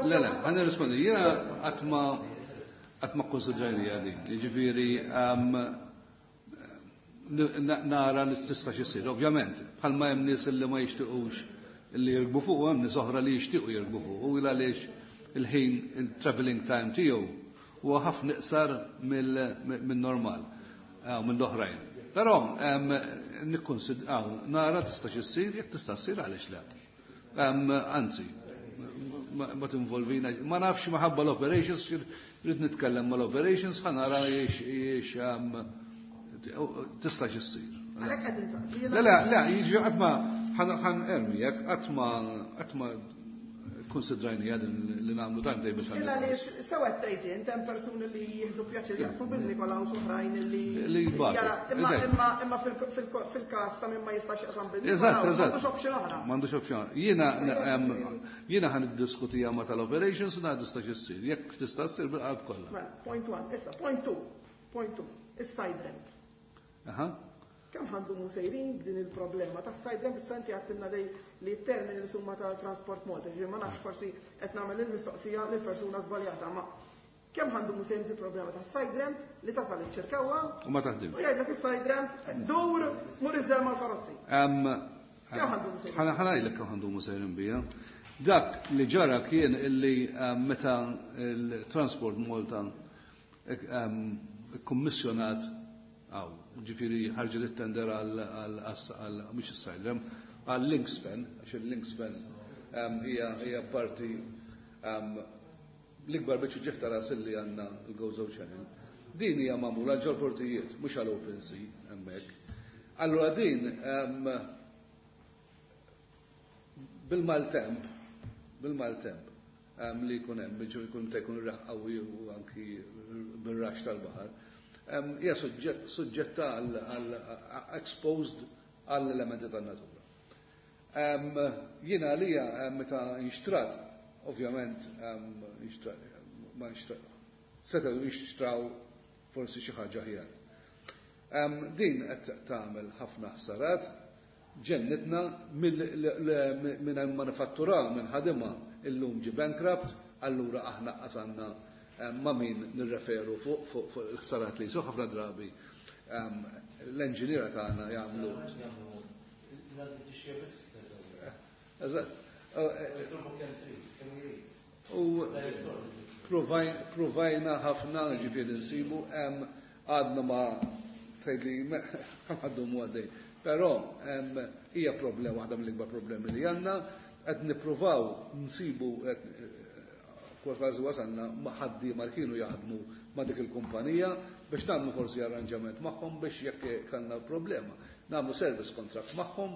Le, le, ħa nirrispondi. Jiena qatt ma qatt ma kkonsidrajni din. Jiġifieri nara li tista' x'isir. Ovvjament, bħalma hemm nies li ma jixtiequx li jirkbu fuq, hemm nies oħra li jixtiequ jirkbu fuq. U għaliex il-ħin, il-traveling time tiegħu huwa ħafna iqsar minn normal, mill-oħrajn. Però nikkonsidraw, nara tista' x'issir, jekk tista' ssir għaliex le. Anzi, ma tinvolvina, ma nafx maħabba l-operations, rrid nitkellem mal-operations, ħa nara jiex tista' x'issir. Le, le, le, jiġi qatt ma ħan ermi, jekk qatt ma qatt ma konsidrajni għadin li nagħmlu timetable. Illa li sewa tgħid int hemm persuni li jieħdu pjaċir jaqsmu bil-Nikolaus oħrajn li li jbatu. Imma imma imma fil-każ ta' min ma jistax jaqsam bil-Nikolaus. Eżatt, eżatt. M'għandux option oħra. M'għandux option. Jiena jiena ħan iddiskutija ma tal-operations u ngħidu tista' issir. Jekk tista' ssir bil-qalb kollha. Mela, point one, issa point two. Point two, is-side ramp. Aha. Kemm ħa ndumu sejrin din il-problema ta' side ramp? Issa inti għedtilna dej li t-termini li summa ta' Transport Malta, ġifieri ma nafx forsi qed nagħmel il-mistoqsija lil persuna żbaljata, ma kemm ħa ndumu sejrin din problema ta' side ramp li tasal iċ-Ċirkewwa u ma taħdim. U jgħidlek is-side ramp dur mur iżżel mal-karozzi. Kemm ħa ndumu sejrin? Ħa ngħidlek kemm ħa ndumu sejrin bija. Dak li ġara kien illi meta il-Transport Malta kummissjonat għaw, ġifieri ħarġet it-tender għal mhux is-side ramp, għal linkspan, għax il-linkspan hija parti l-ikbar biċċa ġieħ ta' ras li għandna l-Gozo Channel. Din hija magħmula ġol portijiet, mhux għal open sea hemmhekk. Allura din bil-maltemp, bil-maltemp li jkun hemm, jkun ta' jkun riħ qawwi u anki bil-rax tal-baħar, hija suġġetta għal exposed għall elementi tan-natura. Jiena għalija meta inxtrat, ovvjament ma nxtrat, setgħu jixtraw forsi xi ħaġa aħjar. Din qed tagħmel ħafna ħsarat, ġennitna minn manifattura minn ħadima illum ġi bankrupt, allura aħna qasanna ma min nirreferu fuq fuq il-ħsarat li jisu ħafna drabi l-enġiniera tagħna jagħmlu. Eżatt. U provajna ħafna ġifieri nsibu hemm għadna ma tgħidli kemm għadhom għaddej. Però hija problema waħda mill-ikbar problemi li għandna, qed nippruvaw nsibu kważi wasalna ma' ħaddiema li kienu jaħdmu ma' dik il-kumpanija biex nagħmlu forsi arranġament magħhom biex jekk kellna problema. Nagħmlu service contract magħhom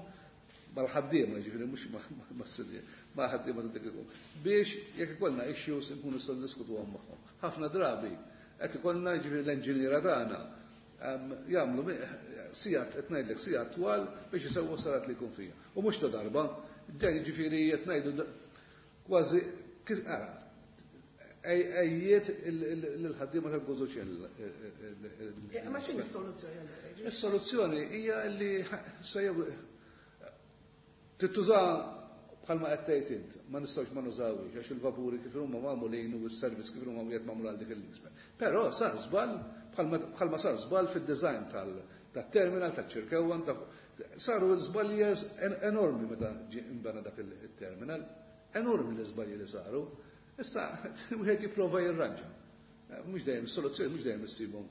mal-ħaddiema, ġifieri mhux mas-sidien, mal-ħaddiema ta' dik il-kumpanija. Biex jekk ikollna issues nkunu nistgħu niddiskutuhom magħhom. Ħafna drabi qed ikollna ġifieri l-enġiniera tagħna Jagħmlu sigħat, qed ngħidlek sigħat twal biex isewwu sarat li jkun fija. U mhux ta' darba, ġej jiġifieri qed ngħidu kważi ara ejjiet l-ħaddiema tal-Gozo Channel. Ma x'inhi s-soluzzjoni? Is-soluzzjoni hija li sejjew tittuża bħalma qed tgħid int, ma nistgħux ma nużawhiex għax il-vapuri kif huma magħmulin u s-servizz kif huma wieħed magħmul għal dik il-linkspan. Però sar żball bħalma sar żball fid-design tat-terminal taċ-Ċirkewwa, saru żbalji enormi meta ġie imbena dak il-terminal, enormi l-iżbalji li saru. Issa wieħed jipprova jirranġa. Mhux dejjem is-soluzzjoni mhux dejjem issibhom.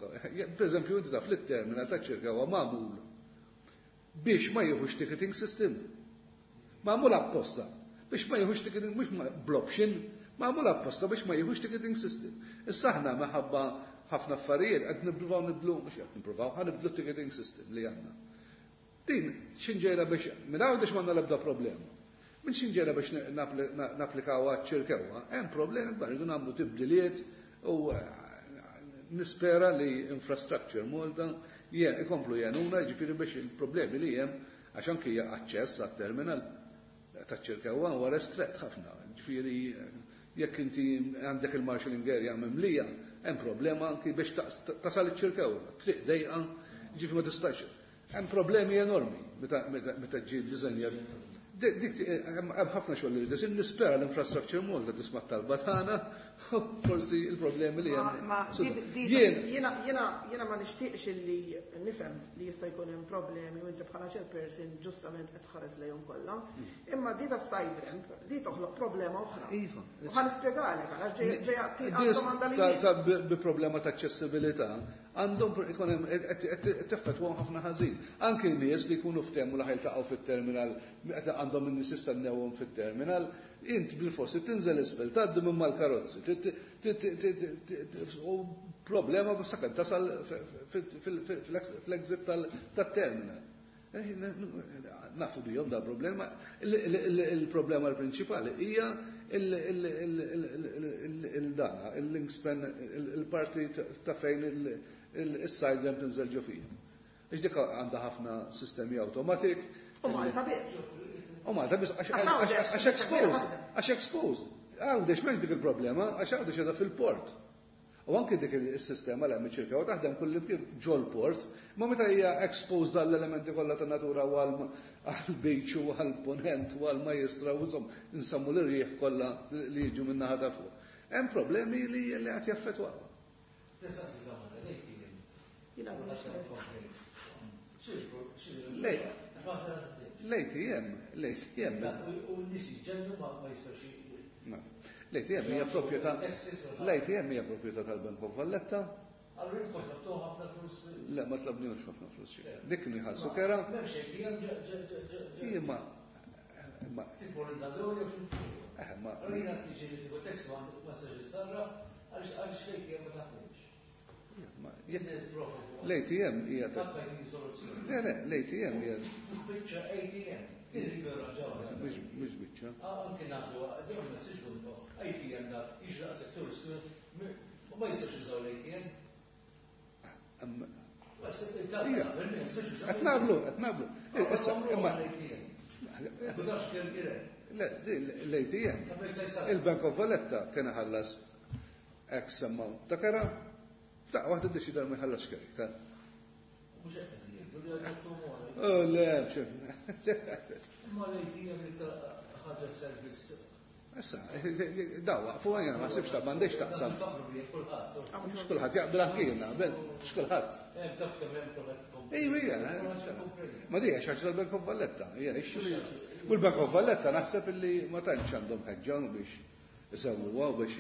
Pereżempju inti taf li t-terminal taċ-Ċirkewwa magħmul biex ma jieħux ticketing system. Magħmul apposta biex ma jieħux ticketing, mhux bl-option, magħmul apposta biex ma jieħux ticketing system. Issa aħna minħabba ħafna affarijiet qed nippruvaw nibdlu, mhux qed nippruvaw, ħa nibdlu ticketing system li għandna. Din x'inġejra biex minn Għawdex m'għandna l-ebda problema. Minn x'inġejra biex napplikaw għaċ-Ċirkewwa, hemm problemi kbar, irridu nagħmlu tibdiliet u nispera li Infrastructure Malta ikomplu jgħinuna, jiġifieri biex il-problemi li hemm għax anki aċċess għat-terminal taċ-Ċirkewwa huwa restret ħafna. Ġifieri jekk inti għandek il-marshalling area mimlija, hemm problema anki biex tasal iċ-Ċirkewwa, triq dejqa, ġifieri ma tistax. Hemm problemi enormi meta ġie ddiżenjat. Dik hemm ħafna xogħol li jrid nispera l-Infrastructure Malta tisma' t-talba tagħna, forsi il-problemi li hemm. Jiena jiena ma nixtieqx li nifhem li jista' jkun hemm problemi u inti bħala chairperson ġustament qed tħares lejhom kollha. Imma di ta' side ramp di toħloq problema oħra. Iva. U ħa nispjegalek għalax ġejja domanda li bi problema ta' aċċessibilità għandhom ikun hemm teffettwahom ħafna ħażin. Anke n-nies li jkunu ftehmu li ħajltaqgħu fit-terminal, għandhom in-nies jistennewhom fit-terminal, int bil-forsi tinżel isfel, tgħaddi minn mal-karozzi, u problema sakemm tasal fl-exit tat-terminal. Nafu bihom da problema. Il-problema l-prinċipali hija il-dana, il-linkspan, il-parti ta' fejn il-side ramp tinżel ġo fija. Ix dik għandha ħafna sistemi automatik. U Malta biss. U Malta biss għax exposed, għax exposed. Għawdex m'hemmx dik il-problema, għax Għawdex qiegħda fil-port. U anke dik is-sistema li hemm iċ-Ċirkewwa taħdem kull imkien ġol-port, ma meta hija exposed għall-elementi kollha ta' natura u għall-beach u għall-ponent u għall-majstra u insomma nsemmu l-irjieħ kollha li jiġu minn naħa ta' fuq. Hemm problemi li qed jaffettwaw. L-A T M, l-A T M. U n-nies jiġġennu ma jistgħux. L-A T M hija proprjetà l-A T M hija proprjetà tal-Bank of Valletta. Allura intkom tlabtuh ħafna flus? Le, ma tlabniex ħafna flus. Dik kienu jħallsu kera. M'hemmx A T M. Imma imma Tibor il-dador jew Eh, ma Allura jiena tiġi li tieħu taxi ma tistax issarra għaliex għaliex l-A T M ma taħdimx. L-A T M hija ta' Le, le, l-A T M hija Biċċa A T M. Mhux biċċa. Anke nagħtu dawn messaġġ A T M da jiġi daqshekk turistu ma jistax jużaw l-A T M. Qed naqblu, qed naqblu. Issa, imma l-A T M. Il-Bank of Valletta kien ħallas X amount ta' kera, ta' waħda ddeċida ma jħallas kera. Oh, le, Ma l-A T M ħaġa service. Issa, daw, waqfu għajna, ma sibx ta' m'għandix taqsam. Mhux kulħadd jaqbel anki jien naqbel, mhux kulħadd. Ejwa, hija, ma di għax ħaġa tal-Bank of Valletta, hija issue. U l-Bank of Valletta naħseb illi ma tantx għandhom ħeġġa biex isewwuha u biex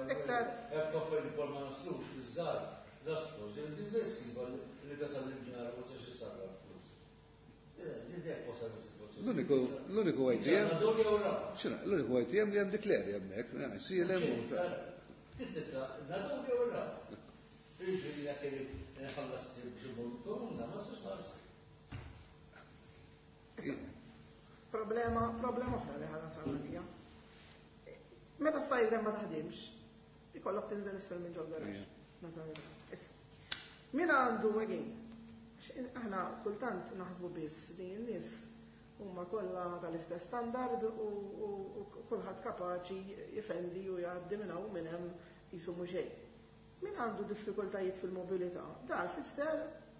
Iktar. Ma naslux fiż-żgħar, naslu, li tasal l-ġar ma sax issarra flus. L-uniku l-uniku A T M. X'inhu, l-uniku A T M li hemm dik l-area hemmhekk, sielem u. Tittitra, nadur jew ir-raba. Jiġifieri jekk irid nħallas b'xi ma sax ħares. Problema, problema oħra li ħana sa' Meta s-side ramp ma taħdimx, ikollok tinżel isfel minn ġol garaxx. Min għandu, again, aħna kultant naħsbu biss li n-nies huma kollha tal-istess standard u kulħadd kapaċi jifendi u jgħaddi minn hawn minn hemm qisu mhu xejn. Min għandu diffikultajiet fil-mobilità, dan fisser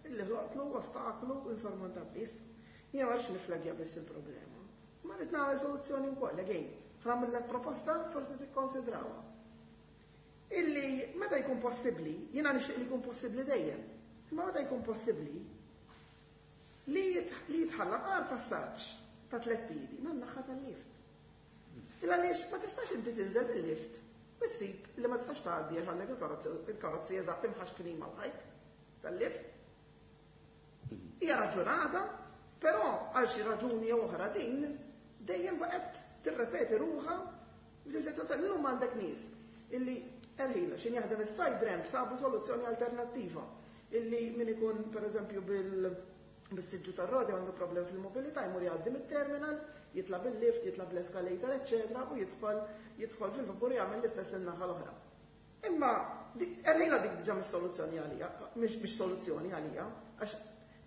illi ħloqtlu ostaklu insormontabbli. Jiena ma rridx niflagja biss il-problema. Ma rrid nagħmel soluzzjoni wkoll, again, ħa proposta forsi tikkonsidrawha. Illi meta jkun possibbli, jiena nixtieq li jkun possibbli dejjem, imma meta jkun possibbli li jitħalla għar passaġġ ta' tliet piedi man-naħa tal-lift. Illa għaliex ma tistax inti tinżel bil-lift u ssib li ma tistax tgħaddi għax għandek il-karozzi eżatt imħaxknin mal-ħajt tal-lift. Hija raġunata, però għal xi raġuni jew oħra din dejjem baqgħet tirrepeti ruħha f'din illum għandek nies illi erħila xin jaħdem is-side ramp sabu soluzzjoni alternattiva illi min ikun pereżempju bil bis-siġġu tar-roti għandu problem fil-mobilità jmur jgħaddi mit-terminal, jitla bil-lift, jitla bl-escalator, eċċetera, u jidħol jidħol fil-vapur jagħmel l-istess in-naħa l-oħra. Imma erħila dik diġà mhix soluzzjoni għalija, mhix biex soluzzjoni għalija, għax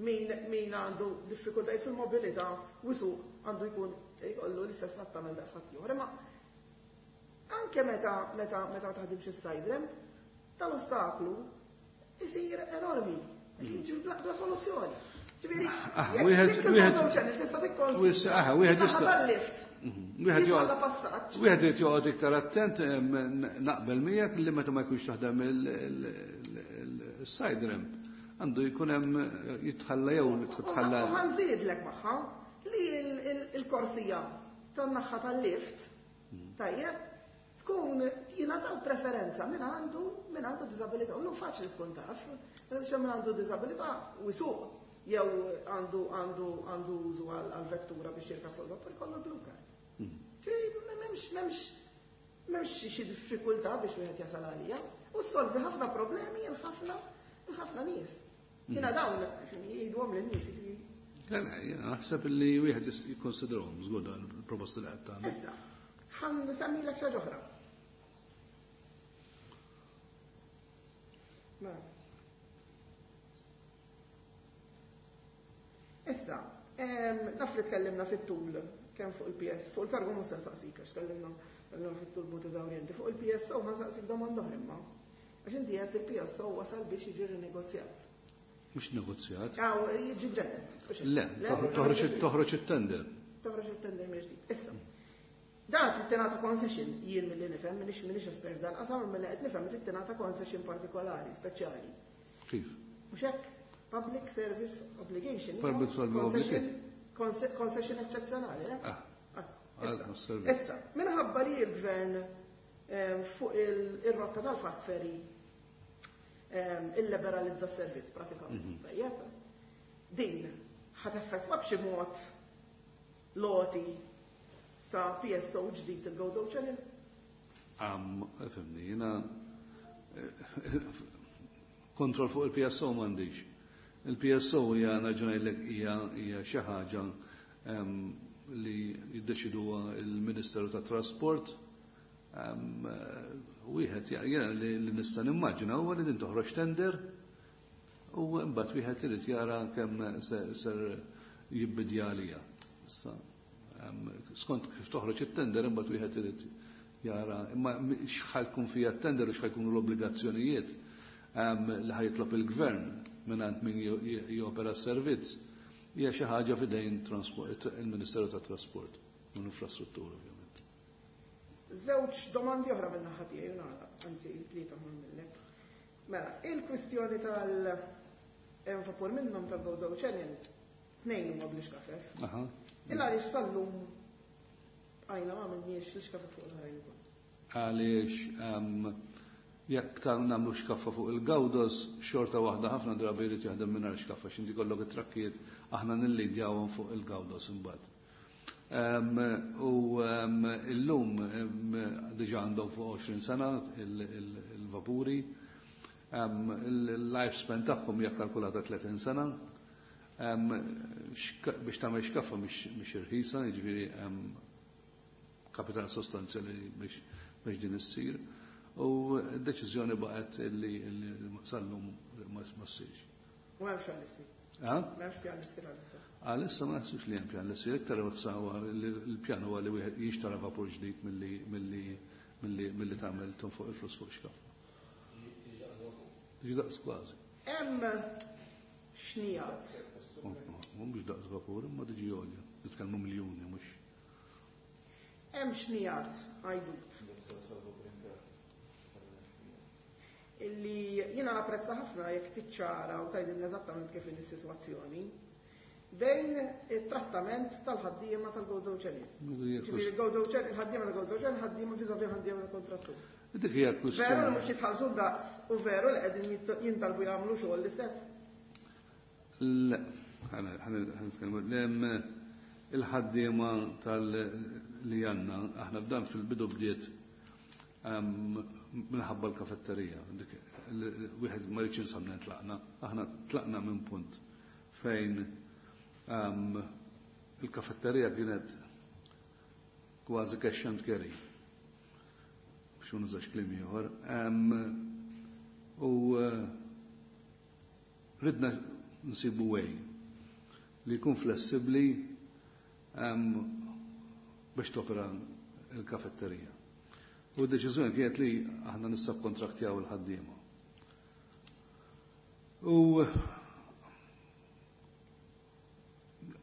min min għandu diffikultajiet fil-mobilità u suq għandu jkun jkollu l-istess trattament daqs ħadd ieħor. Imma anke meta meta meta ma taħdimx is-side ramp, tal-ostaklu isir enormi. Bla soluzzjoni. Ġifieri, wieħed wieħed tista' wieħed jista' lift. Wieħed joqgħod wieħed irid joqgħod iktar attent naqbel miegħek li meta ma jkunx taħdem il-side ramp għandu jkun hemm jitħalla jew titħalla. U ħa nżidlek magħha li l-korsija tan-naħa tal-lift tajjeb tkun jingħataw preferenza min għandu min għandu diżabilità. U faċli tkun taf, għaliex min għandu diżabilità u jsuq jew għandu għandu għandu użu għal vettura biex jirkab fuq il-vapur jkollu blue card. Ġifieri m'hemmx m'hemmx m'hemmx xi diffikultà biex wieħed jasal għalija u ssolvi ħafna problemi għal ħafna ħafna nies. Jiena dawn jgħiduhom lin-nies. Le, le, jiena naħseb li wieħed jikkonsidrahom żgur dan il-proposti li qed tagħmel. Issa, ħa nsemmilek xi ħaġa oħra. Issa, naf li tkellimna fit-tul kemm fuq il-P S, fuq il-kargo mhux se nsaqsik għax tkellimna fit-tul b'mod eżawrjenti. Fuq il-P S O ħa nsaqsik domanda oħra imma. Għax inti għedt il-P S O wasal biex jiġi rinegozjat. Mhux negozjat. Aw, jiġi mġedded. Le, toħroġ it-tender. Toħroġ it-tender mill-ġdid. Issa, dan trid tingħata concession, jien milli nifhem, minix minix espert dan qasam, milli qed nifhem trid tingħata concession partikolari, speċjali. Kif? Mhux hekk? Public Service Obligation. Public Service Obligation. Concession eċċezzjonali, eh? Ah. Issa, minħabba li l-gvern fuq il-rotta tal-fast ferry illiberalizza s-servizz pratikament. Tajjeb. Din ħa teffettwa b'xi mod l-għoti ta' P S O ġdid il-Gozo Channel? Am, fimni, jiena kontroll fuq il-P S O m'għandix. Il-P S O hija naġunajlek hija hija xi ħaġa li jiddeċiduha il-Ministeru tat Trasport. Wieħed jiena li nista' nimmaġina huwa li din toħroġ tender u mbagħad wieħed irid jara kemm ser jibbidja għalija. Issa, skont kif toħroġ it-tender imbagħad wieħed irid jara imma x'ħa jkun fiha t-tender u x'ħa jkunu l-obbligazzjonijiet li ħa jitlob il-gvern mingħand min jopera s-servizz hija xi ħaġa f'idejn il-Ministeru tat Trasport u l-Infrastruttura ovvjament. Żewġ domandi oħra minn naħa tiegħi u nagħlaq, anzi tlieta nagħmillek. Mela, il-kwistjoni tal hemm vapur minnhom tal-Gozo Channel, tnejn huma bl-ixkafef. Illa għaliex sal-lum għajna ma għamilniex l-ixkafef fuq l-oħrajn ukoll. Għaliex jekk ta' nagħmlu xkaffa fuq il-Gawdos, xorta waħda ħafna drabi jrid jaħdem mingħajr xkaffa x'inti kollok it-trakkijiet aħna nillidjawhom fuq il-Gawdos imbagħad. U illum diġà għandhom fuq għoxrin sena il-vapuri, il-lifespan tagħhom hija kalkulata tletin sena. Biex tagħmel xkaffa mhix irħisa, jiġifieri kapital sostanzjali biex din issir. U d-deċiżjoni baqgħet li sal-lum ma ssirx. U m'hemmx pjan li ssir. M'hemmx pjan li ssir għalissa. Għalissa ma naħsibx li hemm pjan li ssir, iktar il-pjan huwa li wieħed jixtara vapur ġdid milli milli tagħmel fuq il-flus fuq xkaffa. Tiġi daqs kważi. Hemm xnijat. Mhux daqs vapur, imma tiġi għolja. Nitkellmu miljuni mhux. Hemm xnijat għajdut. Illi jiena napprezza ħafna jekk tiċċara u tgħidilna eżattament kif inhi s-sitwazzjoni bejn it-trattament tal-ħaddiema tal-Gozo Channel. Ġifieri il-Gozo Channel, il-ħaddiema tal-Gozo Channel, ħaddiema vis-à-vis ħaddiema tal-kontrattur. Dik hija kwistjoni. Veru li mhux jitħallsu daqs u veru li qegħdin jintalbu jagħmlu xogħol l-istess? Le, ħa nitkellmu. Il-ħaddiema tal-li għandna, aħna f'dan fil-bidu bdiet minħabba l-kafetterija. Wieħed ma rridx insamna tlaqna, aħna tlaqna minn punt fejn il-kafetterija kienet kważi cash and carry. Biex ma nużax kliem ieħor. U ridna nsibu way li jkun flessibbli biex topera il-kafetterija. U d-deċiżjoni kienet li aħna nissabkontraktjaw il-ħaddiema. U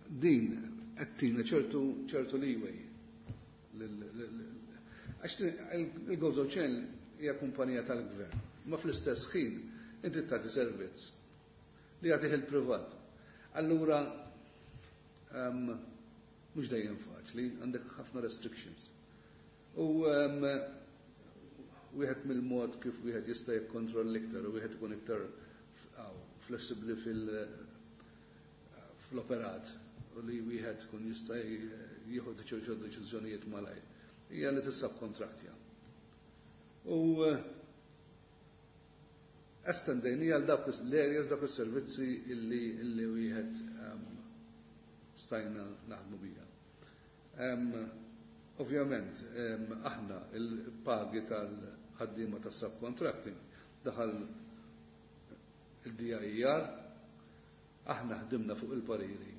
din qed tina ċertu ċertu leeway. Għax il-Gozo Channel hija kumpanija tal-gvern, ma fl-istess ħin inti tagħti servizz li jagħtih il-privat. Allura mhux dejjem faċli, għandek ħafna restrictions. U wieħed mill-mod kif wieħed jista' jikkontroll iktar u wieħed ikun iktar flessibbli fil- fl-operat u li wieħed kun jista' jieħu ċertu deċiżjonijiet malajr. Hija li tissabkontraktja. U estendejni għal dawk l-areas, dawk is-servizzi illi illi wieħed stajna naħdmu bija. Ovvjament, aħna il-pagi tal-ħaddiema tas-subcontracting daħal il-D I E R, aħna ħdimna fuq il-pariri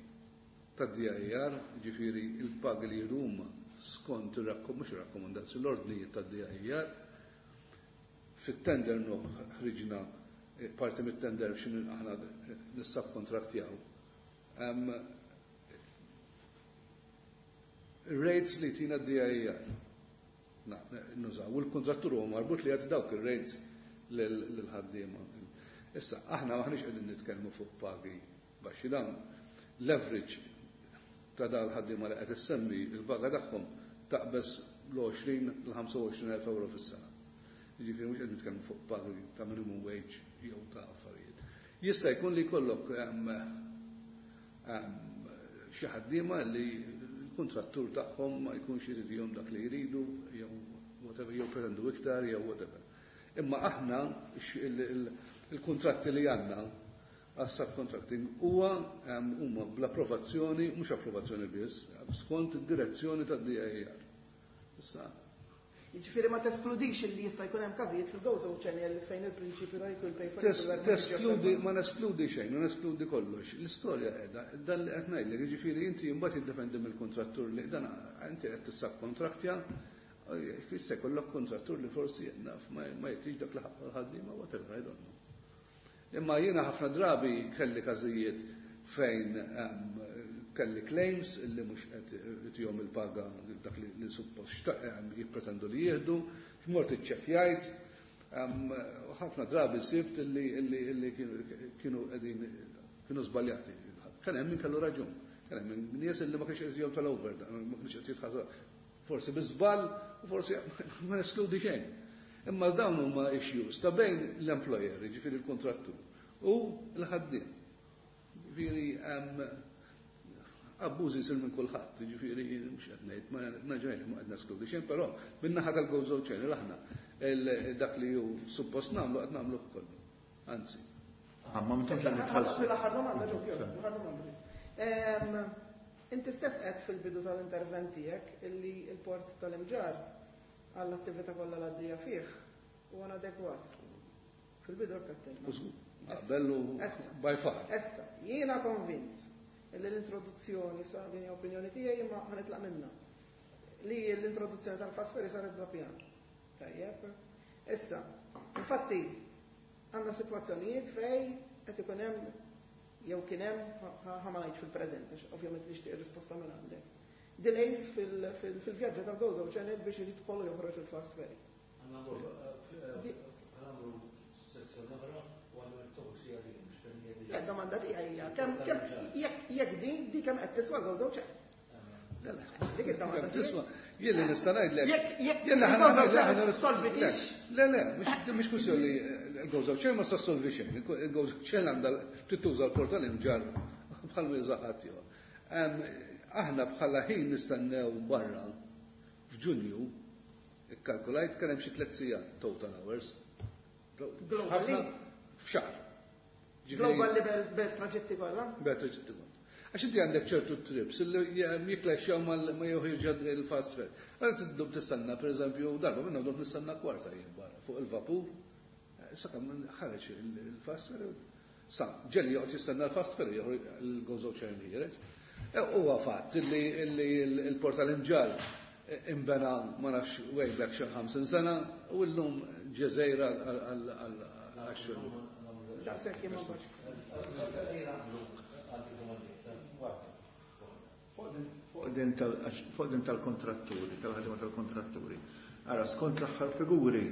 tad-D I E R, ġifieri il-pagi li jieħdu huma skont mhux ir-rakkomandazzjoni, l-ordnijiet tad-D I E R. Fit-tender ħriġna parti mit-tender x'in aħna nissabkontraktjaw. Rates li tina d-D I E R. Nużaw, u l-kontrattur huwa marbut li jagħti dawk ir-rates lil-ħaddiema. Issa, aħna maħniex qegħdin nitkellmu fuq pagi baxxi, dawn leverage ta' dal-ħaddiema li qed issemmi il-paga tagħhom taqbeż l-għoxrin l-ħamsa u għoxrin elf euro fis-sena. Jiġifieri mhux qed nitkellmu fuq pagi ta' minimum wage jew ta' affarijiet. Jista' jkun li jkollok xi ħaddiema li l-kontrattur tagħhom ma jkunx iridihom dak li jridu jew whatever, jew pretendu iktar jew whatever. Imma aħna il-kontratti li għandna għas-subcontracting huwa huma bl-approvazzjoni, mhux approvazzjoni biss, skont id-direzzjoni tad-D I E R. Issa. Jiġifieri ma teskludix li jista' jkun hemm każijiet fil-Gozo Channel fejn il-prinċipju ta' equal pay for equal work. Teskludi, ma neskludi xejn, ma neskludi kollox. L-istorja qiegħda, dan li qed ngħidlek, jiġifieri inti mbagħad jiddependi mill-kontrattur li dan inti qed tissabkontraktja, jista' jkollok kontrattur li forsi naf ma jtix dak li ħaqqu l-ħaddiema, whatever, I don't know. Imma jiena ħafna drabi kelli każijiet fejn kelli claims illi mhux qed itihom il-paga dak li suppost jippretendu li jieħdu, x'mort iċċekkjajt, u ħafna drabi sibt illi kienu qegħdin kienu żbaljati. Kien hemm min kellu raġun, kien hemm min nies illi ma kienx qed jihom tal-over, ma kienx qed jitħallsu forsi bi żball u forsi ma neskludi xejn. Imma dawn huma issues ta' bejn l-employer, jiġifieri l-kontrattur, u l-ħaddiem. Jiġifieri abbużi jsir minn kulħadd, jiġifieri mhux qed ngħid, ma naġgħid ma qed neskludi xejn, però min-naħa tal-Gozo Channel aħna dak li hu suppost nagħmlu qed nagħmlu kollu. Anzi. Ah, ma m'intux qed nitħallsu. L-aħħar domanda, ġew, l-aħħar domanda. Inti stess qed fil-bidu tal-intervent tiegħek illi l-port tal-Imġarr għall-attività kollha l-għaddejja fih u inadegwat. Fil-bidu għattilna. Bellu by far. Issa, jiena konvint li l-introduzzjoni sa din hija opinjoni tiegħi imma ħa nitlaq minnha. Li l-introduzzjoni tal-fast ferry saret bla pjan. Tajjeb. Issa, infatti għandna sitwazzjonijiet fej qed ikun hemm jew kien hemm ħa ma ngħidx fil-preżent, għax ovvjament nixtieq ir-risposta minn għandek. Delays fil-vjaġġi tal-Gozo Channel biex jidħolu joħroġ il-fast ferry. Għanamlu sezzjoni oħra u għandu mistoqsija din Le, domanda tiegħi hija kemm jekk din di kemm qed tiswa Gozo Channel. Dik id-domanda Tisma, jien li nista' ngħidlek. Jekk Jien li ħa il-Gozo solvitix. Le, le, mhux kwistjoni il-Gozo Channel ma ssolvi xejn. Il-Gozo Channel għandha tittuża l-port tal-Imġarr bħal ma juża ħadd ieħor. Aħna bħala ħin nistennew barra f'Ġunju, ikkalkulajt kien hemm xi tliet sigħat total hours. Globally? F'xahar. Global level bel traġetti kollha? Bel traġetti kollha. Għax inti għandek ċertu trips illi jiklexxjaw ma joħirġa il-fast ferry. Għal tiddum tistenna, per eżempju, darba minna dum nistenna kwarta jien barra fuq il-vapur. Sa kemm ħareġ il-fast ferry. Sa, ġelli joqgħod jistenna l-fast ferry joħroġ il-Gozo Channel ħiereġ. Huwa fatt illi il-port tal-Imġarr imbena ma nafx way back xi ħamsin sena u llum ġeżejra għal għax-xogħol. Daqshekk jien ma nbax. Fuq din tal-kontratturi, tal-ħadima tal-kontratturi. Ara, skont l-aħħar figuri,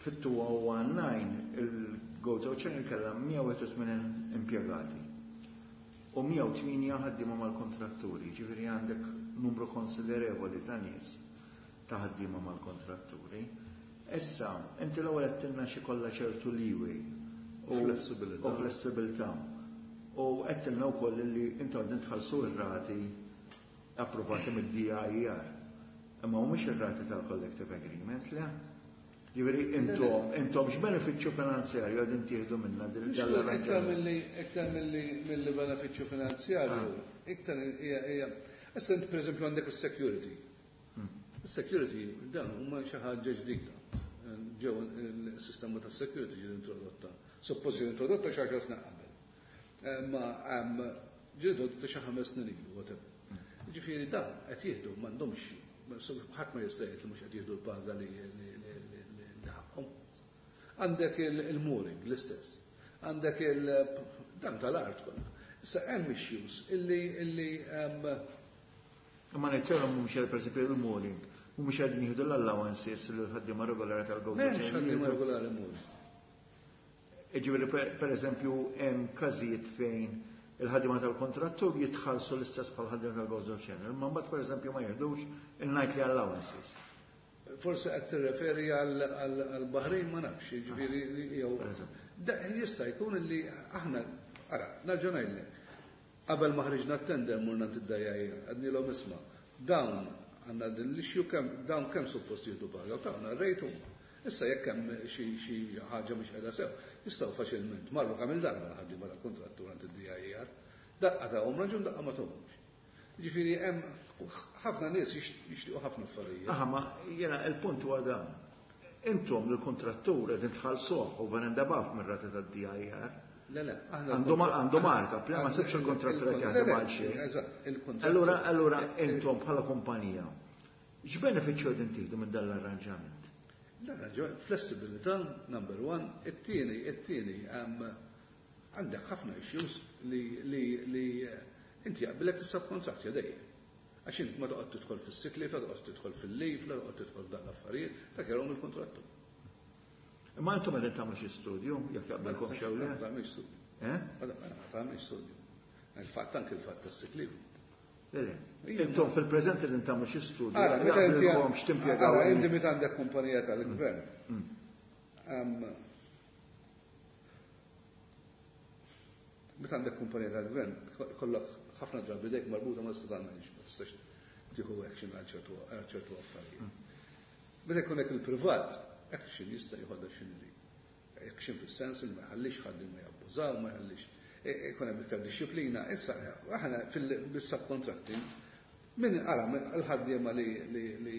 fit-two oh nine il-Gozo Channel kellha mija u wieħed u tmenin impjegati u mija u tmienja ħaddiema mal-kontratturi, ġifieri għandek numru konsiderevoli ta' nies ta' ħaddiema mal-kontratturi. Issa, inti l-ewwel għedtilna xi kollha ċertu leeway u Flessibilità. u flessibilità. U għedtilna wkoll li intom qegħdin tħallsu r-rati approvati mid-D I E R. Imma mhumiex ir-rati tal-collective agreement, le? Ġifieri intom, intom x'benefiċċju finanzjarju qegħdin tieħdu minna din Iktar l-arranġament? milli iktar milli milli benefiċċju finanzjarju, iktar hija hija. Issa int pereżempju għandek is-security. Is-security dan huma xi ħaġa ġdida. Ġew il-sistema tas-security ġiet introdotta. Suppost ġiet introdotta xi għaxar snin qabel. Ma ġiet introdotta xi ħames snin ilu, whatever. Ġifieri dan qed jieħdu m'għandhomx, ħadd ma jista' jgħid li mhux qed jieħdu l-paga li li ħaqhom. Għandek il-mooring l-istess. Għandek il- dan tal-art kollha. Issa hemm issues illi illi Ma nittara mhumiex per eżempju il-mooring, mhumiex qegħdin jieħdu l-allowances li l-ħaddiema regolari tal-Gozo M'hemmx ħaddiema regolari mooring. Ġifieri per eżempju hemm każijiet fejn il-ħaddiema tal-kontrattur jitħallsu l-istess bħal ħaddiema tal-Gozo Channel, ma mbagħad per eżempju ma jieħdux il-nightly allowances. Forse qed tirreferi għal Baħrejn, ma nafx, jiġifieri jew. Jista' jkun illi aħna, ara, nerġa' ngħidlek. Qabel ma ħriġna t-tender morna d-D I E R, għednielhom, isma', dawn għandna din l-issue, kemm dawn kemm suppost jieħdu paga, u tawna r-rate huma. Issa jekk hemm xi ħaġa mhux qiegħda sew, jistgħu faċilment marru kemm il-darba l-ħaddiema tal-kontrattur għand id-D I E R. Daqqa tahom raġun, daqqa ma tahomx. Ġifieri hemm ħafna nies jixtiequ ħafna affarijiet. Aha, ma jiena il-punt huwa dan. Intom l-kontrattur qegħdin tħallsuh over and above mir-rata tad-D I E R. Le, le, aħna Għandu marka, ma sibx il-kontrattur qed jaħdem għal xejn. Eżatt, il-kontrattur. Allura, allura intom bħala kumpanija, x'benefiċċju qegħdin tieħdu minn dan l-arranġament? L-arranġament, flessibilità, number one, it-tieni, it-tieni, għandek ħafna issues li li li inti jaqbilek tissubcontract dejjem. Għax int ma toqgħod tidħol fis-sick leave, la toqgħod tidħol fil-leave, la toqgħod tidħol f'dan l-affarijiet, dak jarahom il-kontrattur. Imma intom qegħdin tagħmlu xi studju jekk jaqbilkom xew le? Ma tagħmilx studju. Eh? Ma tagħmilx studju. Il-fatt anke il-fatt tas-sick leave. Le, le. Intom fil-preżent qegħdin tagħmlu xi studju. Ara, meta inti jaqbilkom x'timpjegaw. Ara, inti meta għandek kumpanija tal-gvern. Meta Meta għandek kumpanija tal-gvern, kollok ħafna drabi dejk marbuta ma tista' tagħmel, ma tistax tieħu action għal ċertu affarijiet. Meta jkun hekk il-privat, action jista' jieħodha x'inhi. Action fis-sens li ma jħallix ħadd ma jabbużaw, ma jħallix ikun hemm iktar disċiplina. Issa aħna fil-subcontracting min ara l-ħaddiema li li li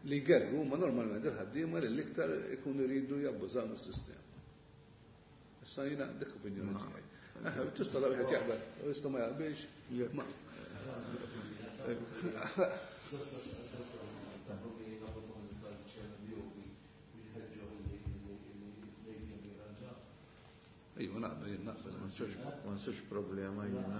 Li jgerru huma normalment il-ħaddiema li l-iktar ikunu jridu jabbużaw mis-sistema. Issa jiena dik opinjoni tiegħi. Tista' la wieħed jaqbel, jista' ma jaqbilx. Ejwa, naqbel, jien naqbel. Ma nsirx problema jiena.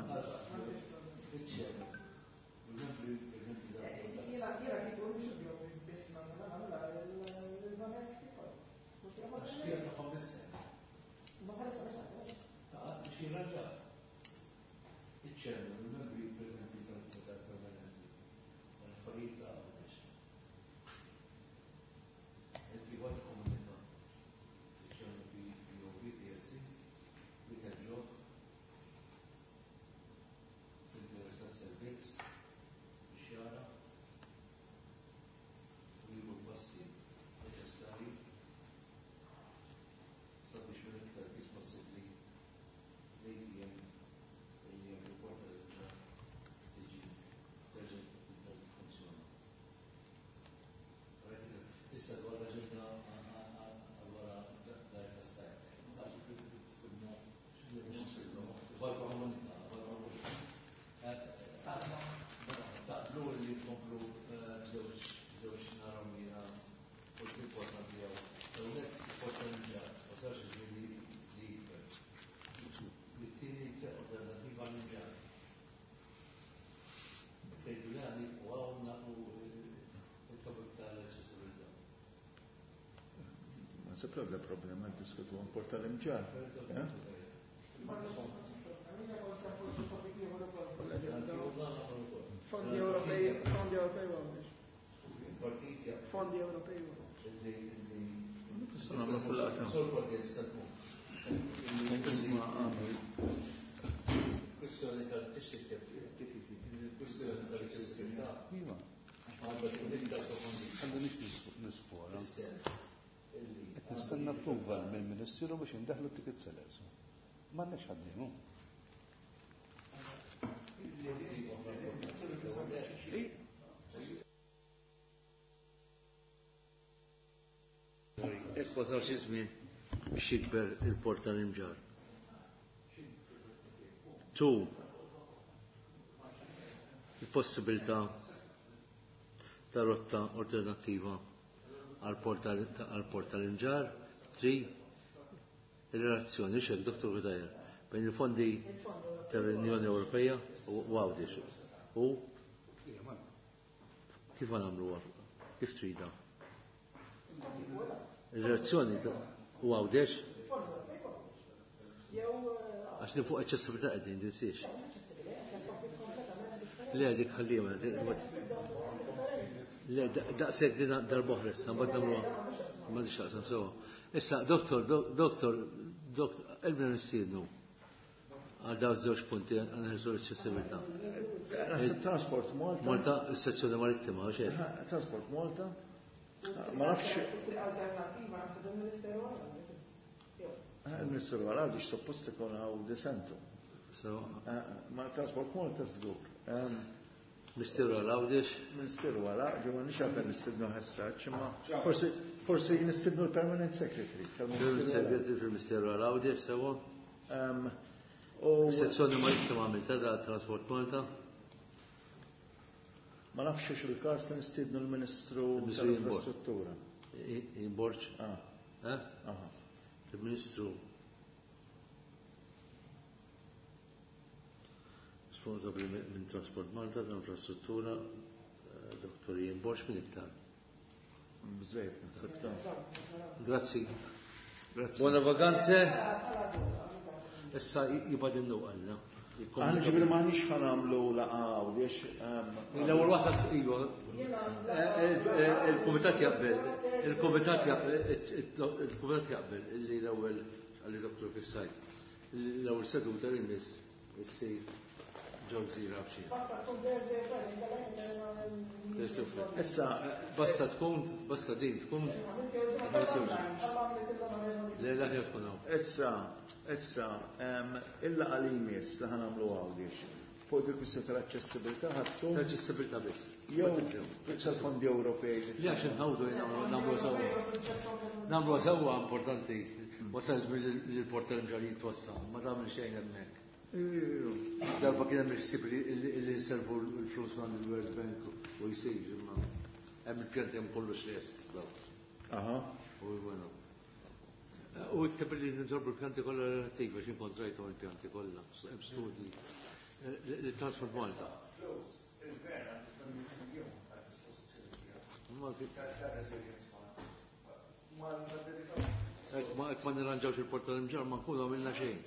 Se proprio problema diskutu għan porta l-imġar. Fondi Ewropej, fondi Ewropej Fondi Ewropej. Kwestjoni tal-tixtieq kwestjoni tal-aċċessibilità. Għandu nix nisfora. Qed nistenna approval mill-Ministeru biex indaħlu ticket sellers. M'għandniex ħaddiemu. Hekk wasal xi żmien biex jikber il-port tal-Imġarr. Tu il-possibilità ta' rotta alternattiva għal-port tal-Imġarr, tri, il-relazzjoni, xek, Doktor Cutajar, bejn il-fondi tal-Unjoni Ewropea u Għawdex. U kif għanamlu kif trida? Il-relazzjoni u Għawdex? Għax li fuq aċċessibilità qegħdin, tinsiex. Le, dik ħallima, le, daqshekk din darba oħra issa, mbagħad nagħmluha. M'għandix x'aqsam sewwa. Issa, doktor, doktor, doktor, elbna nistiednu għal dawn żewġ punti għal l-aċċessibilità. Transport Malta. Malta, is-sezzjoni marittima, għax hekk. Transport Malta. Ma nafx. Alternattiva naħseb il-Ministeru għal. Il-Ministeru għal għaliex suppost ikun hawn disentu. Ma Transport Malta żgur. Ministeru għal Għawdex? Ministeru għal Għawdex, ma nix għafen nistidnu ħessaċ, ma forsi forsi nistidnu l-Permanent Secretary. Permanent Secretary fil-Ministeru għal Għawdex, sewa? Sezzjoni marittima għamilta da Transport Malta? Ma nafx xiex il-każ li nistidnu l-Ministru tal-Infrastruttura. Borġ? Il-Ministru responsabli minn Transport Malta, tal-Infrastruttura, Doktor Ian Borg minn iktar. Bżejt, Grazzi. Buona vacanze. Issa jibadinnu għalna. Aħna ġibri maħniex ħanamlu laqa u liex. L-ewwel waħda iva. Il-kumitat jaqbel, il-kumitat jaqbel, il-kumitat jaqbel illi l-ewwel għalli Doktor Kissajt. L-ewwel seduta li miss issir ġew gżira b'xi. Basta tkun Thursday, Friday, Issa, basta tkun, basta din tkun. Le la tkun hawn. Issa, issa, il-laqa li jmiss li ħanamlu Għawdex. Fuq il-kwistjoni tal-aċċessibilità ħadtu. L-aċċessibilità biss. Jew tal-fondi Ewropej. Li għax nħawdu nagħmlu sewwa. Nagħmlu sewwa importanti. Wasal żmien li l-port tal-Imġarr jitwassa, ma tagħmel xejn hemmhekk. Darba kien hemm il-ħsieb li nservu l-flus ma' il-World Bank u jsir imma hemm il-pjanti hemm kollox lest daw. Aha. U bueno. U ikteb li nġorbu l-pjanti kollha relattivi għax inkontrajthom il-pjanti kollha, hemm studji. Transport Malta. Flus, il-gvern għandu tmien miljun għad dispożizzjoni tiegħu. Tal-Resilience Fund. Ma ma dedikaw. Ma ma nirranġawx il-port tal-Imġarr ma nkunu għamilna xejn.